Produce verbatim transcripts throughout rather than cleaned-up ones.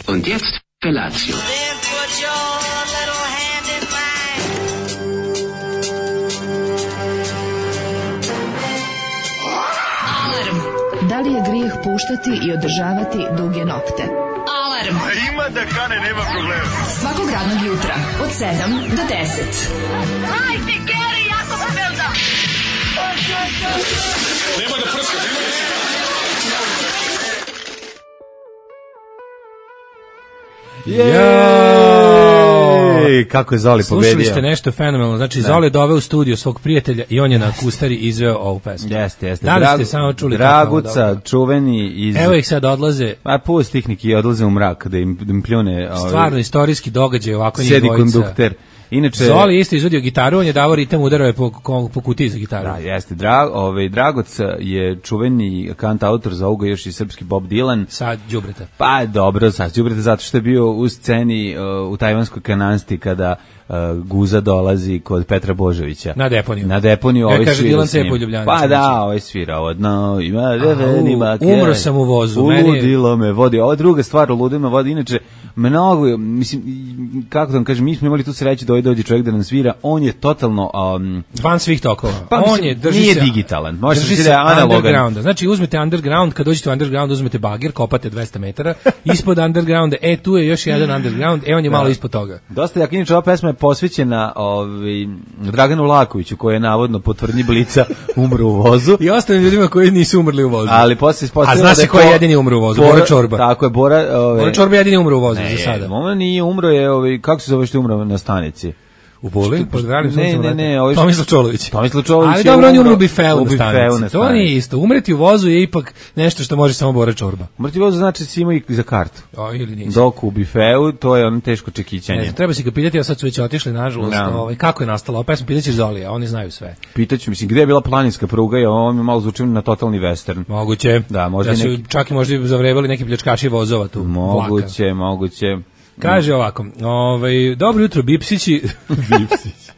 Und jetzt Felatio. Da li je grijeh puštati i održavati duge nokte? Alarm! A ima da kane, nema problema. Svakog radnog jutra, od sedam do deset. Hajde, Geri, jako se velda! Nema da prska, nema da prska. Jej, kako je Zoli pobedio. Slušali ste nešto fenomenalno, znači Zoli je doveo u studio svog prijatelja i on je na kustari izveo ovu pesmu. Jeste, jeste. Da li Dragu, ste samo čuli? Draguca, čuveni iz... Evo ih sad odlaze. A pusti ih neki odlaze u mrak, da im, da im pljune... Stvarno, ovaj, istorijski događaj, ovako njih sedi dvojica. kondukter. Inače, Zoli je isto izvodio gitaru, on je davao ritam, udarao je po, po kutiji za gitaru. Da, jeste. Dra, ovaj, Dragoc je čuveni kantautor, zovu ga još i srpski Bob Dylan. Sad đubreta. Pa dobro, sad đubreta zato što je bio u sceni uh, u tajvanskoj kanansti kada uh, Guza dolazi kod Petra Božovića. Na deponiju. Na deponiju, ovaj svira s njim. Pa da, ovaj svira odno, ima revenima. Umro sam u vozu. Uludilo me vodi. Ova druga stvar, uludilo me vodi. Inače, mnogo, mislim, kako da vam kažem, mi smo imali tu sreću da ovaj dođe čovjek da nam svira, on je totalno... Um, van svih tokova. Pa, on je, drži nije se, digitalan, može drži se se da je analogan. Znači, uzmete underground, kad dođete u underground, uzmete bagir, kopate dvesta metara, ispod undergrounda, e, tu je još jedan underground, e, on je malo da. Ispod toga. Dosta jak, inače, ova pesma je posvećena ovaj, Draganu Lakoviću, koji je navodno po tvrdnji Blica umro u vozu. I ostalim ljudima koji nisu umrli u vozu. Ali posle ispostavilo da je... A zna se ko je jedini umro u vozu? Bora, Bora Čorba. Tako je, Bora... Ove, Bora Čorba jedini umro u vozu ne, za sada. On nije umro, je, ove, kako se zove što je umro na stanici? U Boli, pod Vralim suncem. Ne, ne, ne, ovaj Tomislav Čolović. Tomislav Čolović. Ali dobro, on je umro u bifeu na stanici. To nije isto. Umreti u vozu je ipak nešto što može samo Bora Čorba. Umreti u vozu znači si imao i za kartu. O, ili nisi. Dok u bifeu, to je ono teško čekićanje. Ne, treba si ga pitati, a sad su već otišli, nažalost. No. Ovaj, kako je nastala ova pesma? Pitaćeš Zolija, oni znaju sve. Pitaću, mislim, gde je bila planinska pruga i ovo mi malo zvuči na totalni western. Moguće. Da, možda da su neki... čak i možda zavrebali neki pljačkaši vozova tu. Moguće, vlaka. moguće. Kaže ovako, ovaj, dobro jutro, Bipsići. Bipsići.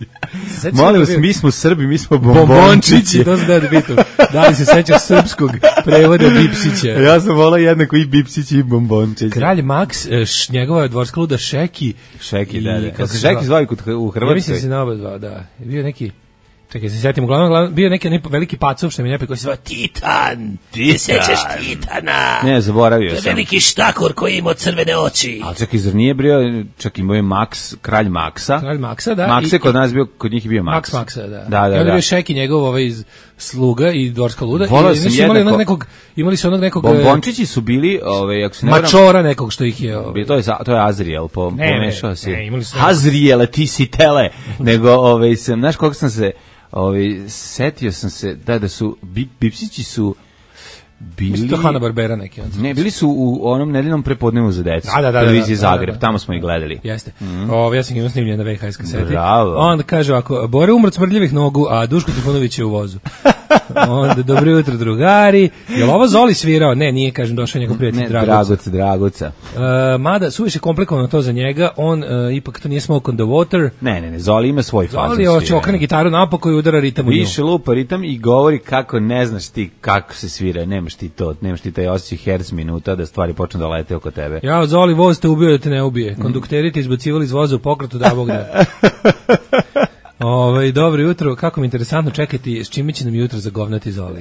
Molim vas, mi smo Srbi, mi smo bombončići. To zna da bitu. Da li se sećaš srpskog prevoda Bipsića? Ja sam volao jednako i Bipsići i bombončići. Kralj Max, š, njegova dvorska luda Šeki. Šeki, da, da. Kako se Šeki zvao u Hrvatskoj? Ja mislim da se na oba dva, da. Je bio neki... Čekaj, se sjetim, uglavnom, uglavnom bio neki ne, veliki pacov što mi ne koji se zvao Titan. Ti se sećaš Titana? Ne, zaboravio sam. To je veliki štakor koji ima crvene oči. Ali čak i zar nije bio, čak imao je Max, kralj Maksa. Kralj Maksa, da. Max je kod nas bio, kod njih je bio Max. Max Maksa, da. Da, da, I onda da. bio Šeki njegov ovaj iz sluga i dvorska luda. Volao i sam imali jednako. Onog nekog, imali su onog nekog... Bombončići su bili, ovaj, ako se ne Mačora varam, nekog što ih je... Ovaj. To je, to je Azriel, po, ne, pomešao si. Ne, imali su... Azriel, ti si tele. Nego, ovaj, sam, znaš koliko sam se... Ovi, setio sam se da da su bip, Bipsići su bili... Mislim to Hanna Barbera neki. Ne, bili su u onom nedeljnom prepodnevu za decu. Da, da, da, televiziji da, da, Zagreb, da, da. tamo smo ih gledali. Jeste. Mm. O, ja sam imao snimljen na V H S kaseti. Bravo. Onda kaže ovako, Bora umrt smrdljivih nogu, a Duško Trifunović je u vozu. Onda, dobro jutro drugari. Je li ovo Zoli svirao? Ne, nije, kažem, došao njegov prijatelj Dragoca. Dragoca, Dragoca. Uh, mada, suviše komplikovano to za njega, on uh, ipak to nije smoke on the water. Ne, ne, ne, Zoli ima svoj fazon. Zoli hoće okrene gitaru napoko i udara ritam u nju. Više lupa ritam i govori kako ne znaš ti kako se svira, nemaš ti to, nemaš ti taj osjećaj herc minuta da stvari počnu da lete oko tebe. Ja, Zoli, voz te ubio da te ne ubije. Kondukteri te izbacivali iz voza u pokretu, da Bog da. Ove, dobro jutro, kako mi interesantno čekati s čime će nam jutro zagovnati Zoli.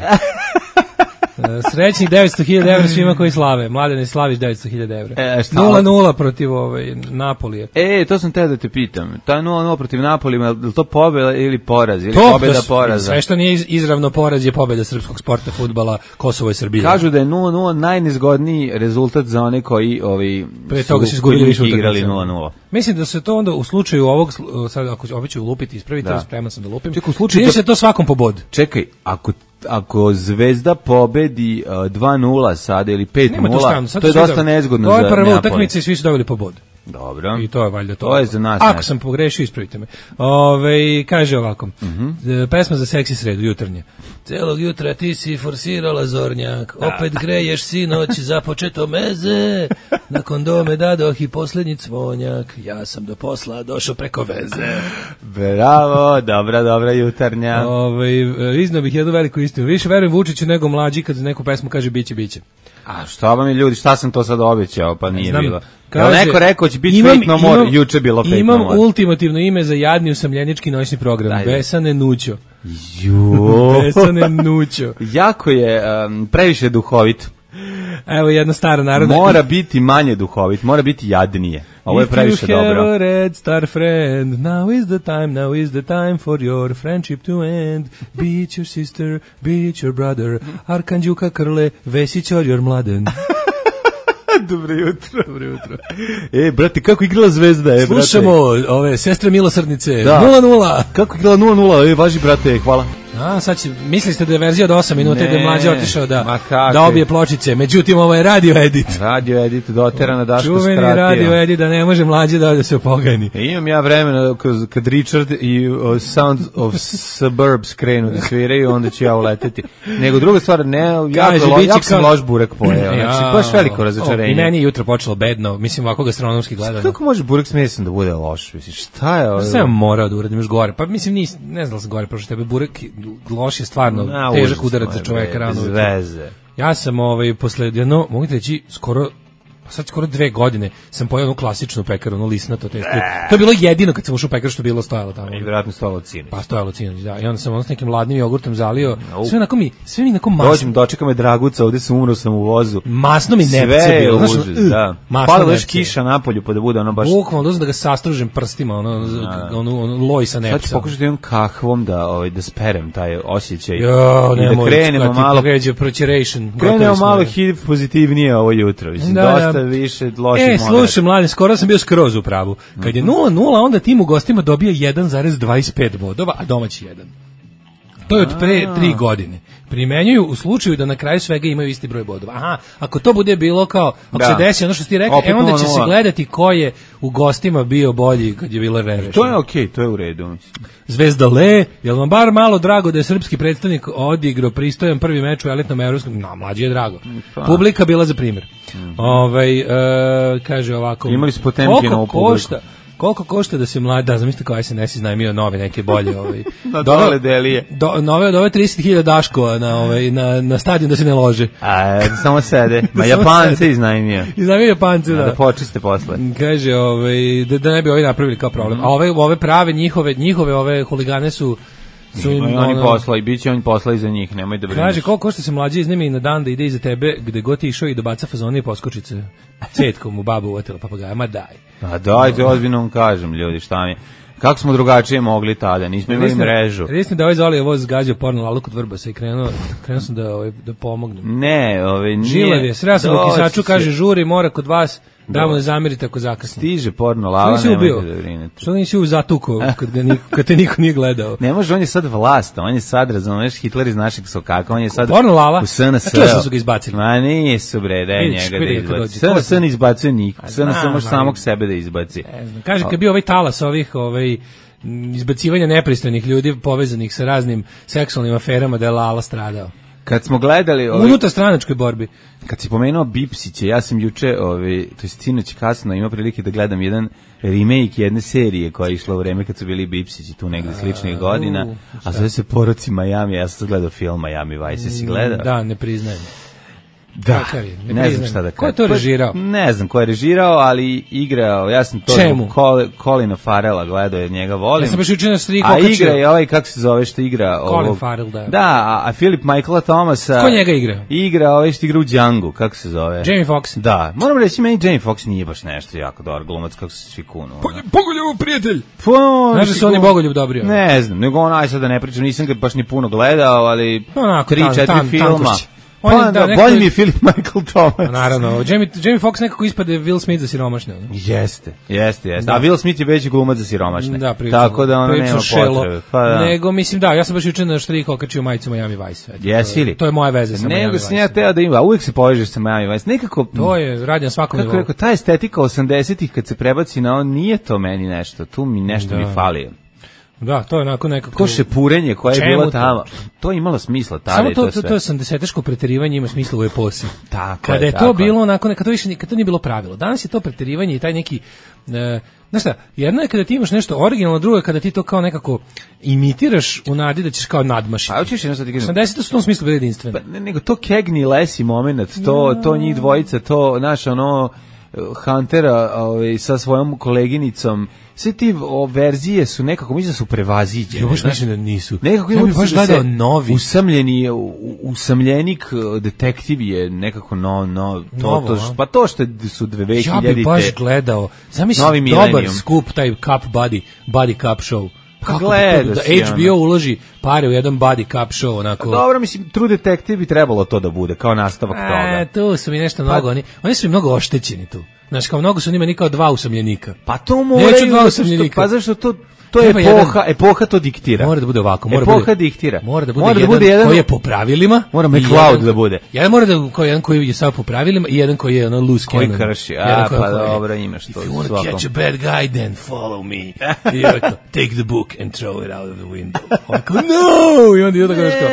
Srećnih devetsto hiljada evra svima koji slave. Mladene, slaviš devetsto hiljada evra. E, nula nula protiv ovaj, Napolija. E, to sam te da te pitam. Ta nula nula protiv Napolija, je li to pobjeda ili poraz? Ili to, pobjeda da, poraza? Sve što nije izravno poraz je pobjeda srpskog sporta, fudbala, Kosovo i Srbija. Kažu da je nula nula najnezgodniji rezultat za one koji ovi, pre toga su izgubili više igrali nula nula. Mislim da se to onda u slučaju ovog, sad ako opet ću lupiti, ispraviti, da. Spreman sam da lupim. Čekaj, u slučaju to, se to svakom po bod. Čekaj, ako ako Zvezda pobedi uh, dva nula sada ili pet nula, to, to je dosta nezgodno za Neapoli. To je prva utakmica i svi su dobili po bod. Dobro. I to je valjda to. To je za nas. Ako sam pogrešio, ispravite me. Ove, kaže ovako, uh-huh. pesma za seksi sredu, jutarnje. Celog jutra ti si forsirala zornjak, opet greješ sinoć, započeto meze, nakon dome dadoh i posljednji cvonjak, ja sam do posla došao preko veze. Bravo, dobra, dobra jutarnja. Ove, iznao bih jednu veliku istinu. Više verujem Vučiću nego mlađi kad za neku pesmu kaže biće, biće. A šta vam je ljudi, šta sam to sad obećao, pa nije znam, bilo. Jel neko rekao će biti Fate No More, juče bilo Fate imam No More. Imam ultimativno ime za jadni usamljenički noćni program. Dajde. Besane Nućo. Jo. Besane Nućo. Jako je um, previše duhovit. Evo jedna stara narodna. Mora biti manje duhovit, mora biti jadnije. Ovo je previše dobro. If you have a red star friend, now is the time, now is the time for your friendship to end. Be it your sister, be it your brother, Arkanđuka Krle, Vesić or your mladen. Dobro jutro. Dobro jutro. E, brate, kako igrala Zvezda, e, brate. Slušamo ove sestre milosrdnice. Da. nula nula. Kako igrala nula nula, e, važi, brate, hvala. A, sad će, mislili ste da je verzija od osam minuta i da je mlađe otišao da, da obije pločice. Međutim, ovo je radio edit. Radio edit, doterana Daško skratio. Čuveni radio edit da ne može mlađe da, da se opogani. E, imam ja vremena kad, kad Richard i uh, Sound of Suburbs krenu da sviraju, onda ću ja uleteti. Nego druga stvar, ne, jako, lo, jako sam loš burek pojeo. Znači, baš veliko razočarenje. I meni je jutro počelo bedno, mislim, ovako gastronomski gledano. Kako može burek s mesom da bude loš? Mislim, šta je ovo? Sam morao da uradim još gore. Pa mislim, nis, ne znam da sam gore prošao tebe. Burek loš je stvarno na, težak udarac za čoveka rano. Bez veze. Ja sam ovaj, posle jedno, mogu ti reći, skoro sad skoro dve godine sam pojeo onu klasičnu pekaru, ono lisnato testo. To je bilo jedino kad sam ušao u pekaru što je bilo stojalo tamo. I vjerojatno stojalo Cinoć. Pa stojalo Cinoć, da. I onda sam ono s nekim ladnim jogurtom zalio. No. Sve onako mi, sve mi onako masno. Dođem, dočeka me Draguca, ovde sam umro sam u vozu. Masno mi nepce bilo. Sve je užas, da. Pada još kiša napolju pa da bude ono baš... Bukvalno dozam da ga sastružem prstima, ono, da, da. ono, ono loj sa nepcem. Sad ću pokušati jednom kahvom da, ovaj, da sperem taj osjećaj. Jo, i da krenemo malo... Krenemo malo H I V pozitivnije ovo jutro. Mislim, da, dosta više loš. E, slušaj, mladi, skoro sam bio skroz u pravu. Kad je nula nula, onda tim u gostima dobio jedan zarez dvadeset pet bodova, a domaći jedan. To je od pre tri godine. Primenjuju u slučaju da na kraju svega imaju isti broj bodova. Aha, ako to bude bilo kao, ako da. se desi ono što ti rekao, e onda će se gledati ko je u gostima bio bolji kad je bilo revešeno. To je okej, okay, to je u redu. Zvezda Le, jel vam bar malo drago da je srpski predstavnik odigrao pristojan prvi meč u elitnom evropskom? No, mlađi je drago. Pa. Publika bila za primjer. Mm-hmm. Ovaj, e, kaže ovako. Imali su Potemkina u publiku. Koliko košta da se mlada, da zamislite kao S N S iznajmio nove neke bolje ovaj. Na dole delije. Do, nove od ove trideset hiljada daškova na ovaj na na stadion da se ne lože. A samo sede. Ma Japance iznajmio. Iznajmio Japance, da. Da počiste posle. Kaže ovaj da, da ne bi ovi napravili kao problem. Mm. A ove ove prave njihove njihove ove huligane su su im, oni ono, posla i biće on posla iza njih, nemoj da brineš. Kaže koliko košta se mlađi iznemi na dan da ide iza tebe gde god ti išao i da baca fazone i poskočice. Cetkom u babu uvatila papagaja, ma daj. A dajte, ozbiljno vam kažem, ljudi, šta mi. Kako smo drugačije mogli tada, nismo imali mrežu. Resni da ovaj Zoli voz zgađao porno lalu kod Vrbasa i krenuo, krenuo sam da, ovaj, da pomognem. Ne, ovaj, nije. Žilav je, sreo sam u kisaču, kaže žuri, mora kod vas, da mu ne zamerite ako zakasni. Stiže porno lala, nemojte da brinete. Što nisi u zatuku kad, ga niko, kad te niko nije gledao? Ne može, on je sad vlast, on je sad, razumeš, Hitler iz našeg sokaka, on je sad porno lala? U S N S. A kje su ga izbacili? Ma nisu bre, daj njega da izbaci. S N S ne izbacuje niko, S N S može samog sebe da izbaci. Kaže, kad bio ovaj talas ovih, ovaj, izbacivanja nepristojnih ljudi povezanih sa raznim seksualnim aferama da je Lala stradao. Kad smo gledali ovaj, unutar stranačkoj borbi. Kad si pomenuo Bipsiće, ja sam juče, ovaj, to je sinoć kasno, imao prilike da gledam jedan remake jedne serije koja je išla u vreme kad su bili Bipsići tu negde sličnih godina, a zove se Poroci Miami, ja sam gledao film Miami Vice, si gledao? Da, ne priznajem. Da, ne, ne znam šta da kažem. Ko je to režirao? Ne znam ko je režirao, ali igrao, ja sam to Colina Farrella gledao, jer njega volim. Ja sam baš učinio striku. A igra je ovaj, kako se zove, što igra? Colin ovog, Farrell, da. Da, a, a Philip Michaela Thomasa... Ko njega igra? Igra ovaj što igra u Django, kako se zove? Jamie Foxx. Da, moram reći, meni Jamie Foxx nije baš nešto jako dobar glumac, kako se svi kunu. Bogoljub prijatelj! Znaš da su oni Bogoljub dobri? Ne znam, nego on, aj sad da ne pričam, nisam ga baš ni puno gledao, ali onako, tri, četiri tan, filma. Tankošć. Pa da, da nekako... bolji mi je Philip Michael Thomas. Pa naravno, Jamie, Jamie Foxx nekako ispade Will Smith za siromašne. Ne? Jeste, jeste, jeste. Da. A Will Smith je veći glumac za siromašne. Da, pričam, tako da ono nema potrebe. Pa da. Nego, mislim, da, ja sam baš juče na štrih okačio majicu Miami Vice. Jesi li? To je moja veza sa Miami Vice. Nego sam ja teo da ima, a uvijek se povežeš sa Miami Vice. Nekako... To je, radi na svakom nivou. Kako rekao, ta estetika osamdesetih kad se prebaci na on, nije to meni nešto. Tu mi nešto da. mi fali. Da, to je onako nekako... To šepurenje koje je bilo tamo, to je imalo smisla tada. Samo to, to, to, to osamdeseteško preterivanje ima smisla u eposi. Tako Kada je, je tako to bilo onako, kad to više kad to nije bilo pravilo. Danas je to preterivanje i taj neki... E, znaš šta, jedno je kada ti imaš nešto originalno, drugo je kada ti to kao nekako imitiraš u nadi da ćeš kao nadmašiti. A hoćeš jedno sad ti kažem. osamdesete su u tom smislu bili jedinstveni. Pa, ne, nego to Cagney Lacey moment, to, to njih dvojica, to, znaš, ono... Huntera ovaj, sa svojom koleginicom, sve ti o, verzije su nekako, mislim da su prevaziđene. Ja baš mislim da nisu. Nekako ja bih baš gledao novi. Usamljeni, usamljenik detektiv je nekako no, no, to, Novo, to, pa to što su dve hiljadite. Ja bih baš gledao, zamisli dobar skup, taj Cup Buddy, Buddy Cup show. Kako gleda da H B O uloži pare u jedan Buddy Cup show, onako. Pa dobro, mislim, True Detective bi trebalo to da bude, kao nastavak e, toga. Tu su mi nešto mnogo, pa, oni, oni su mi mnogo oštećeni tu. Znaš, kao mnogo su njima ni kao dva usamljenika. Pa to moraju, neću dva usamljenika. Pa zašto to... To je epoha, jedan, epoha to diktira. Mora da bude ovako, mora epoha bude, diktira. Mora da bude, mora jedan, da bude jedan koji je po pravilima. Mora McCloud da bude. Jedan mora da koji jedan koji je samo po pravilima i jedan koji je ono loose cannon. Koji krši. A pa dobro, imaš to. If you want to catch a bad guy, then follow me. I jako, take the book and throw it out of the window. Onako, no! I onda je tako nešto.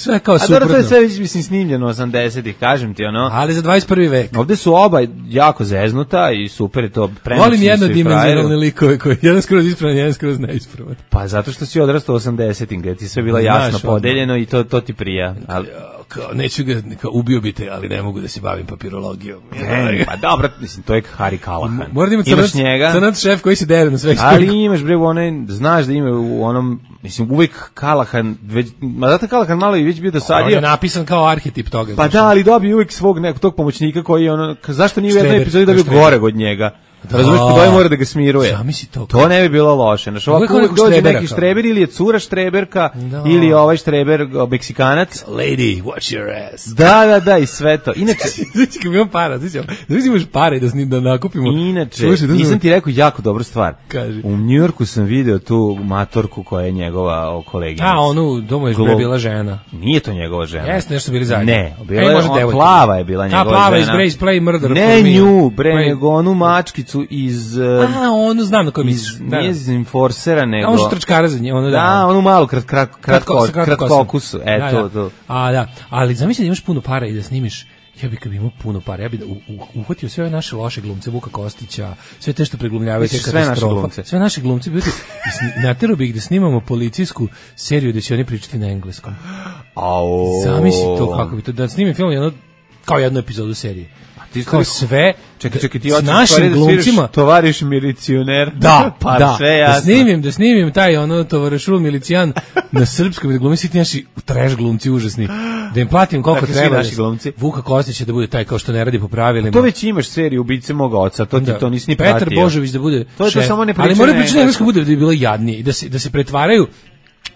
Sve kao suprotno. A dobro, to je sve već mislim snimljeno osamdesetih, kažem ti ono. Ali za dvadeset prvi vek. Ovde su oba jako zeznuta i super je to. Volim jednodimenzionalne likove koji jedan skroz ispravan, jedan skroz neispravan. Pa zato što si odrastao u osamdesetim, gde ti sve bilo jasno podeljeno i to, to ti prija. Ali... Kao, neću ga, kao, ubio bi te, ali ne mogu da se bavim papirologijom. Ne, pa dobro, mislim, to je Harry Callahan. Mora da ima crnac, njega, crnac šef koji se dere na sve. Ali imaš, bre, onaj, znaš da ima u onom, mislim, uvijek Callahan, već, ma zato Callahan malo i već bio dosadio. On je napisan kao arhetip toga. Pa da, ali dobio uvijek svog nekog tog pomoćnika koji je ono, zašto nije u jednoj epizodi dobio gore od njega? Da. Razumiješ, po tome mora da ga smiruje. Zamisli to. To ne bi bilo loše. Znaš, ovako uvijek dođe neki štreber, ili je cura štreberka, da. Ili ovaj štreber Meksikanac. Lady, watch your ass. Da, da, da, i sve to. Inače... Znači, kad imam para, znači, znači imaš pare da, snim, da nakupimo. Inače, Slušaj, da nisam ti rekao jako dobru stvar. Kaži. U Njujorku sam video tu matorku koja je njegova koleginica. A, onu, domo je Glo... bila žena. Nije to njegova žena. Jeste, nešto bili zajedno. Ne, bila je, on, plava je bila njegova žena. Ta plava iz Grace Play Murder. Ne nju, bre, nego onu mačkicu iz... A, onu znam na koju misliš. Nije iz Enforcera, nego... A onu što trčkara za nje, ono da. Da, onu malu krat, krat, kratko, kratkokusu, e, to, to. A, da, ali zamisli da imaš puno para i da snimiš, ja bih kad bi imao puno para, ja bih da uhvatio sve ove naše loše glumce, Vuka Kostića, sve te što preglumljavaju te katastrofe, sve naše glumce, bi naterao bih ih da snimamo policijsku seriju gde će oni pričati na engleskom. Au. Zamisli to kako bi to, da snimim film jedno, kao jednu epizodu serije. Kao sve, čekaj, čekaj, ti s našim glumcima, tovariš milicioner, da, pa da, sve jasno. Da snimim, da snimim taj ono tovarišul milicijan na srpskom, da glumi svi ti naši trash glumci užasni, da im platim koliko dakle, treba. Naši glumci. Vuka Kostić da bude taj kao što ne radi po pravilima. To već imaš seriju Ubice moga oca, to ti da. To nisi ni Petar pratio. Božović da bude. To je to samo ne priča. Ali mora pričati engleski bude da bi bilo jadnije i da se da se pretvaraju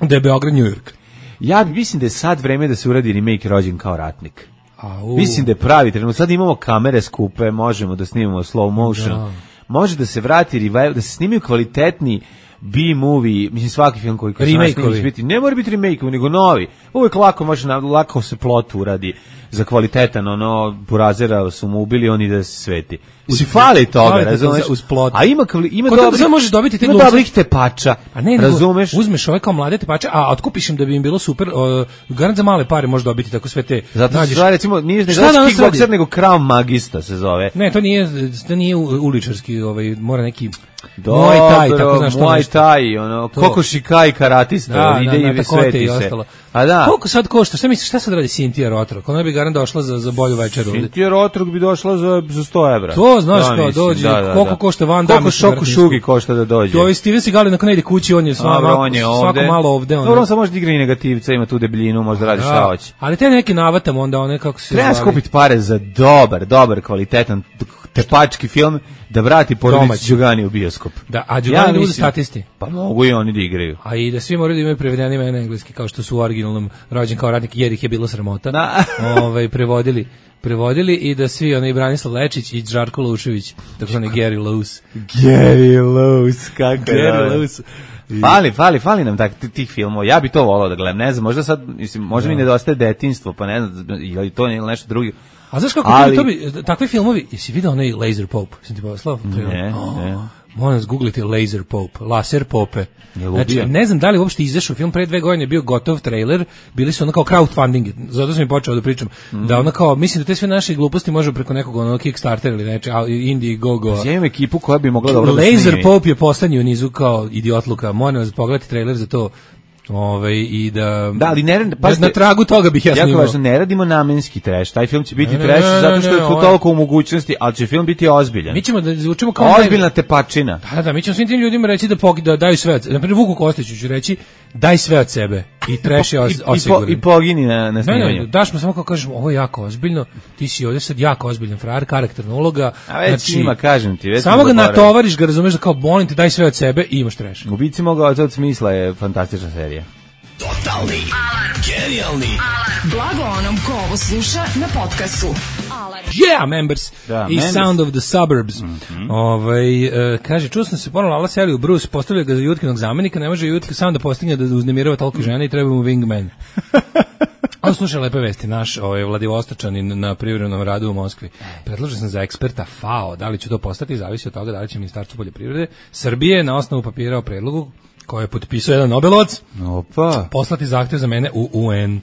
da je Beograd New York. Ja mislim da je sad vreme da se uradi remake Rođen kao ratnik. Au. Mislim da je pravi trenutak. Sad imamo kamere skupe, možemo da snimamo slow motion. Da. Može da se vrati revival, da se snimaju kvalitetni B-movie, mislim svaki film koji koji remake biti, ne mora biti remake, nego novi. Uvijek lako može lako se plot uradi za kvalitetan, ono Burazera su mu ubili oni da se sveti. Si fali toga, razumeš? Uz plot. A ima ima dobro, da možeš dobiti te glumce. Dobrih tepača. A ne, razumeš? Uzmeš ove kao mlade tepače, a otkupiš im da bi im bilo super, uh, garant za male pare možeš dobiti tako sve te. Zato što recimo nije nego kickbokser nego Krav Magista se zove. Ne, to nije to nije uličarski, ovaj mora neki Dobro, Muay Thai, tako znaš što Muay Thai, ono, Kokoši Kai karatista, da, ide na, na, i sveti se. Ostalo. A da. Koliko sad košta? Šta misliš, šta sad radi Cynthia Rotrok? Ona bi garant došla za, za bolju večeru. Cynthia Rotrok bi došla za, za sto evra. To, znaš da, kao, dođe, da, da, koliko da. Košta Van Damme. Koliko Šoku Šugi košta da dođe. To je Steven Seagal, nakon ne ide kući, on je svako, on je svako malo ovde. Dobro, on samo može da igra i negativca, ima tu debljinu, može da radi šta hoće. Ali te neke navatam onda, one kako se treba skupiti pare za dobar, dobar, kvalitetan tepački film da vrati porodicu Đugani u bioskop. Da, a Đugani ja, budu statisti. Pa mogu i oni da igraju. A i da svi moraju da imaju prevedeni na engleski, kao što su u originalnom Rođen kao ratnik, jer ih je bilo sramota. Da. Ovaj, prevodili. Prevodili i da svi, onaj Branislav Lečić i Žarko Lušević, tako zvani Gary Lowe's. Gary Lowe's, kako je. Gary Lowe's. Fali, fali, fali nam tak, tih filmova. Ja bi to volao da gledam. Ne znam, možda sad, mislim, možda da. mi nedostaje detinjstvo, pa ne znam, ili to ili nešto drugo. A znaš kako ali, to bi, takvi filmovi, jesi vidio onaj Laser Pope? Sam ti poslao? Ne, oh, ne. Moram zgoogliti Laser Pope, Laser Pope. Znači, ne znam da li uopšte izašao film, pre dve godine je bio gotov trailer, bili su ono kao crowdfunding, zato sam i počeo da pričam, mm. da ono kao, mislim da te sve naše gluposti može preko nekog ono Kickstarter ili neče, Indiegogo. Ja imam ekipu koja bi mogla dobro da Laser Pope je poslednji u nizu kao idiotluka, moram vas pogledati trailer za to. Ove, i da, da, ali ne, da na tragu toga bih ja snimao. Jako važno, ne radimo namenski trash. Taj film će biti ne, trash ne, ne, zato što je ne, ne, toliko u mogućnosti, ali će film biti ozbiljan. Mi ćemo da zvučimo kao ozbiljna tepačina. Da, da, mi ćemo svim tim ljudima reći da, pog, da daju sve od sebe. Naprimjer, Vuku Kostiću ću reći daj sve od sebe i trash je os, osiguran. I, po, I pogini na, na snimanju. Ne, ne, daš mu samo kao kažemo, ovo je jako ozbiljno, ti si ovdje sad jako ozbiljan frajer, karakterna uloga. A već znači, ima, kažem ti. Već samo ga natovariš, ga razumeš da kao molim te daj sve od sebe i imaš trash. Ubici moga od smisla je fantastična serija. Totalni alarm. Genijalni alarm. Blago onom ko ovo sluša na podcastu. Alarm. Yeah, members. Da, i members. Sound of the Suburbs. Mm-hmm. Ovaj uh, kaže, čuo sam se ponovno Lala seli u Bruce, postavlja ga za Jutkinog zamenika, ne može Jutka sam da postigne da uznemirava toliko žena i treba mu wingman. Ali slušaj lepe vesti, naš ovaj, Vladivostočanin na privremenom radu u Moskvi. Predložen sam za eksperta F A O, da li će to postati, zavisi od toga da li će Ministarstvo poljoprivrede Srbije na osnovu papira o predlogu koje je potpisao jedan Nobelovac, opa, poslati zahtjev za mene u U N.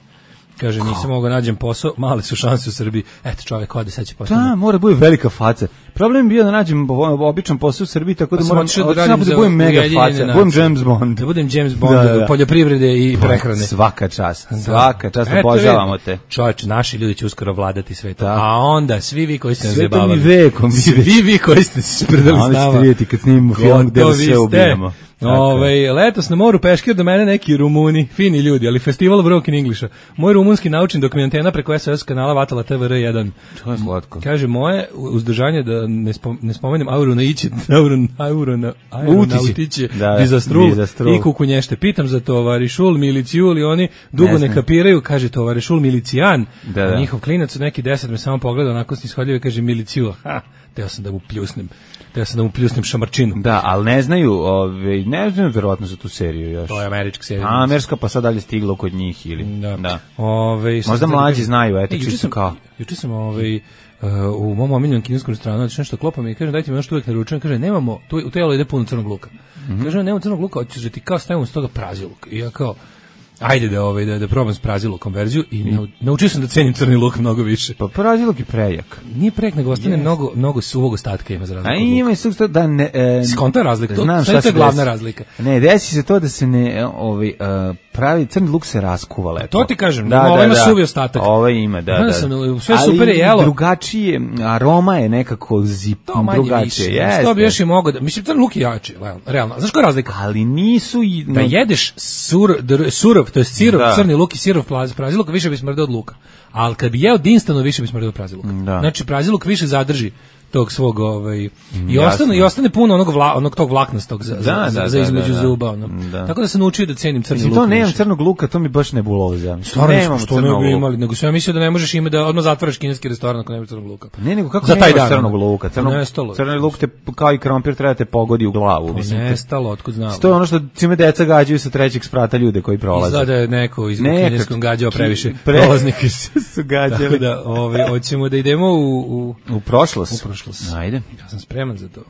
Kaže, nisam mogao nađem posao, male su šanse u Srbiji. Eto, čovjek ode, sad će postati. Da, mora bude velika faca. Problem je bio da nađem običan posao u Srbiji, tako da pa moram da, da, da budem mega faca, budem James Bond. Da budem James Bond, da, da. Poljoprivrede i prehrane. Svaka čast, svaka čast, obožavamo te. Čovječ, naši ljudi će uskoro vladati svetom. A onda, svi vi koji ste nas zabavali. Svetom i vekom. Svi vi koji ste se spredali s nama. Oni ćete vidjeti kad snimimo film gde sve ubijemo. Ove, letos na moru peškir do mene neki Rumuni, fini ljudi, ali festival Broken Englisha. Moj rumunski naučim dok mi antena preko S O S kanala vatala T V R jedan. To je slatko. Kaže, moje uzdržanje da ne, spom, ne spomenem auru na ići, auru, auru na aeronautiće, da, bizastrul i kukunješte. Pitam za tovarišul, milicijul i oni dugo ne, ne kapiraju, kaže tovarišul milicijan, da, da. A njihov klinac od neki deset me samo pogleda, onako snishodljivo kaže miliciju, ha, teo sam da mu pljusnem. Ja sam da mu pljusnem šamarčinu. Da, ali ne znaju, ove, ne znaju verovatno za tu seriju još. To je američka serija. A, američka pa sad dalje stiglo kod njih ili. Da. da. Ove, možda mlađi znaju, eto, čisto sam, kao. Juče sam ovaj, uh, u mom omiljenom kineskom restoranu, znači nešto klopam i kažem, dajte mi ono što uvijek naručujem, kaže, nemamo, tu, u telo ide puno crnog luka. Mm-hmm. Kaže, nemamo crnog luka, hoćeš da ti kao stavimo s toga praziluk. I ja kao, ajde da ovaj da da probam s praziluk konverziju i mm. naučio sam da cenim crni luk mnogo više. Pa praziluk je prejak. Nije prejak, nego ostane yes. mnogo mnogo suvog ostatka ima za razliku. A ima i susto da ne e, skonta razlika. Znam to, šta je glavna desi. razlika. Ne, desi se to da se ne ovaj uh, pravi crni luk se raskuva lepo. To ti kažem, da, ovo da, ima da. suvi ostatak. Ovo ima, da, da. Sam, sve super je jelo. Drugačije, aroma je nekako zip, drugačije. Jeste. Što bi još i mogao da, mislim crni luk je jači, realno. Znaš koja je razlika? Ali nisu i da jedeš sur, surov, to je sirov, da. Crni luk i sirov praziluk, više bi smrdeo od luka. Ali kad bi jeo Dinstano, više bi smrdeo od praziluka. Da. Znači, praziluk više zadrži tog svog ovaj i ostane i ostane puno onog vla, onog tog vlaknastog za, da, za, da, za između da, da, zuba ono. Da. Tako da sam naučio da cenim crni luk. To nemam crnog luka, to mi baš nebuloza. Stvarno što ne bi imali, nego sam ja mislio da ne možeš imati da odmah zatvoriš kineski restoran ako nemaš crnog luka. Pa ne, nego kako za taj dan crnog luka, crnog crni luk te kao i krompir treba te pogodi u glavu, mislim. Nestalo, otkud znam. To je ono što čime deca gađaju sa trećeg sprata ljude koji prolaze. Izgleda je neko iz kineskog gađao previše prolaznika su gađali. Da, ovaj hoćemo da idemo u u u prošlost. U prošlost. Ajde. Ja sam spreman za to.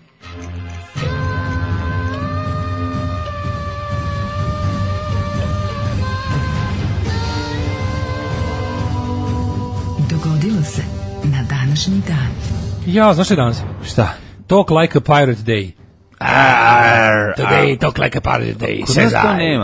Dogodilo se na današnji dan. Ja, znaš što danas? Šta? Talk like a pirate day. Arr, today talk like a pirate day, says I.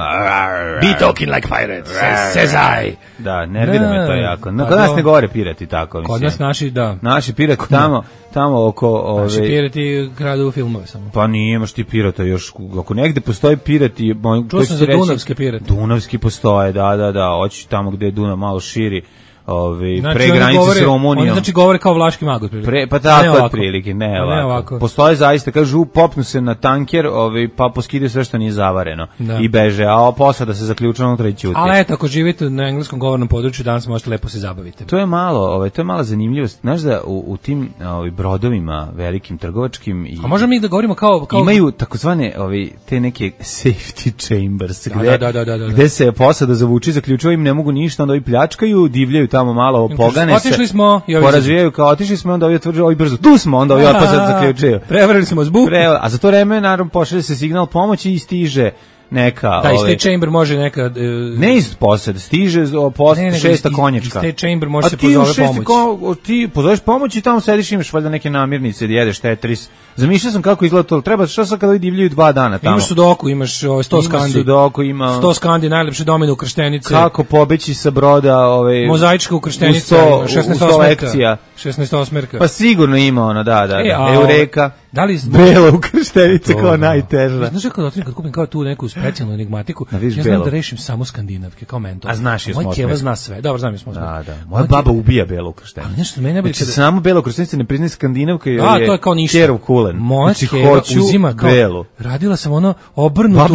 Be talking like pirate, says, says I. Da, nervira me to jako. No, kod nas ne govore pirati tako, mislim. Kod nas naši, da. Naši pirati tamo, tamo oko... Ove, naši pirati kradu filmove samo. Pa nije, imaš ti pirata još, ako negde postoji pirati... Čuo sam za reći, Dunavske pirate. Dunavski postoje, da, da, da, hoći tamo gde je Dunav malo širi. Ove, znači, pre granice govore, s Rumunijom. Oni znači govore kao vlaški mag otprilike. Pa tako otprilike, ne, ne ovako. ovako. Postoje zaista, kažu, popnu se na tanker, ove, pa poskide sve što nije zavareno. Da. I beže, a posada se zaključa unutra i ćuti. Ali eto, ako živite na engleskom govornom području, danas možete lepo se zabaviti. To je malo, ove, to je mala zanimljivost. Znaš da u, u tim ove, brodovima velikim trgovačkim... I, a možemo mi da govorimo kao... kao... Imaju takozvane ove, te neke safety chambers, da, gde, da, da, da, da, da. gde se posada zavuči, zaključuju im ne mogu ništa, onda ovi pljačkaju, divljaju tamo malo pogane se. Otišli smo i porazvijaju kao otišli smo, onda ovi tvrđe, ovi brzo. Tu smo, onda ovi opet zaključuju. Prevarili smo zbuk. Pre, a za to vreme naravno pošalje se signal pomoći i stiže neka... Da, iz ove, State Chamber može neka... Uh, ne iz posed, stiže post, ne, ne, šesta iz, konjačka. Iz State Chamber može a se ti pozove šesti pomoć. Ko, ti pozoveš pomoć i tamo sediš, imaš valjda neke namirnice, da jedeš Tetris. Zamišljao sam kako izgleda to. Treba, šta sad kada divljaju dva dana tamo? Imaš sudoku, imaš ovaj, sto skandi. Ima sudoku, ima... sto skandi, najlepše domine ukrštenice. Kako pobeći sa broda... Ovaj, mozaička ukrštenica, šesnaest osmerka. šesnaest osmerka. Pa sigurno ima ona, da, da. E, da. a, Eureka. Da li bela ukrštenica kao najteža. Znaš kako da kad kupim kao tu neku specijalnu enigmatiku, ja znam belo. Da rešim samo skandinavke kao mentor. A znaš je smo. Moj keva zna sve. Dobro, znam je smo. Da, da. Moja baba ubija belu ukrštenicu. Ali nešto mene bi znači, samo belu ukrštenicu ne priznaje skandinavka jer a, to je kao ništa. Kerov kulen. Moja znači, keva uzima kao belu. Radila sam ono obrnutu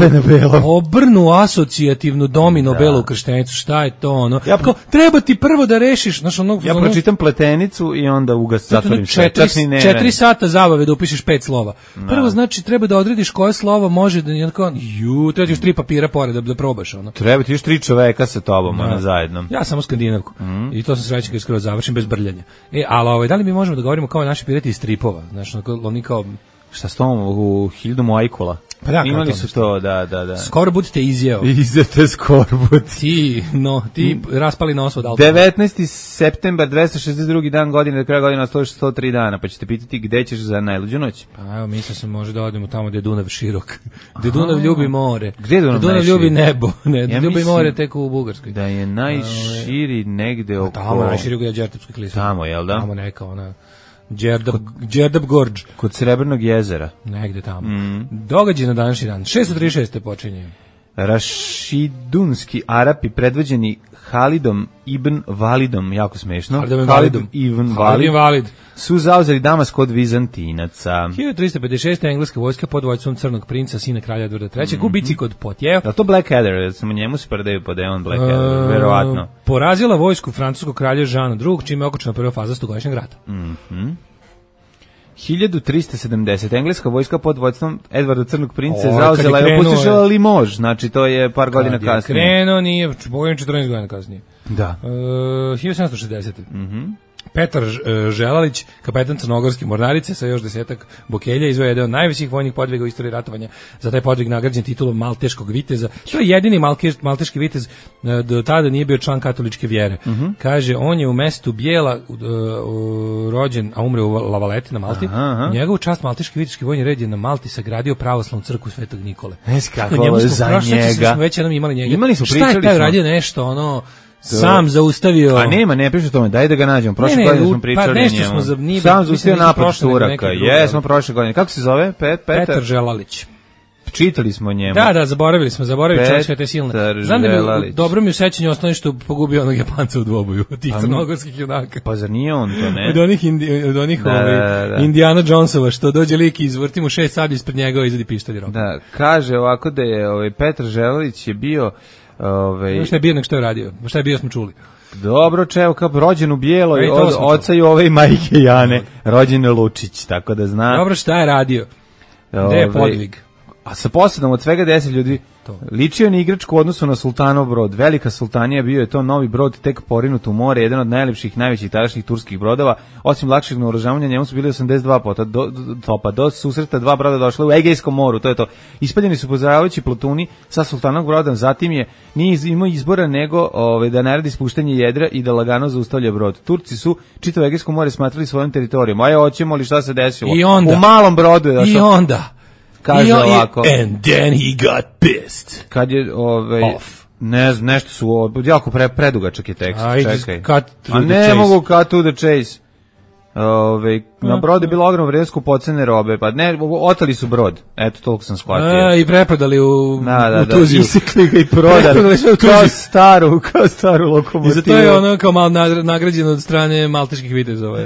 obrnu asocijativnu domino da. Belu ukrštenicu. Šta je to ono? Ja kao treba ti prvo da rešiš, znači ono. Ja pročitam pletenicu i onda ugas zatvorim sve. četiri sata zabave da upišeš pet slova. Prvo znači treba da odrediš koje slovo može da jednako ju, treba ti još tri papira pored da, da probaš ono. Treba ti još tri čoveka sa tobom na zajedno. Ja samo skandinavku. Mm. I to sam srećan kad skoro završim bez brljanja. E, ali ovaj da li mi možemo da govorimo kao naši pirati iz stripova? Znači oni kao šta s tom u Hildu Mojkula. Pa da, imali su to, da, da, da. Skorbut te izjeo. Izete skorbut. Ti, no, ti mm. raspali nos od alkohola. devetnaesti septembar, dvesta šezdeset drugi dan godine, do kraja godine ostalo još sto tri dana, pa ćete pitati gde ćeš za najluđu noć. Pa evo, mislim se može da odemo tamo gde je Dunav širok. Gde Dunav ljubi more. Gde je Dunav, Dunav ljubi nebo. Ne, ja ljubi more tek u Bugarskoj. Da je najširi negde oko... Tamo najširi je Đertepski klisur. Tamo, jel da? Tamo neka ona... Đerdap, Đerdap Gorđ. Kod Srebrnog jezera. Negde tamo. Mm. Događaj na današnji dan. šesto trideset šeste počinje. Rašidunski Arapi predvođeni Halidom ibn Validom, jako smešno. Halidom Halid ibn Valid, Valid su zauzeli Damask od Vizantinaca. hiljadu trista pedeset šeste engleska vojska pod vođstvom Crnog princa, sina kralja Edvarda trećeg, mm-hmm. u bici kod Potjev. Da to Blackadder, samo njemu se predaju pod Eon Blackadder, uh, verovatno. Porazila vojsku francuskog kralja Žana drugog, čime je okončana prva faza stogodišnjeg rata. Mhm. hiljadu trista sedamdesete engleska vojska pod vođstvom Edvarda Crnog princa je zauzela i opustošila Limož, znači to je par godina kasnije. Kad je krenuo, nije, pogledam četrnaest godina kasnije. Da. Uh, hiljadu sedamsto šezdesete Mhm. Petar Želalić, kapetan crnogorske mornarice sa još desetak bokelja, izveo jedan od najvećih vojnih podviga u istoriji ratovanja. Za taj podvig nagrađen titulom Malteškog viteza. To je jedini malteški vitez, do tada nije bio član katoličke vjere. Mm-hmm. Kaže, on je u mestu Bijela uh, uh, rođen, a umre u Lavaleti na Malti. Aha, aha. Njegovu čast malteški viteški vojni red je na Malti sagradio pravoslavnu crkvu Svetog Nikole. Nes kako za njega. Smo već jednom imali njega. Imali smo, šta je taj radio nešto, ono... Sam zaustavio. A nema, ne piše o tome, daj da ga nađemo. Prošle godine smo pričali pa o njemu. Smo za, nije, Sam zaustavio napad Turaka. Jesmo prošle godine. Kako se zove? Pet, Petar? Petar Želalić. Čitali smo o njemu. Da, da, zaboravili smo, zaboravili čovjek sve te silne. Znam da mi, dobro mi u sećanju ostane što pogubio onog Japanca u dvoboju, od tih crnogorskih junaka. Pa zar nije on to, ne? Od onih, indi, od onih da, ovaj, da, da. Indiana Jonesova, što dođe lik i izvrti mu šest sablji ispred njega i izvadi pištolj rok. Da, kaže ovako da je ovaj, Petar Želalić je bio... Ovaj... Šta je bio nek što je radio, šta je bio smo čuli. Dobro, čeo, kao rođen u Bijeloj, od oca i ove majke Jane, rođen je Lučić, tako da zna. Dobro, šta je radio? Gde je podvig? A sa posadom od svega deset ljudi to. Ličio na igračku u odnosu na Sultanov brod. Velika Sultanija bio je to novi brod tek porinut u more, jedan od najlepših, najvećih tadašnjih turskih brodova. Osim lakšeg naoružavanja, njemu su bili osamdeset dva pota do, do, topa. Do susreta dva broda došla u Egejskom moru, to je to. Ispaljeni su pozdravljajući plotuni sa Sultanovog broda, zatim je nije imao izbora nego ove, da naredi spuštanje jedra i da lagano zaustavlja brod. Turci su čitavo Egejsko more smatrali svojim teritorijom. Aj, hoćemo li šta se desilo? I onda, u malom brodu je došao. I onda kaže ovako. And then he got pissed. Kad je ovaj off. Ne znam, nešto su jako pre, predugačak je tekst. I čekaj. A ne chase. Mogu cut to the chase. Ove, na brodu je bilo ogromno vrijednost kupocene robe, pa ne, oteli su brod. Eto, toliko sam shvatio. A, i preprodali u, da, da, u Tuziju. Da, isekli ga i prodali. Kao staru, kao staru lokomotivu. I za to je ono kao malo nagrađeno od strane malteških vitezova.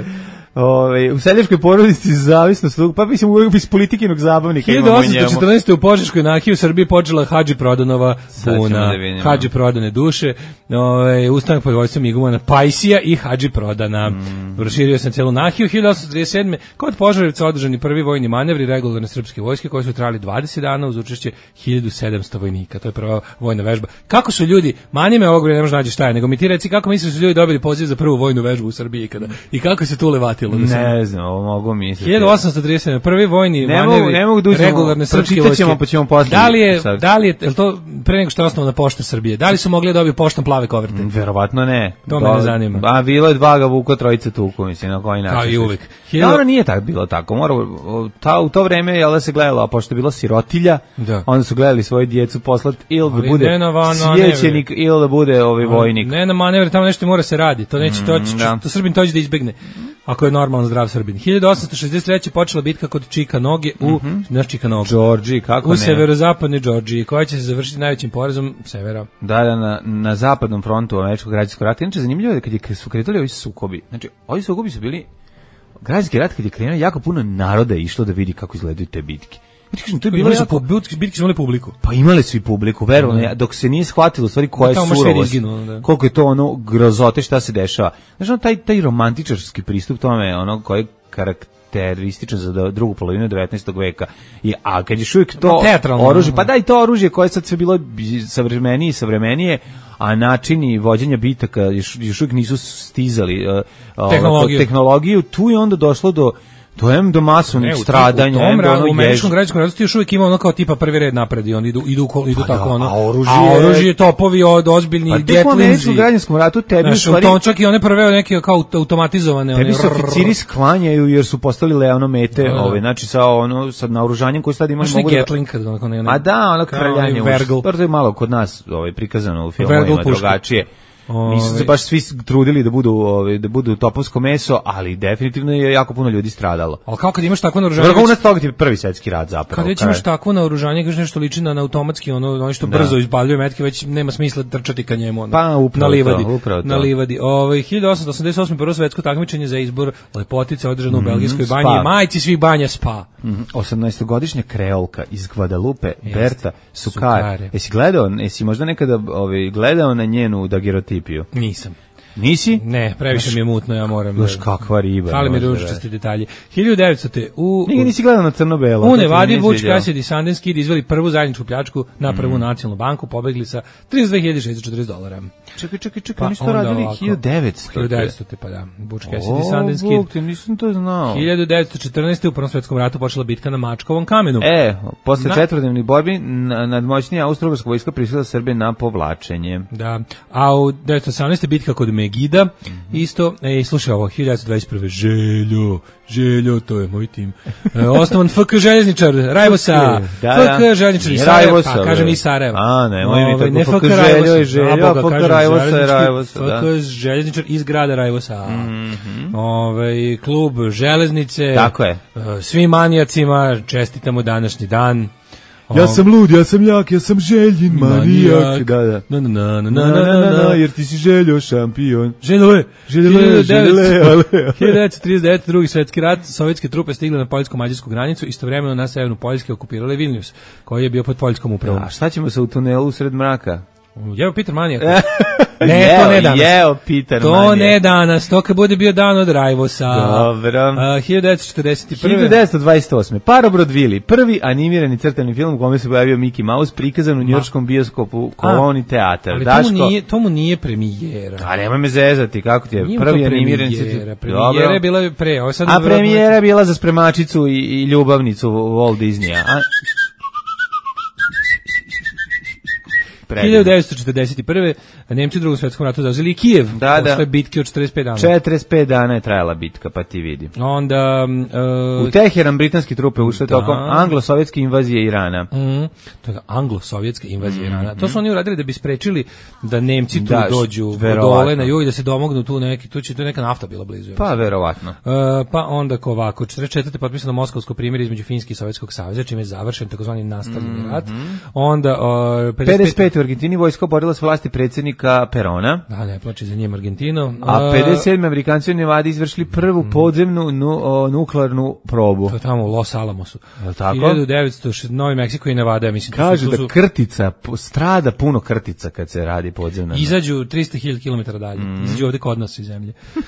Ove, u seljačkoj porodici zavisnost, pa mislim uvijek iz politikinog zabavnika hiljadu osamsto četrnaeste u Požeškoj nahiji u Srbiji počela Hadži Prodanova puna, da Hadži Prodane duše, ove, ustanak pod vojstvom Igumana Pajsija i Hadži Prodana. Mm. Proširio sam celu nahiju. hiljadu osamsto trideset sedme kod Požarevca održani prvi vojni manevri regularne srpske vojske koji su trajali dvadeset dana uz učešće hiljadu sedamsto vojnika. To je prva vojna vežba. Kako su ljudi, manime ovog ne možeš naći šta je, nego mi ti reci kako misliš da su ljudi dobili poziv za prvu vojnu vežbu u Srbiji kada i kako se tu levati pratilo. Da ne znam, ovo mogu misliti. hiljadu osamsto trideset sedam. Prvi vojni ne manevri mogu, ne mogu da uzmemo, regularne srpske vojske. ćemo, pa ćemo posle. Da li je, da li je, je to pre nego što je osnovana pošta Srbije, da li su mogli da dobiju poštom plave koverte? Verovatno ne. To me ne zanima. A bilo je dva ga vuko, trojice tuku, mislim, na koji način. Kao i uvek. Dobro, nije tako bilo tako. Mora, ta, u to vreme je da se gledalo, a pošto je bilo sirotilja, da. Onda su gledali svoje djecu poslat ili da bude van, sjećenik ili da bude ovaj vojnik. Ne na manevre, tamo nešto mora se radi. To neće, to, mm, da. to Srbin tođe da izbegne. Ako je normalno zdrav Srbin. hiljadu osamsto šezdeset treće počela bitka kod Čikanoge u, mm-hmm. naš Čikanoga. Georgiji, kako u ne? U severozapadnoj Georgiji, koja će se završiti najvećim porezom severa. Da, da, na, na zapadnom frontu američkog građanskog rata. Inače, zanimljivo je kad je, su kretali ovi sukobi. Znači, ovi sukobi su bili građanski rat kad je krenuo, jako puno naroda je išlo da vidi kako izgledaju te bitke. Kažem, to je bilo jako... Bitke, bitke su imali publiku. Pa imali su i publiku, verovno, mm. dok se nije shvatilo stvari koja je surovost, izginu, koliko je to ono grozote šta se dešava. Znači, ono, taj, taj romantičarski pristup tome, ono, koji je karakterističan za drugu polovinu devetnaestog veka. I, a kad je uvijek to oružje, pa da i to oružje koje sad sve bilo savremenije i savremenije, a načini vođenja bitaka još, još uvijek nisu stizali uh, tehnologiju. tehnologiju, tu je onda došlo do to je do masovnih stradanja, u tom radu, u američkom građanskom ratu ti još uvijek ima ono kao tipa prvi red napred i oni idu, idu, idu pa tako da, ono, a oružje, a oružje topovi od ozbiljni pa Gatlinzi. Pa u američkom građanskom ratu tebi znaš, u stvari... to čak i one prve neke kao automatizovane. Tebi one, se oficiri sklanjaju jer su postali leano mete, da, ove, znači sa, ono, sa naoružanjem koje sad imaju mogu da... Gatling, kad onako ne... A da, ono kraljanje, to je malo kod nas ovaj, prikazano u filmovima drugačije. Nisu se baš svi trudili da budu ovaj da budu topovsko meso, ali definitivno je jako puno ljudi stradalo. Al kako kad imaš takvo naoružanje? Vrhunac toga ti prvi svetski rat zapravo. Kad već imaš takvo naoružanje, kaže nešto liči na automatski, ono ono što da. brzo izbaljuje metke, već nema smisla trčati ka njemu ono. Pa upravo na livadi, to, upravo to. Na livadi. Ovaj hiljadu osamsto osamdeset osme prvo svetsko takmičenje za izbor lepotice održano u mm, belgijskoj banji, spa. Majci svih banja Spa. Mm, osamnaestogodišnja kreolka iz Guadalupe, Berta Sukare. Jesi gledao, jesi možda nekada ovaj gledao na njenu dagerotipiju? Nisam. Nisi? Ne, previše mi je mutno, ja moram. Baš kakva riba. Fali mi ružičasti detalji. hiljadu devetstite u Nikad nisi gledao na crno-belo. U Nevadi Vučić Cassidy i Sundance Kid izveli prvu zajedničku pljačku na prvu mm. nacionalnu banku, pobegli sa trideset dve hiljade šessto četrdeset dolara. Čekaj, čekaj, čekaj, pa nisu to radili hiljadu devetsto. hiljadu devetsto pa da. Vučić Cassidy i Sundance Kid. O, Bog, nisam to znao. hiljadu devetsto četrnaeste u Prvom svetskom ratu počela bitka na Mačkovom kamenu. E, posle na... četvrdnevnih borbi nadmoćnija austrougarska vojska prisila Srbije na povlačenje. Da. A u devetsto osamnaeste bitka kod Megida. Isto, ej, slušaj ovo, hiljadu devetsto dvadeset prve. Željo, Željo, to je moj tim. E, osnovan F K Željezničar, Rajvosa. Da, F K Željezničar iz Sarajeva, pa kažem i Sarajeva. A, ne, moj mi tako, ne F K Željo je Željo, a F K Rajvosa je Rajvosa. F K Željezničar iz grada Rajvosa. Mm-hmm. Ove, klub Železnice. Tako je. Svim manijacima čestitamo današnji dan. Ja sam lud, ja sam jak, ja sam Željin manijak. Da, da. Na, na, na, na, na, na, na, jer ti si Željo šampion. Željole, Željole, Željole. hiljadu devetsto trideset devete. drugi svetski rat, sovjetske trupe stigle na poljsko-mađarsku granicu, istovremeno na severnu Poljske okupirale Vilnius, koji je bio pod poljskom upravom. A šta ćemo se u tunelu usred mraka? Jeo Peter Manijak. Ne, jeo, to ne danas. Jeo Peter to Manijak. ne danas, to kad bude bio dan od Rajvosa. Dobro. Uh, hiljadu devetsto četrdeset prve. hiljadu devetsto dvadeset osme. Parobrodvili, Vili, prvi animirani crtani film u kome se pojavio Mickey Mouse, prikazan u njujorškom bioskopu Koloni teatar. Ali Daško, to mu nije, to mu nije premijera. A nemoj me zezati, kako ti je? Nije prvi animirani animirani premijera je bila pre. Ovo sad a premijera je bila za spremačicu i, i ljubavnicu Walt Disneya. A... hiljadu devetsto četrdeset prve. Nemci u Drugom svetskom ratu zauzeli Kijev. Da, posle da. bitke od četrdeset pet dana. četrdeset pet dana je trajala bitka, pa ti vidi. Onda... Uh, u Teheran britanski trupe ušle da. tokom anglo-sovjetske invazije Irana. Mm, to je anglo-sovjetska invazija mm, Irana. To su oni uradili da bi sprečili da Nemci tu da, dođu dole na jug i da se domognu tu neki, tu će tu neka nafta bila blizu. Pa, verovatno. Uh, pa onda ko ovako, četrdeset četvrte potpisano Moskovsko primirje između Finske i Sovjetskog saveza, čime je završen takozvani nastavljeni rat. Mm-hmm. Onda uh, pedeset pete u Argentini vojska borila s vlasti predsjednika Perona. Da, ne plači za njim Argentino. A pedeset sedme Amerikanci u Nevadi izvršili prvu podzemnu nu, o, nuklearnu probu. To je tamo u Los Alamosu. Je tako? hiljadu devetsto Novi Meksiko i Nevada, mislim. Kažu su, da krtica, strada puno krtica kad se radi podzemna. Izađu tristo hiljada kilometara dalje. Mm. Izađu ovde kod nas iz zemlje. Uh,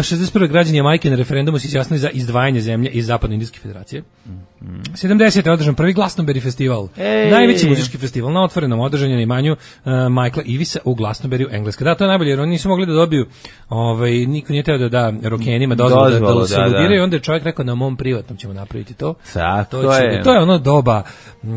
šezdeset prve građani Jamajke na referendumu se izjasnili za izdvajanje zemlje iz Zapadnoindijske federacije. Mm. sedamdesete je održan prvi Glastonbury festival. Ej. Najveći muzički festival na otvorenom, održan je na imanju uh, Michaela Ivisa u Glastonbury u Engleska. Da, to je najbolje, jer oni nisu mogli da dobiju, ovaj, niko nije teo da da rokenima dozvolu da, da se da, ludiraju, onda je čovjek rekao na mom privatnom ćemo napraviti to. Tako to, je. to je ono doba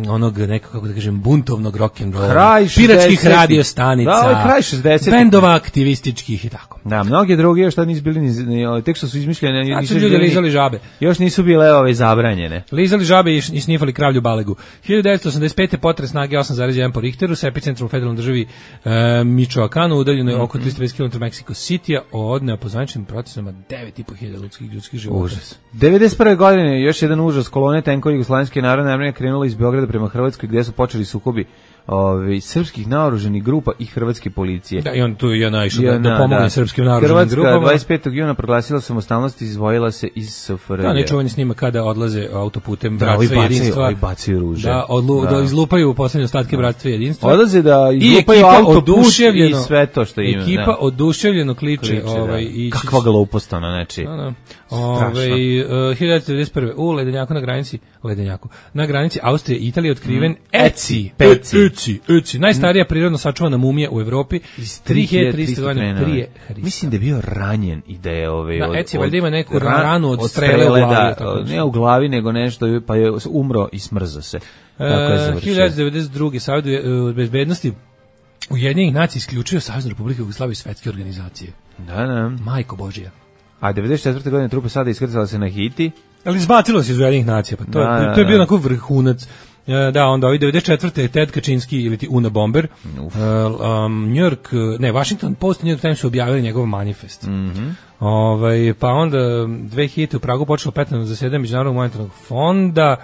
onog nekako, kako da kažem, buntovnog rock'n'rolla, kraj piratskih radio stanica, da, ovaj kraj šezdesetih bendova aktivističkih i tako. Da, mnogi drugi još tad nisu bili ni, ni tek što su izmišljene, nisu ljudi lizali žabe. Još nisu bile ove zabranjene. Lizali žabe i snifali kravlju balegu. hiljadu devetsto osamdeset pete potres snage osam zarez jedan po Richteru sa epicentrom u federalnoj državi e, Michoacanu, udaljeno je oko tristo pedeset kilometara Meksiko City-a, odneo po zvaničnim procesima devet i po hiljada ljudskih ljudskih života. Užas. devedeset prve godine još jedan užas, kolone tenkova Jugoslovenske narodne armije krenula iz Beograda prema Hrvatskoj, gdje su počeli sukobi Ovi, srpskih naoruženih grupa i hrvatske policije. Da, i on tu je naišao da, da pomogne da. srpskim naoruženim Hrvatska grupama. Hrvatska dvadeset petog juna proglasila samostalnost i izdvojila se iz S F R J. Da, nečuvani snima kada odlaze autoputem da, bratstva i jedinstva. Ovi bacaju ruže. Da, odlu, da. da izlupaju poslednje ostatke da. bratstva i jedinstva. Odlaze da izlupaju autoput i sve to što ima. Ekipa da. oduševljeno kliče. kliče ovaj, da. i kakva glupost ona, neči. Da, da. Ove, uh, hiljadu devetsto devedeset prve u Ledenjaku na granici, Ledenjaku, na granici Austrije i Italije otkriven mm. Eci, Peci. Eci, Eci, najstarija prirodno sačuvana mumija u Evropi iz tri hiljade trista godina prije Hrista. Mislim da je bio ranjen i da je ove da, od, Eci valjda ima neku ran, ranu od strele u glavi, da, tako ne u glavi nego nešto, pa je umro i smrzao se. Tako je završio. hiljadu devetsto devedeset druge Savet bezbednosti Ujedinjenih nacija isključio Saveznu Republiku Jugoslaviju iz svetske organizacije. Da, da. Majko Božija. A devedeset četvrte godine trupe sada iskrcala se na Haiti. Ali izbacilo se iz Ujedinjenih nacija, pa to, da, je, to je bio onako vrhunac. Da, onda ovaj devedeset četvrte Ted Kaczynski ili ti Una Bomber, uh, um, New York, ne, Washington Post i New York Times su objavili njegov manifest. Mm -hmm. Ovaj, pa onda dve hiljadite u Pragu počelo petnaesto zasedanje Međunarodnog monetarnog fonda.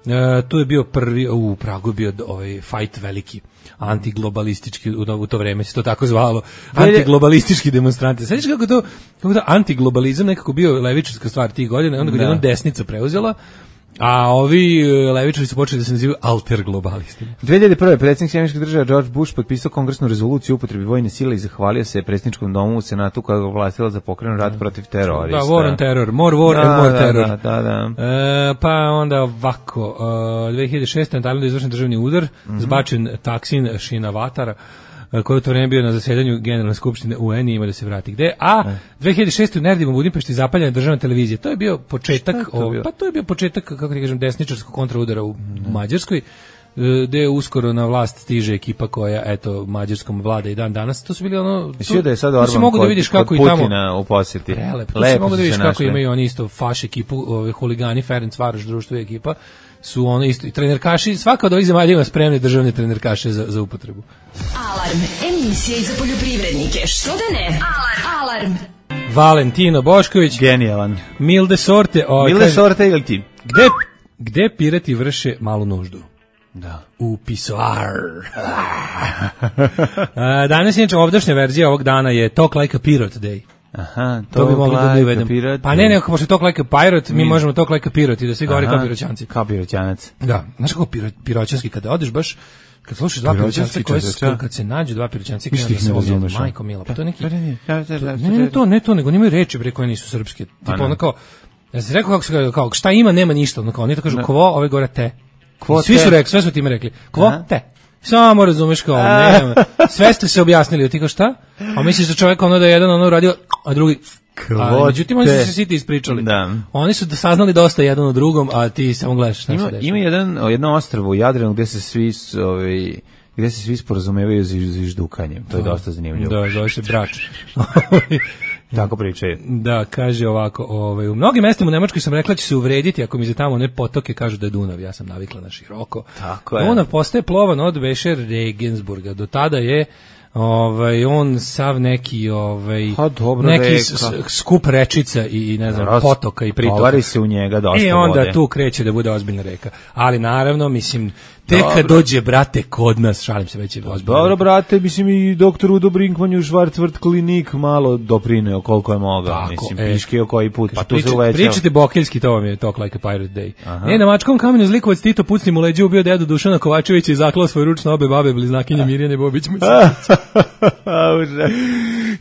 Uh, tu je bio prvi, u Pragu je bio ovaj fight veliki, antiglobalistički, u, u to vreme se to tako zvalo, antiglobalistički demonstranti. Sveći kako to, kako to antiglobalizam nekako bio levičarska stvar tih godina, onda kad jednom desnica preuzela, a ovi levičari su počeli da se nazivaju alterglobalisti. dve hiljade prve predsjednik Sjedinjenih Država George Bush potpisao kongresnu rezoluciju o upotrebi vojne sile i zahvalio se predsjedničkom domu u Senatu koja ga ovlastila za pokrenuti rat protiv terorista. Da, war on terror, more war da, and more da, terror. Da, da, da. E, pa onda ovako, uh, dve hiljade šeste. na Tajlandu je izvršen državni udar, mm-hmm. zbačen Taksin Shinawatra, koji je u to vreme bio na zasedanju Generalne skupštine U N i ima da se vrati gde. A dve hiljade šeste. u Nerdima u Budimpešti zapaljena državna televizija. To je bio početak, je to bio? O, pa to je bio početak, kako ti kažem, desničarskog kontraudara u mm. Mađarskoj, gde je uskoro na vlast stiže ekipa koja, eto, Mađarskom vlada i dan danas. To su bili ono... Mislio da je sad Orban mogu da vidiš kako kod i tamo, Putina u posjeti. Prelep. Tu se mogu da vidiš kako našli. Imaju oni isto faš ekipu, ove, huligani, Ferencvaroš društvo ekipa, su ono isto, i trenerkaši, svaka od ovih zemalja ima spremne državne trenerkaše za, za upotrebu. Alarm, emisija za poljoprivrednike, što da ne? Alarm, alarm. Valentino Bošković. Genijalan. Milde sorte. O, Milde kaže, sorte ili ti? Gde, gde pirati vrše malu nuždu? Da. U pisoar. Danas je ovdašnja verzija ovog dana je Talk Like a Pirate Day. Aha, to bi mogli da uvedemo. Pa ne, neko, pošto je Talk Like a Pirate, mi, mi možemo Talk Like a Pirate i da svi govori kao piroćanci. Kao piroćanac. Da, znaš kako piro, piroćanski, kada odeš baš, kad slušaš dva piroćanca, koje su, kad se nađu dva piroćanca, kada se razumeš, majko mila, pa to je neki, ne, ne to, ne to, nego nimaju reči, bre, koje nisu srpske. Tipo, ono kao, ja sam rekao kako se, kao, šta ima, nema ništa, ono kao, oni to kažu, kvo, ove gore te. Svi su rekli, sve su time rekli, kvo, te. Samo razumeš kao, nema. Sve ste se objasnili, ti kao šta? A misliš da čovjek ono da je jedan ono uradio, a drugi... A, međutim, oni su se svi ti ispričali. Da. Oni su saznali dosta jedan od drugom, a ti samo gledaš šta ima, se dešava. Ima jedan, jedno ostrvo u Jadranu gde se svi... Ovaj, gde se svi sporazumevaju za ždukanjem. To je dosta zanimljivo. Da, zove se brač. Tako pričaju. Da, kaže ovako, ovaj, u mnogim mestima u Nemačkoj sam rekla će se uvrediti ako mi za tamo ne potoke kažu da je Dunav. Ja sam navikla na široko. Tako je. Dunav postaje plovan od Vešer Regensburga. Do tada je ovaj on sav neki ovaj ha, dobro, neki s, skup rečica i ne znam Raz, potoka i pritoka. Tovari se u njega dosta vode. I onda vode. Tu kreće da bude ozbiljna reka. Ali naravno, mislim, tek kad dođe, brate, kod nas, šalim se, već je ozbiljna. Dobro, brate, mislim i doktor Udo Brinkman u Schwarzwald klinik malo doprineo koliko je mogao, mislim, e, piškio koji put, pa tu se uvećao. Pričate bokeljski, to vam je Talk Like a Pirate Day. Aha. Ne, na mačkom kamenu zlikovac Tito pucni mu leđe, ubio dedu Dušana Kovačevića i zaklao svoj ruč na obe babe bliznakinje Mirjane Bobić.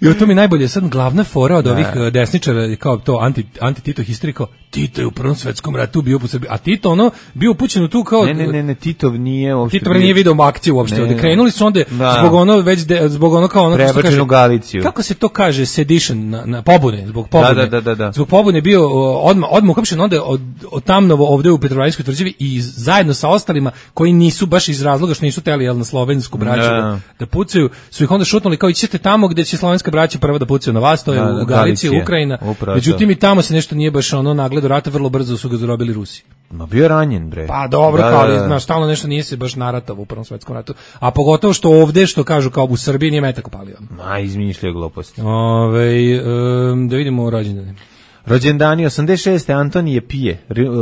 I o to mi najbolje, sad glavna fora od ovih desničara, kao to anti, anti-Tito histeriko, Tito je u Prvom svetskom ratu bio u Srbiji, a Tito ono bio upućen u tu kao Ne, ne, ne, ne, Titov nije uopšte. Tito nije video akciju uopšte. Ne, krenuli su onda da. zbog ono već de, zbog ono kao ono što kaže Galiciju. Kako se to kaže sedition na, na pobune, zbog pobune. Da, da, da, da. Zbog pobune bio odmah odmah uhapšen onda od, od Tamnovo ovde u Petrovaradinskoj tvrđavi i zajedno sa ostalima koji nisu baš iz razloga što nisu teli jel na slovensku braću da. da pucaju, su ih onda šutnuli kao ićete tamo gde će slovenska braća prva da pucaju na vas, to je da, u Galiciji, Ukrajina. Upravo Međutim i tamo se nešto nije baš ono nagledo rata, vrlo brzo su ga zarobili Rusi. Ma bio ranjen bre. Pa dobro, da, kao da, da. Znaš, stalno nešto nije se baš naratavo u Prvom svetskom ratu. A pogotovo što ovde, što kažu kao u Srbiji, nije metak upalio. Ma, izmišljaju gluposti. Ove, um, da vidimo rođendane. Rođendani osamdeset šeste Antonije Pije,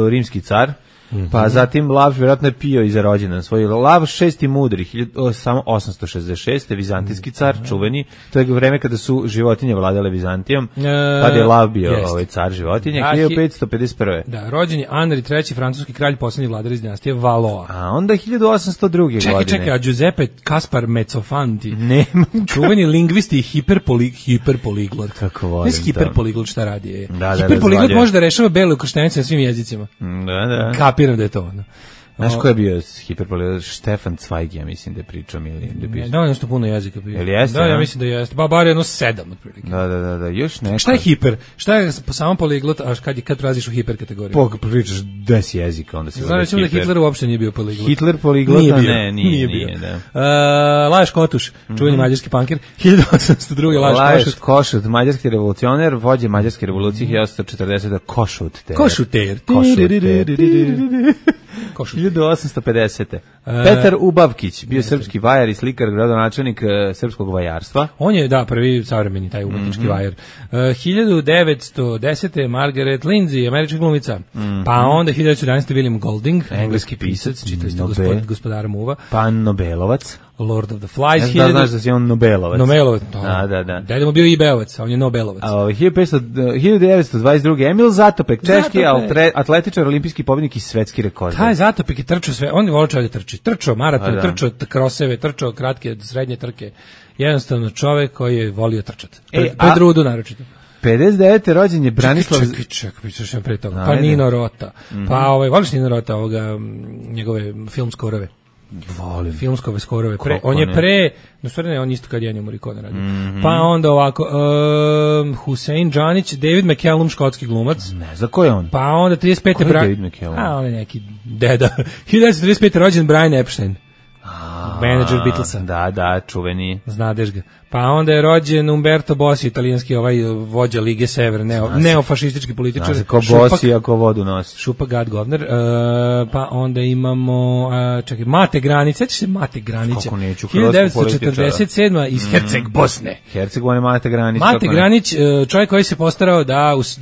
rimski car. Mm-hmm. Pa zatim Lav vjerojatno je pio i za rođendan svoj. Lav šesti mudri, samo osamsto šezdeset šeste vizantijski car, mm-hmm. čuveni. To je vreme kada su životinje vladale Vizantijom. E, Tada je Lav bio jest. ovaj car životinje, da, hiljadu petsto pedeset prve. Da, rođen je Anri treći, francuski kralj, posljednji vladar iz dinastije Valoa. A onda hiljadu osamsto druge čekaj, godine. Čekaj, čekaj, a Giuseppe Kaspar Mezzofanti. Nema. Čuveni lingvisti i hiperpoli, hiperpoliglot. Kako volim to. Hiperpoliglot šta radi je. Da, da, hiperpoliglot može da rešava bele ukrštenice na svim jezicima. Da, da. Kapiram da je to ono. Znaš ko je bio hiperpoliglot? Stefan Zweig, ja mislim da je pričao ili da je bio. Da, nešto puno jezika bio. Jel jeste? Da, ja mislim da jeste. Ba bar jedno sedam otprilike. Da, da, da, da, još neko. Šta je hiper? Šta je samo poliglot, a kad je kad prelaziš u hiper kategoriju? Po pričaš deset jezika, onda se znači da Hitler uopšte nije bio poliglot. Hitler poliglot nije bio. ne, nije, nije, nije, bio. da. Uh, Lajos Kotuš, čuveni mm-hmm. mađarski pankir, hiljadu osamsto druge Lajos Košut. Košut, mađarski revolucioner, vođe mađarske revolucije hiljadu osamsto četrdesete Košut. Košuter. Košut. hiljadu osamsto pedesete Petar Ubavkić, bio srpski vajar i slikar, gradonačelnik uh, srpskog vajarstva. On je, da, prvi savremeni taj umetnički mm-hmm. vajar. Uh, hiljadu devetsto desete Margaret Lindsay, američka glumica. Mm-hmm. Pa onda hiljadu devetsto jedanaeste William Golding, engleski pisac, čitali ste gospod, gospodara Muva. Pa Nobelovac. Lord of the Flies. Ja hiljadu... da znaš da si on Nobelovac. Nobelovac, to. Da, da, da. Dede mu bio i Beovac, a on je Nobelovac. A hiljadu devetsto dvadeset druge Emil Zatopek, češki Zatopek. atletičar, olimpijski pobednik i svetski rekord. Taj Zatopek je trčao sve, on je volio čovjek da trči. Trčao maraton, da. trčao kroseve, trčao kratke, srednje trke. Jednostavno čovjek koji je volio trčati. Pred, e, pred rudu naročito. pedeset devete rođen je Branislav. Čekaj, čekaj, čekaj, čekaj, pre toga. Pa Nino Rota. Mm-hmm. Pa ovaj, voliš Nino Rota, ovoga, njegove film skorove? Volim. Filmskove skorove. Pre, on je pre, no stvari ne, on isto kad je Morricone radio. Mm-hmm. Pa onda ovako, um, Hussein Džanić, David McCallum, škotski glumac. Ne, za ko je on? Pa onda trideset pete Ko je David McCallum? A, on je neki deda. hiljadu devetsto trideset pete rođen Brian Epstein. Menadžer Beatlesa. Da, da, čuveni. Znadeš ga. Pa onda je rođen Umberto Bossi, italijanski ovaj vođa Lige Sever, neo, neofašistički političar. Znaš ko Bossi ako vodu nosi. Šupak Gad Govner. Uh, pa onda imamo, uh, čekaj, Mate Granić, sećaš se Mate Granića? Kako neću, hiljadu devetsto četrdeset sedme iz mm. Herceg Bosne. Herceg, on je Mate Granić. Mate Granić, čovjek koji se postarao da, us,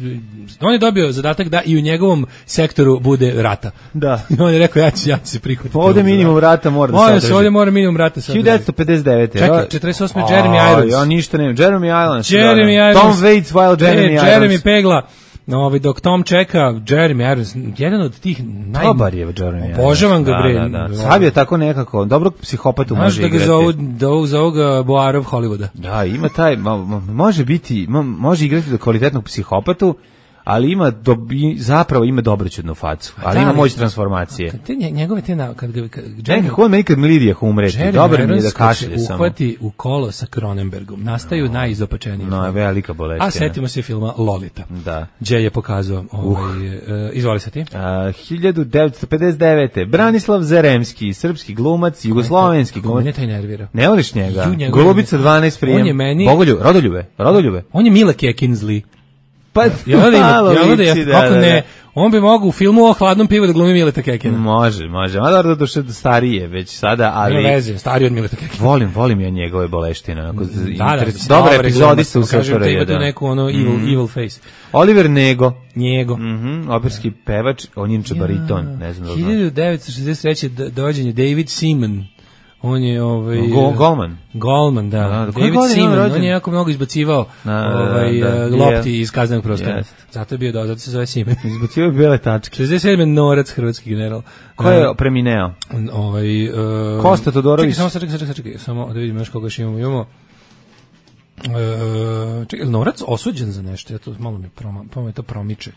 on je dobio zadatak da i u njegovom sektoru bude rata. Da. I on je rekao, ja ću, ja ću se prihvatiti. Ovde minimum rata mora da se održi. Ovde mora minimum rata se održi. hiljadu devetsto pedeset devete Čekaj, četrdeset osme Jeremy Irons. Ja ništa ne, Jeremy Irons. Jeremy Irons. Tom Waits while Jeremy Irons. Jeremy Pegla. Ovaj dok Tom čeka, Jeremy Irons, jedan od tih naj dobar je Jeremy Irons. Obožavam ga bre. Da, da, da. Sav je tako nekako, dobrog psihopatu može igrati. Znaš da ga zovu, zovu ga Boarov Hollywooda. Da, ima taj, može biti, može igrati do kvalitetnog psihopatu, ali ima dobi, zapravo ima dobroćudnu facu, ali da, ima moć transformacije. Kad te njegove te na kad ga nekako on meni kad Lidija umreti, dobro mi je da kašlje samo. Uhvati u kolo sa Cronenbergom, nastaju no. najizopačenije. No, je velika boleština. A setimo se filma Lolita. Da. Gdje je pokazao ovaj uh. uh, izvoli se ti. Uh, hiljadu devetsto pedeset devete Branislav Zaremski, srpski glumac, jugoslovenski glumac. Ne taj nervira. Ne voliš njega? Golubica dvanaest prijem. On je meni Bogoljub, Rodoljube, Rodoljube. On je Mila Kekinsley. Pa, ja da ima, ja da je, kako ne, on bi mogao u filmu o hladnom pivu da glumi Mileta Kekina. Može, može, a da došao do starije već sada, ali... Ne veze, stariji od Mileta Kekina. Volim, volim ja njegove boleštine, onako, da, da, dobre epizodi su u Srpšore. Kažem, ima tu neku ono evil, mm. evil face. Oliver Nego. Njego. Mm-hmm, operski pevač, on je bariton, ne znam da znam. hiljadu devetsto šezdeset treće dođenje David Seaman. On je ovaj Go, Golman. Golman, da. da, da David Seaman, on je jako mnogo izbacivao da, ovaj da, da, lopti yeah. iz kaznenog prostora. Yes. Zato je bio do, zato se zove Seaman. Izbacivao bele tačke. šezdeset sedme Norac, hrvatski general. Ko je premineo? Ovaj uh, Kosta Todorović. Čekaj, samo čekaj, čekaj, čekaj, samo da vidimo još koga još imamo. Imamo Uh, čekaj, Norac osuđen za nešto, ja to malo mi, proma, malo mi to promiče.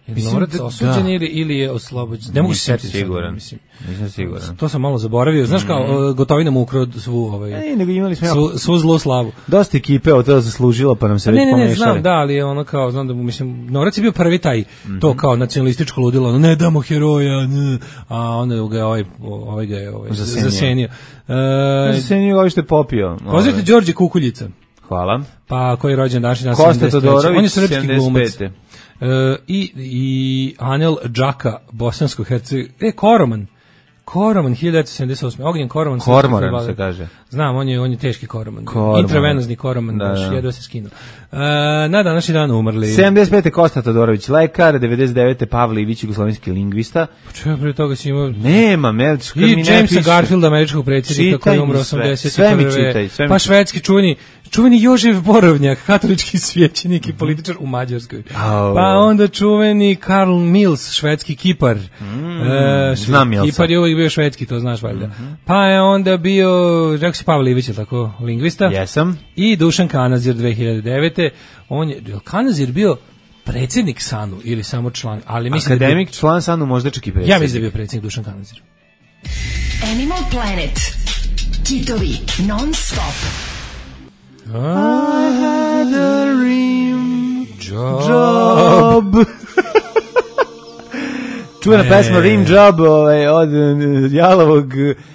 Je Mislim Norac da- osuđen da. ili, ili je oslobođen? Ne mogu se Nisam setiti sad, siguran. mislim. Nisam siguran. To sam malo zaboravio. Znaš kao, Gotovina mu ukrao svu, ovaj, E, nego imali smo svu, svu zlu slavu. dosta ekipe od toga zaslužilo, pa nam se već Ne, ne, ne, pomešali. znam, da, ali je ono kao, znam da mu, mislim, Norac je bio prvi taj, to kao nacionalističko ludilo, ono, ne damo heroja, ne, a onda ga je ovaj, ovaj ga je ovaj, Zasenio. zasenio. Znači E, se nije ovo što je popio. Pozdravite Đorđe Kukuljica, Hvala. pa koji je rođen današnji dan Kosta sedamdeset treće. Todorović, On je srpski glumac. sedamdeset pete. E, i, i Anel Džaka, bosansko-herceg, e, Koroman, Koroman, hiljadu devetsto sedamdeset osme. Ognjen Koroman. srpski Kormoran fudbaler. se kaže. Znam, on je, on je teški Koroman. Kormoran. Intravenozni Koroman, Da, baš, da. jedva se skinuo. E, na današnji dan umrli. sedamdeset pete. Kosta Todorović, lekar, devedeset devete. Pavle Ivić, jugoslovenski lingvista. Čeo, pre toga si imao... Nema, me, kad I mi ne Jamesa piše. Garfielda, američkog predsjednika, Čitaj koji je umro mi sve. osamdeset Sve mi prve. čitaj, sve mi Pa čitaj. švedski čuveni, čuveni Jožef Borovnjak, katolički svećenik i političar u Mađarskoj. Au. Pa onda čuveni Karl Mills, švedski kipar. E, znam Milsa. Kipar je uvijek bio švedski, to znaš valjda. Pa je onda bio, rekao si Pavle Ivić, je li tako, lingvista. Jesam. I Dušan Kanazir dve hiljade devete. On je, je li Kanazir bio predsjednik SANU ili samo član, ali mislim da je bio- Akademik, član Sanu, možda čak i predsjednik. ja mislim da je bio predsjednik Dušan Kanazir. Animal Planet. Kitovi non stop. Job. Čuvena Ne. pesma Rim Job ovaj, od eh, Jalovog,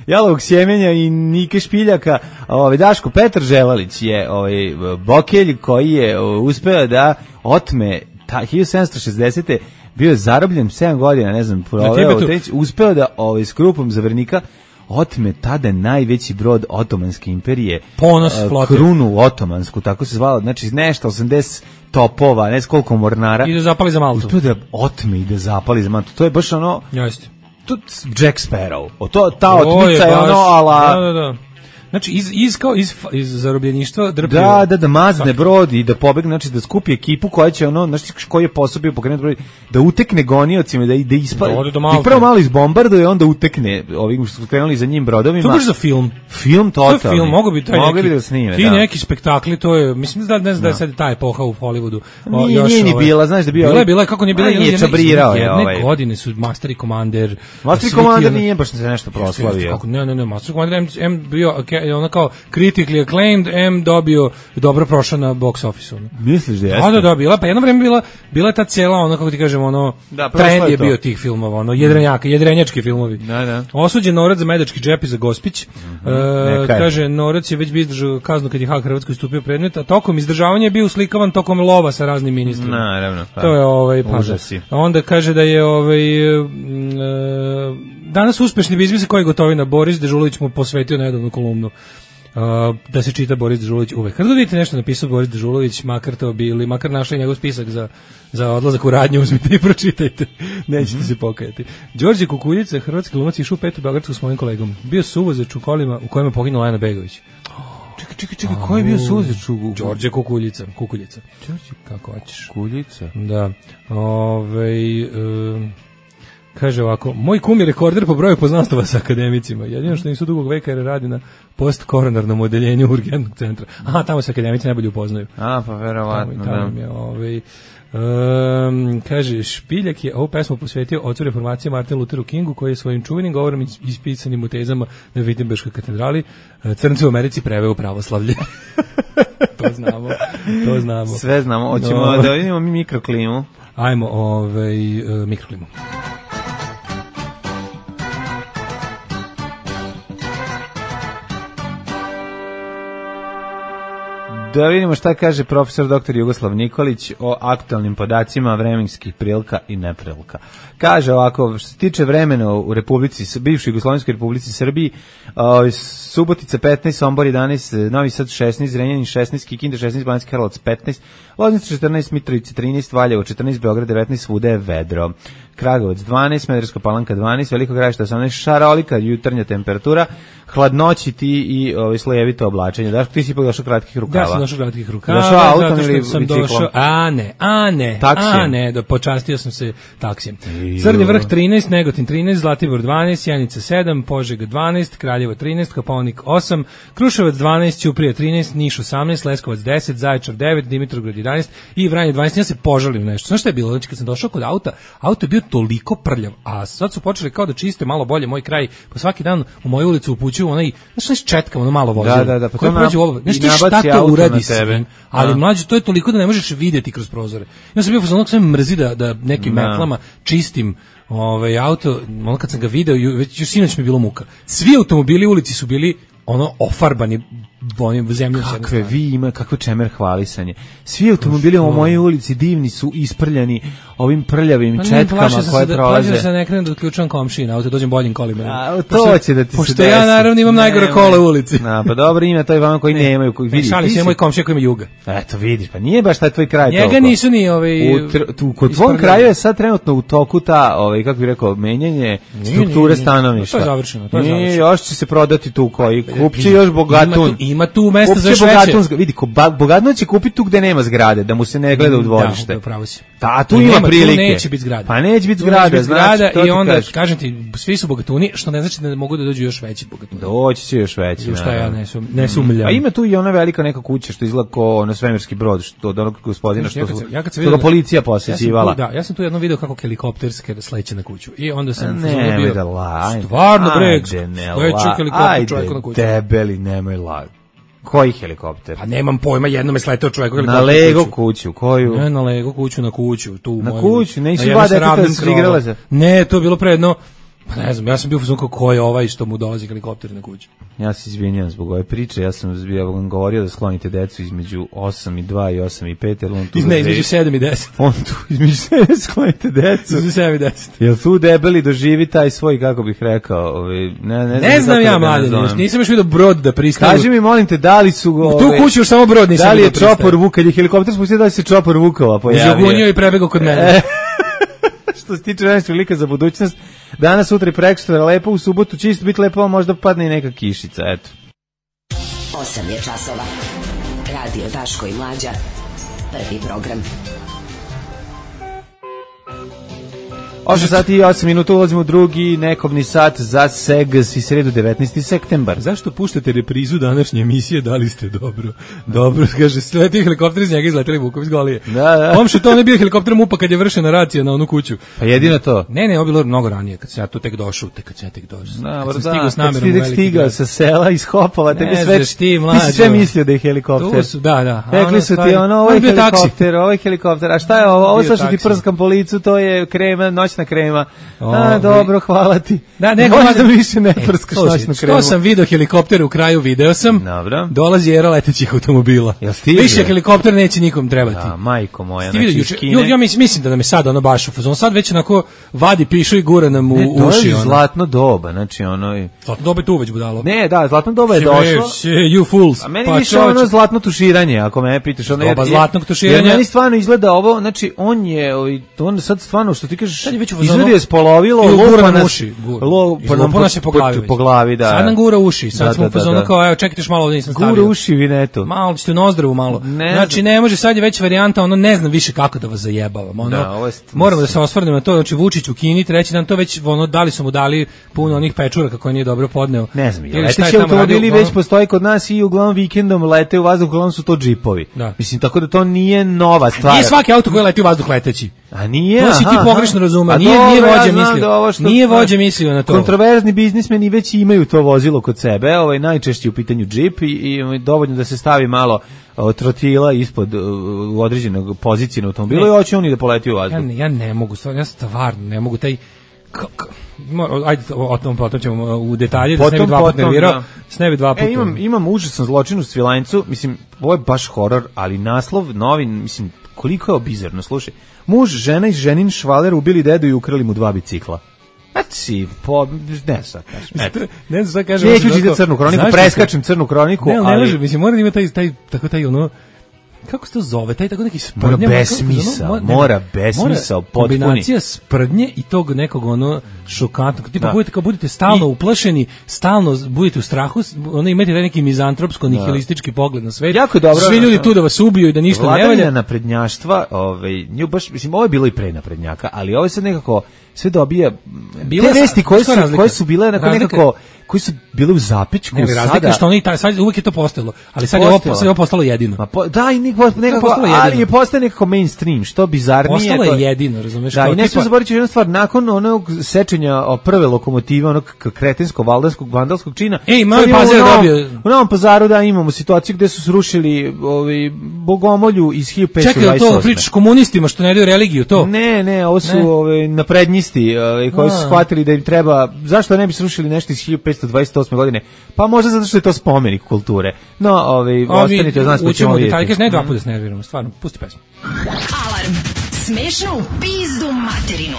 Jalovog sjemenja i Nike Špiljaka. Ovaj, Daško Petar Želalić je ovaj, bokelj koji je o, uspeo da otme ta, hiljadu sedamsto šezdesete. bio je zarobljen sedam godina, ne znam, proveo, Tibetu. Teć, uspeo da ovaj, s grupom zavernika otme tada najveći brod Otomanske imperije. Ponos eh, flote. Krunu Otomansku, tako se zvala, znači nešto, osamdeset topova, ne znam koliko mornara. I da zapali za Maltu. Uspeo da otme i da zapali za Maltu. To je baš ono, Jeste. to Jack Sparrow. O to, ta To otmica je baš- ono, ala... Da, da, da. Znači, iz, iz, kao, iz, iz zarobljeništva drpio. Da, da, da mazne brod i da pobegne, znači da skupi ekipu koja će ono, znači koji je posao pokrenuti brod, da utekne goniocima, da da ispali. Da ode do Da Malte. ih prvo malo izbombarduje, onda utekne ovim što su krenuli za njim brodovima. To je baš za film. Film To je totalni. film, mogu bi taj Mogli neki, bi da snime, ti da. neki spektakli, to je, mislim da ne znam da je sad ta epoha u Hollywoodu. o, Nije, još nije ni ovaj- bila, znaš da je bio Bila je, ovaj- bila je, kako nije bila, A, nije, jedne- čabrirao je jedne ovaj. godine su Master i Commander. Master svi ti Commander ono- nije baš se nešto proslavio. Kako, ne, ne, ne, Master Commander M, M bio, okay, ono kao critically acclaimed, M dobio dobro prošao na box office-u. ono. Misliš da jeste? Da, da, da, bila, pa jedno vreme bila, bila je ta cijela, ono, kako ti kažem, ono, Da, prošlo trend je je to. bio tih filmova, ono, jedrenjaka, jedrenjački filmovi. Da, da. Osuđen Norac za medački džep i za Gospić. E, Neka je. kaže, Norac je već bio izdržao kaznu kad je Hag Hrvatskoj stupio predmet, a tokom izdržavanja je bio uslikavan tokom lova sa raznim ministrima. Naravno. Pa. To je ovaj pa. Užasi. A onda kaže da je ovaj mm, e, danas uspešni biznis koji je Gotovina Boris Dežulović mu posvetio nedavnu kolumnu. Uh, da se čita Boris Dežulović uvek. Kad god vidite nešto napisao Boris Dežulović, makar to bili, makar našli njegov spisak za, za odlazak u radnju, uzmite i pročitajte. Nećete se pokajati. Đorđe Kukuljica, hrvatski glumac, išao u petu Beogradsku s mojim kolegom. Bio suvozač u kolima u kojem je poginula Lena Begović. Čekaj, čekaj, čekaj, ko je bio suzeč u... Đorđe Kukuljica, Kukuljica. Kako hoćeš? Kuljica? Da. Ovaj um, kaže ovako, moj kum je rekorder po broju poznanstava sa akademicima. Jedino što nisu dugog veka jer radi na postkoronarnom odeljenju urgentnog centra. Aha, tamo se akademici najbolje upoznaju. A, pa Tamo, verovatno, tamo da. im je, ovaj, um, kaže, Špiljak je ovu pesmu posvetio ocu reformacije Martinu Lutheru Kingu, koji je svojim čuvenim govorom is- ispisanim u tezama na Wittenberškoj katedrali eh, crnce u Americi preveo pravoslavlje. To znamo, to znamo. Sve znamo, hoćemo No. da vidimo mi mikroklimu. Ajmo, ovaj, uh, mikroklimu. Da vidimo šta kaže profesor doktor Jugoslav Nikolić o aktualnim podacima vremenskih prilika i neprilika. Kaže ovako, što se tiče vremena u Republici, bivšoj Jugoslovenskoj Republici Srbiji, o, Subotica petnaest, Sombor jedanaest, Novi Sad šesnaest, Zrenjanin šesnaest, Kikinda šesnaest, Banjski Karlovac petnaest, Loznica četrnaest, Mitrovica trinaest, Valjevo četrnaest, Beograd devetnaest, svuda je vedro. Kragujevac dvanaest, Smederevska Palanka dvanaest, Veliko Gradište osamnaest, šarolika jutarnja temperatura, hladnoći ti i ovaj slojevito oblačenje. Daško, ti si ipak došao kratkih rukava. Ja sam došao kratkih rukava. Došao autom zato što ili sam biciklom? došao, a ne, a ne, Taksijem? a ne, do, počastio sam se taksijem. Crni vrh trinaest, Negotin trinaest, Zlatibor dvanaest, Sjenica sedam, Požega dvanaest, Kraljevo trinaest, Kopaonik osam, Kruševac dvanaest, Ćuprija trinaest, Niš osamnaest, Leskovac deset, Zaječar devet, Dimitrovgrad jedanaest i Vranje dvanaest. Ja se požalim nešto. Znaš šta je bilo? Znači kad sam došao kod auta, auto je bio toliko prljav, a sad su počeli kao da čiste malo bolje moj kraj, pa svaki dan u moju ulicu upućuju onaj, znaš četkam, ono malo vozilo. Da, da, da, pa koje to prođe na- ovo. Znaš i ti šta nabaci to auto uradi na s tebe. njim? Ali A. mlađe, to je toliko da ne možeš vidjeti kroz prozore. Ja sam bio fazon, sve mrzi da, da nekim Da. metlama čistim ovaj auto, ono kad sam ga video, ju- već još sinoć mi je bilo muka. Svi automobili u ulici su bili ono ofarbani onim zemljom. s jedne Kakve strane. vi ima, kakve čemer hvalisanje. Svi automobili u mojoj ulici divni su isprljani ovim prljavim Pa ne, četkama plašio sam koje se da, plašio prolaze. sam se da ne krenem da otključam komšiji na auto, dođem boljim kolima. A, to Pošto- će da ti se Pošto desi. ja naravno imam najgore Nemoj. kola u ulici. Na, pa dobro, ima to i vama koji nemaju. Koji, Ne, vidi, šalim ti se, si- moj komšija koji ima juga. Eto, vidiš, pa nije baš taj tvoj kraj Njega toliko. nisu ni ovaj... U tr- tu, kod tvom isprljali. kraju je sad trenutno u toku ta, ovaj, kako bih rekao, menjanje Nije, strukture nije, nije. stanovništva. To je završeno, to je Nije, završeno. još će se prodati tu koji, kupće još bogatun. Ima tu, ima tu mesta za Kupće još veće. bogatun, vidi, ko, ba, bogatun će kupiti tu gde nema zgrade, da mu se ne gleda u dvorište. Da, upravo si. Da, tu I ima nema, prilike. Tu neće biti zgrada. Pa neće biti Tu neće zgrada, biti znači, zgrada to ti i onda, kažem. kažem ti, svi su bogatuni, što ne znači da ne mogu da dođu još veći bogatuni. Doći će još veći. U šta ja naravno. ne, sum, ne sumljam. A ima tu i ona velika neka kuća što izgleda kao ono svemirski brod, što od onog gospodina Znaš, ja što, kad sam- ja kad sam što vidio ga da- policija Ja sam, posjećivala. tu, da, ja sam tu jedno video kako helikopterske sleće na kuću. I onda sam Ne, fazonu nemoj bio, da la. Stvarno bre, Ajde, ne sleće la. helikopter čoveku na kuću. Ajde, debeli, nemoj la. Koji helikopter? Pa nemam pojma, jednom je sletao čovjek Na helikopter Lego kuću. kuću, koju? Ne, na Lego kuću, na kuću, tu u Na mojoj- kuću, nisu na jednom dva deteta sravnim da su krovom. igrala se? Ne, to je bilo pre jedno, pa ne znam, ja sam bio u fazonu ko je ovaj što mu dolazi helikopter na kuću. Ja se izvinjam zbog ove priče, ja sam ja vam govorio da sklonite decu između osam i dva i osam i pet, jer on tu... Iz ne, između sedam i deset. On tu između sebe sklonite decu. Između sedam i deset. Jel tu debeli doživi taj svoj, kako bih rekao, ovaj, ne, ne, Ne znam kako ja, da ga mladen, nazovem. još nisam još vidio brod da pristanu. Kaži mi, molim te, da li su... U tu ovaj, kuću još samo brod nisam da li je vidio pristaje. čopor Vuk, kad je helikopter spustio, da li se čopor Vukova pojavio? Žugunio i prebegao kod mene. E, što se tiče vremenskog lika za budućnost, danas, sutra i prekosutra lepo, u subotu će isto biti lepo, a možda padne i neka kišica, eto. osam je časova. Radio Daško i Mlađa. Prvi program. osam sati i osam minuta, ulazimo u drugi nekobni sat za Segas i sredu devetnaesti septembar. Zašto puštate reprizu današnje emisije, da li ste dobro? Dobro, kaže, sleti helikopter iz njega izleteli Vuković Golije. Da, da. Omše, to ne bio helikopter MUPA kad je vršena racija na onu kuću. Pa jedino to. Ne, ne, ovo je bilo mnogo ranije, kad sam ja tu tek došao, tek kad sam ja tek došao. Da, kad sam da, stigao s kad namerom si u tek veliki stigao grad. sa sela iz Hopova, tebi Ne sve, znaš ti, ti mlađo. si sve mislio da je helikopter. Tu su, da, da. a Rekli ono su ti stvari- ono, On ovo je bio taksi. helikopter, ovo je helikopter, a šta je ovo? Ovo Bio sad što ti taksi. prskam po licu, to je krema, noćna krema. A, Ovi- dobro, hvala ti. Da, ne, možda hvala- više ne E, prskaš slušaj, noćnu kremu. Što sam video helikopter u kraju, video sam. Dobro. Dolazi era letećih automobila. Jel stiže? Više helikopter neće nikom trebati. Da, majko moja, Ti vidio znači juče, iz Kine. ju- ja mislim, mislim da nam je sad ono baš u fazonu, sad već onako vadi pišu i gura nam u Ne, to uši. je ono. zlatno doba, znači ono... i- Zlatno dobe tu već budalo. Ne, da, zlatno doba je došlo. Se, you fools. A meni Pa više čoveče, ono zlatno tuširanje, ako me pitaš. Ono, Doba jer- zlatnog tuširanja. Jer meni stvarno izgleda ovo, znači on je, ovaj, on sad stvarno, što ti kažeš, Sad je već u fazonu- izgleda je spolovilo, i gura lupa nam nas, uši. Gura. lo, I pa nam lupa nas je po glavi. po glavi, da. Sad nam gura uši. Sad Da, smo da, u fazonu da, da. kao, evo, čekajte još malo, ovdje nisam stavio. Gura uši vinetu. Malo ćete u nozdrevu malo. Ne znači znam. ne može, sad je već varijanta, ono ne znam više kako da vas zajebavam. Ono, Da, ovo je st- moramo da se osvrnemo na to, znači Vučić u Kini, treći dan to već ono dali su mu dali puno onih pečuraka koje nije dobro podneo. Ne znam, Ili šta je leteći tamo automobili radio, već ono- postoji kod nas i uglavnom vikendom lete u vazduh, uglavnom su to džipovi. Da. Mislim, tako da to nije nova stvar. Nije svaki auto koji leti u vazduh leteći. A nije, To si ti aha, pogrešno aha. razumeo. A Nije- dobro, nije ja vođa znam mislio. da ovo što- Nije vođa mislio na to. Kontroverzni biznismeni već imaju to vozilo kod sebe, ovaj najčešće u pitanju džip i, i dovoljno da se stavi malo o, trotila ispod o, u određenog pozicije na automobilu Ne. i hoće oni da poleti u Ja vazduh. ne, ja ne mogu, stvarno, ja stvarno ne mogu taj k- k- mo- ajde o, o tom potom ćemo u detalje da se ne bi Potom, dva puta potom, nervirao, da. da se ne bi dva puta. E, imam, imam užasan zločin u Svilajncu, mislim, ovo je baš horor, ali naslov novin, mislim, koliko je bizarno, slušaj. Muž, žena i ženin švaler ubili dedu i ukrali mu dva bicikla. Znači, po, ne sad kažem. Eto. Ne znam šta kažem. Neću onako, čitati crnu kroniku, zašto preskačem crnu kroniku, se- Ne, ali ne ali... može, mislim, mora da ima taj, taj, tako taj, ono, kako se to zove, taj tako neki sprdnja. Mora besmisao, mora besmisao, potpuni. Kombinacija sprdnje i tog nekog ono šokantnog, tipa da. budete kao budete stalno I, uplašeni, stalno budete u strahu, ono imate taj neki mizantropsko nihilistički pogled na svet. Jako dobro. Svi ljudi tu da vas ubiju i da ništa ne valja. Vladavina naprednjaštva, ovaj, nju baš, mislim, ovo je bilo i pre naprednjaka, ali ovo je sad nekako sve dobija bila te vesti koje su, koje su bile nekako, nekako koji su bili u zapećku ne, sada. Razlika što oni, sad uvijek je to postojalo, ali sad je ovo, sad je ovo postalo jedino. Ma po, da, i nekako, nekako ali je postao nekako mainstream, što bizarnije. Postalo je jedino, razumeš? Da, i ne smijemo zaboraviti jednu stvar, nakon onog sečenja o prve lokomotive, onog kretenskog, valdanskog, vandalskog čina, ej, mali Pazar dobio. U Novom Pazaru, da, imamo situaciju gde su srušili ovaj, Bogomolju iz hiljadu petsto dvadeset osme. Čekaj, to pričaš komunistima što ne daju religiju, to? Ne, ne, ovo su ovaj, naprednjisti ovaj, koji su shvatili da im treba, zašto ne bi srušili nešto iz hiljadu petsto dvadeset osme godine? Pa možda zato što je to spomenik kulture. No, ovaj, ostanite, znaš pa ćemo vidjeti. Kažeš, ne dva puta se nerviramo, stvarno, pusti pesmu. Alarm, smešno u pizdu materinu.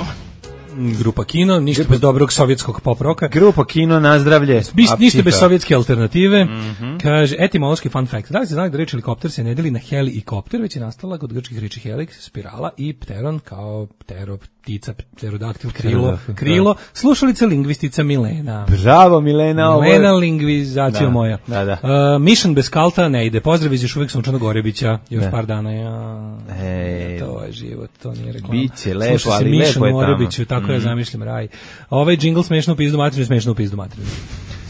Grupa Kino, ništa bez dobrog sovjetskog pop roka. Grupa Kino, nazdravlje. Ništa bez sovjetske alternative. Mm-hmm. Kaže, etimološki fun fact. Da li ste znali da reč helikopter se ne deli na heli i kopter, već je nastala kod grčkih reči helix, spirala i pteron kao ptero, ptica, pterodaktil, krilo, krilo. Slušalica lingvistica Milena. Bravo Milena. Milena ovo je... lingvizacija da, moja. Da, da. Uh, Mission bez kalta ne ide. Pozdrav iz još uvijek Sunčanog Gorebića. Još ne. par dana. Ja, Ej, to je život, to nije reklama. Biće lepo, ali lepo je tamo. Tako mm. ja zamišljam raj. Ovaj džingl smešno u pizdu materinu, smešno u pizdu materinu.